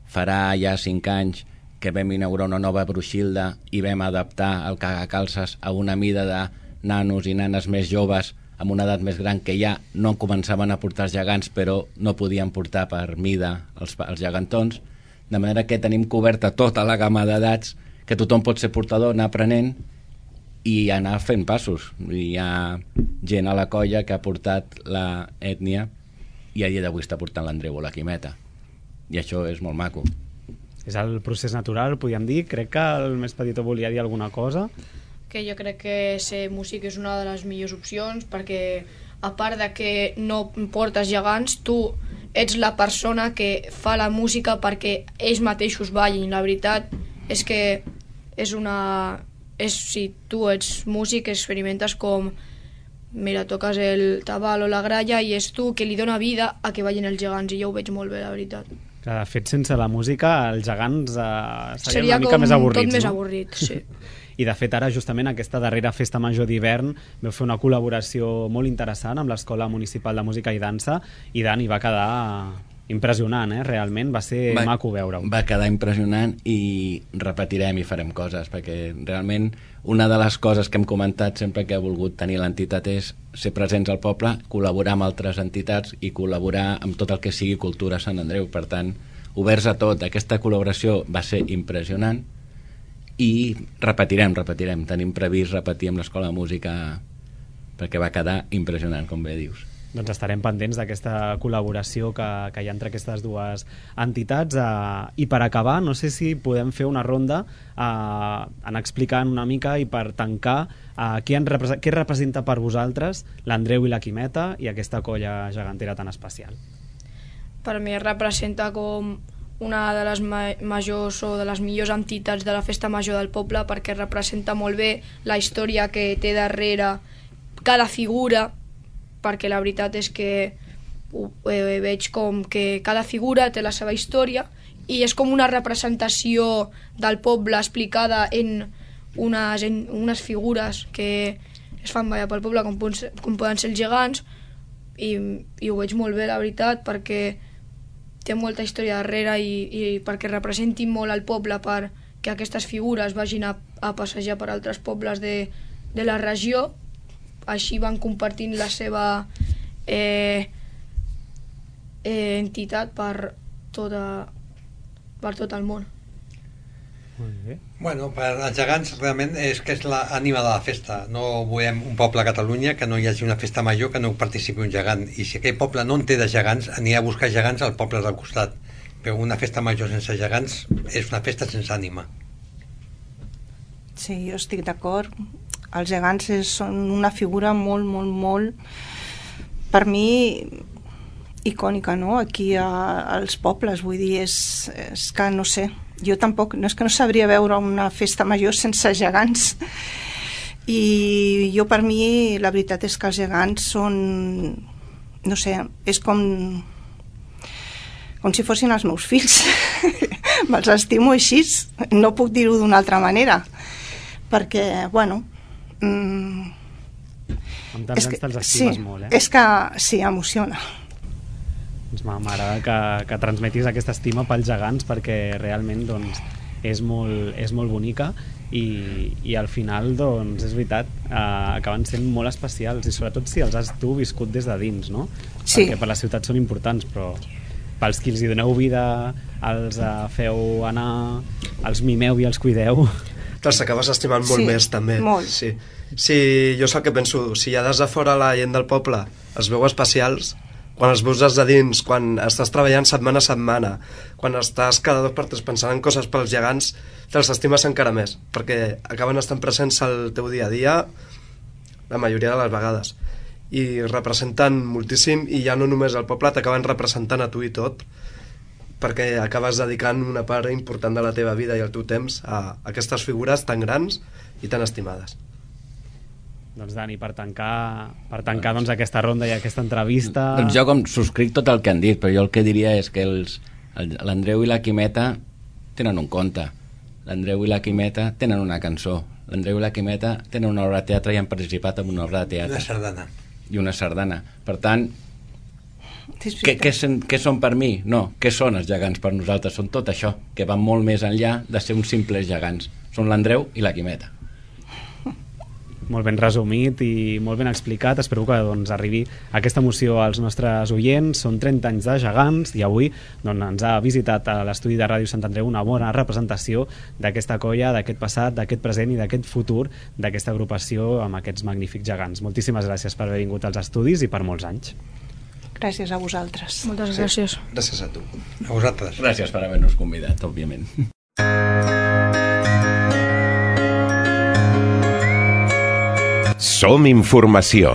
farà ja 5 anys que vam inaugurar una nova Bruixilda i vam adaptar el cagacalces a una mida de nanos i nanes més joves amb una edat més gran que ja no començaven a portar els gegants però no podien portar per mida els gegantons, de manera que tenim coberta tota la gamma d'edats que tothom pot ser portador, anar aprenent i anar fent passos. Hi ha gent a la colla que ha portat la ètnia i a dia d'avui està portant l'Andreu o la Quimeta, i això és molt maco. És el procés natural, podríem dir. Crec que el més petit volia dir alguna cosa. Que jo crec que ser músic és una de les millors opcions, perquè a part de que no portes gegants, tu ets la persona que fa la música perquè ells mateixos ballin. La veritat és que si tu ets músic, experimentes com mira, toques el tabal o la gralla i és tu que li dona vida a que ballin els gegants, i jo ho veig molt bé, la veritat. Que de fet, sense la música, els gegants serien Seria una mica més avorrits, tot més no? avorrit, sí. I de fet ara justament aquesta darrera festa major d'hivern vau fer una col·laboració molt interessant amb l'Escola Municipal de Música i Dansa i Dan, hi va quedar impressionant, realment va ser maco veure-ho. Va quedar impressionant i repetirem i farem coses, perquè realment una de les coses que hem comentat sempre que ha volgut tenir l'entitat és ser presents al poble, col·laborar amb altres entitats i col·laborar amb tot el que sigui cultura a Sant Andreu. Per tant, oberts a tot. Aquesta col·laboració va ser impressionant i repetirem. Tenim previst repetir amb l'Escola de Música perquè va quedar impressionant, com bé dius. Doncs estarem pendents d'aquesta col·laboració que hi ha entre aquestes dues entitats. I per acabar, no sé si podem fer una ronda en explicant una mica i per tancar què representa per vosaltres l'Andreu i la Quimeta i aquesta colla gegantera tan especial. Per mi representa com una de les majors o de les millors entitats de la festa major del poble, perquè representa molt bé la història que té darrere cada figura, perquè la veritat és que veig com que cada figura té la seva història i és com una representació del poble explicada en unes figures que es fan ballar pel poble, com poden ser els gegants, i ho veig molt bé, la veritat, perquè té molta història darrere i perquè representin molt al poble, perquè aquestes figures vagin a passejar per altres pobles de la regió. Així van compartint la seva entitat per tot el món. Molt bé. Bueno, per als gegants realment és que és l'ànima de la festa. No volem un poble a Catalunya que no hi hagi una festa major que no participi un gegant, i si aquell poble no en té de gegants anirà a buscar gegants al poble del costat, però una festa major sense gegants és una festa sense ànima. Sí, jo estic d'acord. Els gegants són una figura molt, per mi, icònica, no? Aquí als pobles, vull dir, és que no sé, jo tampoc, no és que no sabria veure una festa major sense gegants, i jo per mi la veritat és que els gegants són, no sé, és com si fossin els meus fills. Me'ls estimo així, no puc dir-ho d'una altra manera, perquè, bueno, amb tants anys te'ls estimes molt, és que sí, emociona. Doncs m'agrada que transmetis aquesta estima pels gegants, perquè realment doncs, és molt bonica i al final doncs, és veritat, acaben sent molt especials, i sobretot si els has tu viscut des de dins, no? Sí. Perquè per la ciutat són importants, però pels qui els hi doneu vida, els feu anar, els mimeu i els cuideu, te'ls acabes estimant molt més, també. Molt. Sí, jo és el que penso, si ja des de fora la gent del poble els veu especials, quan els veus des de dins, quan estàs treballant setmana a setmana, quan estàs cada 2 per 3 pensant en coses pels gegants, te'ls estimes encara més, perquè acaben estant presents al teu dia a dia la majoria de les vegades, i representen moltíssim, i ja no només el poble, t'acaben representant a tu i tot, perquè acabes dedicant una part important de la teva vida i el teu temps a aquestes figures tan grans i tan estimades. Doncs Dani, per tancar doncs, aquesta ronda i aquesta entrevista... Doncs jo subscric tot el que han dit, però jo el que diria és que l'Andreu i la Quimeta tenen un conte, l'Andreu i la Quimeta tenen una cançó, l'Andreu i la Quimeta tenen una obra de teatre i han participat en una obra de teatre. Una sardana. Per tant, què són per mi? No, què són els gegants per nosaltres? Són tot això, que van molt més enllà de ser uns simples gegants. Són l'Andreu i la Quimeta. Molt ben resumit i molt ben explicat. Espero que doncs, arribi aquesta emoció als nostres oients. Són 30 anys de gegants i avui doncs, ens ha visitat a l'estudi de Ràdio Sant Andreu una bona representació d'aquesta colla, d'aquest passat, d'aquest present i d'aquest futur d'aquesta agrupació amb aquests magnífics gegants. Moltíssimes gràcies per haver vingut als estudis i per molts anys. Gràcies a vosaltres. Moltes gràcies. Gràcies a tu. A vosaltres. Gràcies per haver-nos convidat, òbviament. Som informació.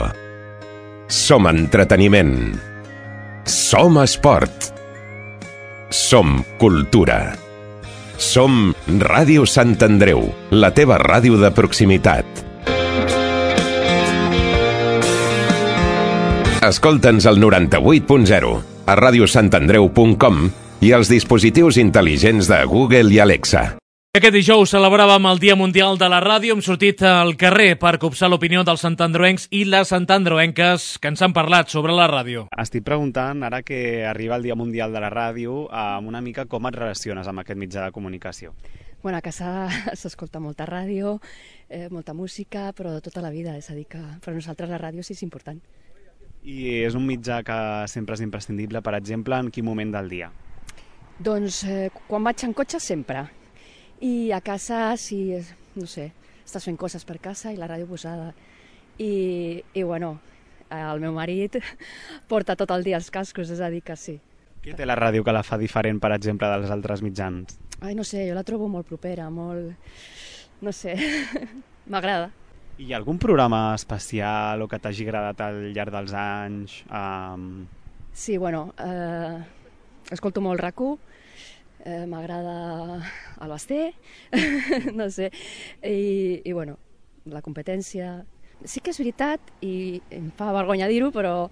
Som entreteniment. Som Som esport. Som cultura. Som Ràdio Sant Andreu, la teva ràdio de proximitat. Escolta'ns al 98.0, a radiosantandreu.com i als dispositius intel·ligents de Google i Alexa. Aquest dijous celebràvem el Dia Mundial de la Ràdio. Hem sortit al carrer per copsar l'opinió dels santandreuencs i les santandreuenques que ens han parlat sobre la ràdio. Estic preguntant, ara que arriba el Dia Mundial de la Ràdio, una mica com et relaciones amb aquest mitjà de comunicació. Bueno, a casa s'escolta molta ràdio, molta música, però tota la vida, és a dir que per a nosaltres la ràdio sí és important. I és un mitjà que sempre és imprescindible, per exemple, en quin moment del dia? Doncs quan vaig en cotxe sempre. I a casa, si, no sé, estàs fent coses per casa i la ràdio posada. I bueno, el meu marit porta tot el dia els cascos, és a dir que sí. Què té la ràdio que la fa diferent, per exemple, dels altres mitjans? Ai, no sé, jo la trobo molt propera, molt... no sé, m'agrada. Hi ha algun programa especial o que t'hagi agradat al llarg dels anys? Sí, bueno, escolto molt RAC1, m'agrada el Basté, no sé, i bueno, la competència. Sí que és veritat, i em fa vergonya dir-ho, però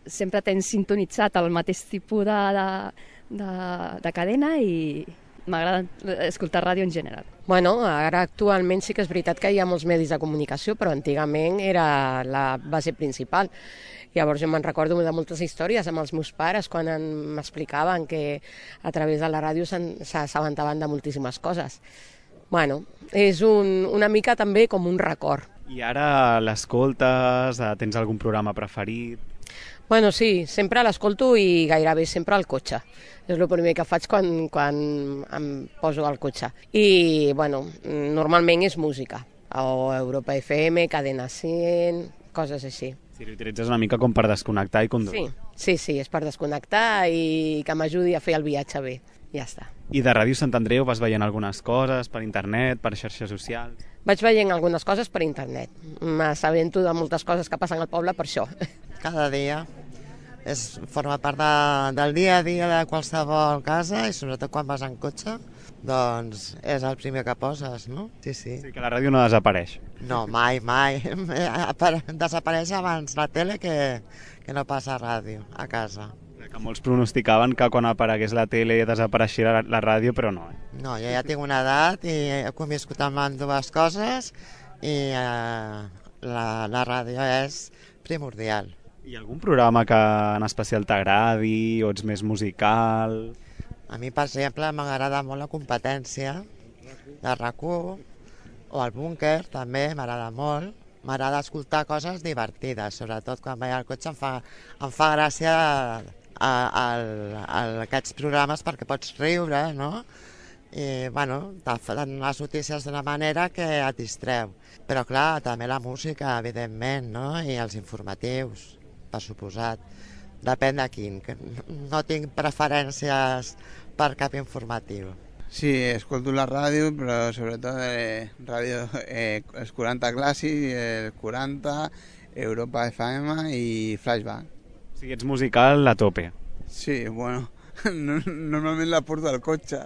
sempre tens sintonitzat el mateix tipus de cadena i m'agrada escoltar ràdio en general. Bueno, ara actualment sí que és veritat que hi ha molts medis de comunicació, però antigament era la base principal. Llavors jo me'n recordo de moltes històries amb els meus pares quan m'explicaven que a través de la ràdio s'assabentaven de moltíssimes coses. Bueno, és una mica també com un record. I ara l'escoltes? Tens algun programa preferit? Bueno, sí, sempre l'escolto i gairebé sempre al cotxe. És el primer que faig quan em poso al cotxe. I, bueno, normalment és música. O Europa FM, Cadena 100, coses així. Si l'utilitzes una mica com per desconnectar i conduir. Sí, és per desconnectar i que m'ajudi a fer el viatge bé. Ja està. I de Ràdio Sant Andreu vas veient algunes coses per internet, per xarxes socials? Vaig veient algunes coses per internet. M'assabento de moltes coses que passen al poble per això. Cada dia. Forma part del dia a dia de qualsevol casa i sobretot quan vas en cotxe, doncs és el primer que poses, no? Sí. Sí, que la ràdio no desapareix. No, mai. Desapareix abans la tele que no passa ràdio a casa. Que molts pronosticaven que quan aparegués la tele desapareixia la ràdio, però no. No, jo ja tinc una edat i he conviscut amb dues coses i la ràdio és primordial. Hi ha algun programa que en especial t'agradi o ets més musical? A mi, per exemple, m'agrada molt la competència de RAC1 o el búnquer, també m'agrada molt. M'agrada escoltar coses divertides, sobretot quan vaig al cotxe em fa gràcia aquests programes perquè pots riure, no? I, bueno, te fan les notícies d'una manera que et distreu. Però, clar, també la música, evidentment, no? I els informatius, per suposat. Depèn de quin. No tinc preferències per cap informatiu. Sí, escolto la ràdio, però sobretot ràdio, els 40 clàssics, el 40, Europa FM i Flashback. O sigui, ets musical a tope. Sí, bueno, normalment la porto al cotxe.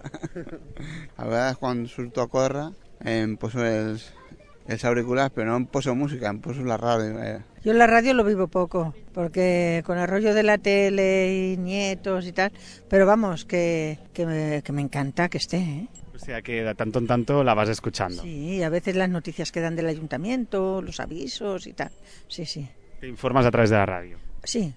A vegades quan surto a córrer em poso els auriculares, pero no poso música, poso la radio. Yo la radio lo vivo poco, porque con el rollo de la tele y nietos y tal, pero vamos, que me encanta que esté, ¿eh? O sea que de tanto en tanto la vas escuchando. Sí, a veces las noticias que dan del ayuntamiento, los avisos y tal, sí. ¿Te informas a través de la radio? Sí,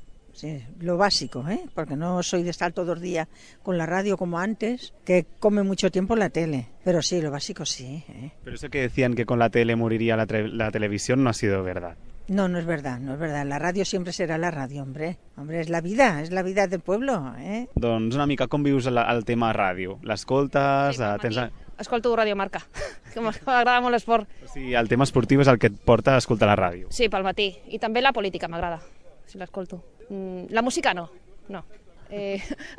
lo básico, porque no soy de estar todos los días con la radio como antes, que come mucho tiempo la tele, pero sí, lo básico sí. Pero eso que decían que con la tele moriría la televisión no ha sido verdad. No es verdad, la radio siempre serà la radio, hombre, és la vida del pueblo, Doncs una mica com vius el tema ràdio? L'escoltes? Sí, escolto Radio Marca, que m'agrada molt l'esport. O sigui, el tema esportiu és el que et porta a escoltar la ràdio. Sí, pel matí, i també la política m'agrada, si l'escolto. La música no.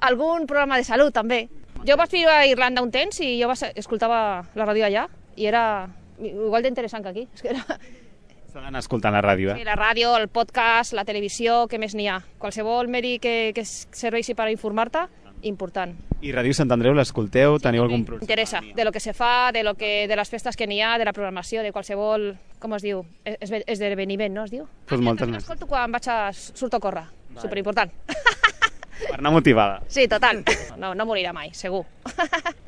Algun programa de salut també. Jo vaig viure a Irlanda un temps i jo escoltava la ràdio allà i era igual d'interessant que aquí. És que S'ha d'anar escoltant la ràdio, Sí, la ràdio, el podcast, la televisió, què més n'hi ha? Qualsevol medi que serveixi per informar-te, important. I Ràdio Sant Andreu l'escolteu? Teniu algun programa? Interessa, de lo que se fa, de les festes que n'hi ha, de la programació, de qualsevol, com es diu, esdeveniment, no es diu? Pues moltes més. L'escolto quan surto a córrer, superimportant. Per anar motivada. Sí, total. No morirà mai, segur.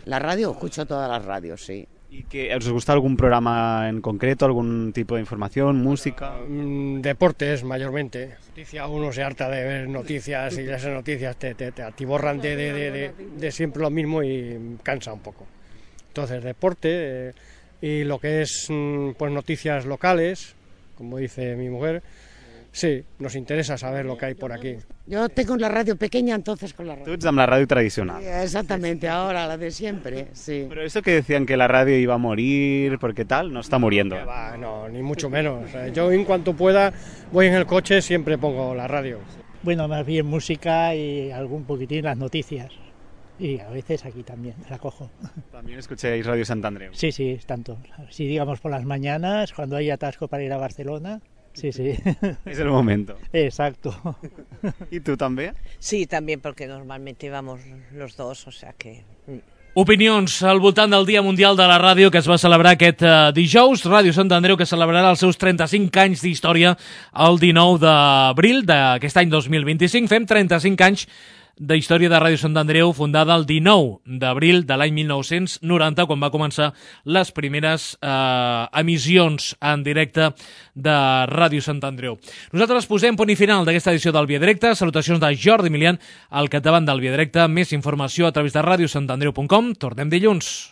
La radio, escucho todas las radios, sí. ¿Y que os gusta algún programa en concreto, algún tipo de información, música? Deportes, mayormente. Uno se harta de ver noticias y esas noticias te atiborran de siempre lo mismo y cansa un poco. Entonces, deporte y lo que es pues noticias locales, como dice mi mujer, sí, nos interesa saber lo que hay por aquí. Yo tengo la radio pequeña, entonces con la radio. Tú ets amb la radio tradicional. Sí, exactamente, ahora la de siempre, sí. Pero eso que decían que la radio iba a morir, porque tal, no está muriendo. No, ni mucho menos. Yo en cuanto pueda voy en el coche, siempre pongo la radio. Bueno, más bien música y algún poquitín las noticias. Y a veces aquí también la cojo. ¿También escucháis Radio Sant Andreu? Sí, tanto. Si digamos por las mañanas, cuando hay atasco para ir a Barcelona. Sí. Es el momento. Exacto. ¿Y tú también? Sí, también, porque normalmente vamos los dos, o sea que... Opinions al voltant del Dia Mundial de la Ràdio que es va celebrar aquest dijous. Ràdio Sant Andreu, que celebrarà els seus 35 anys d'història el 19 d'abril d'aquest any 2025. Fem 35 anys de història de Ràdio Sant Andreu, fundada el 19 d'abril de l'any 1990, quan va començar les primeres emissions en directe de Ràdio Sant Andreu. Nosaltres posem punt i final d'aquesta edició del Via Directe. Salutacions de Jordi Milian al capdavant del Via Directe. Més informació a través de radiosantandreu.com. Tornem dilluns.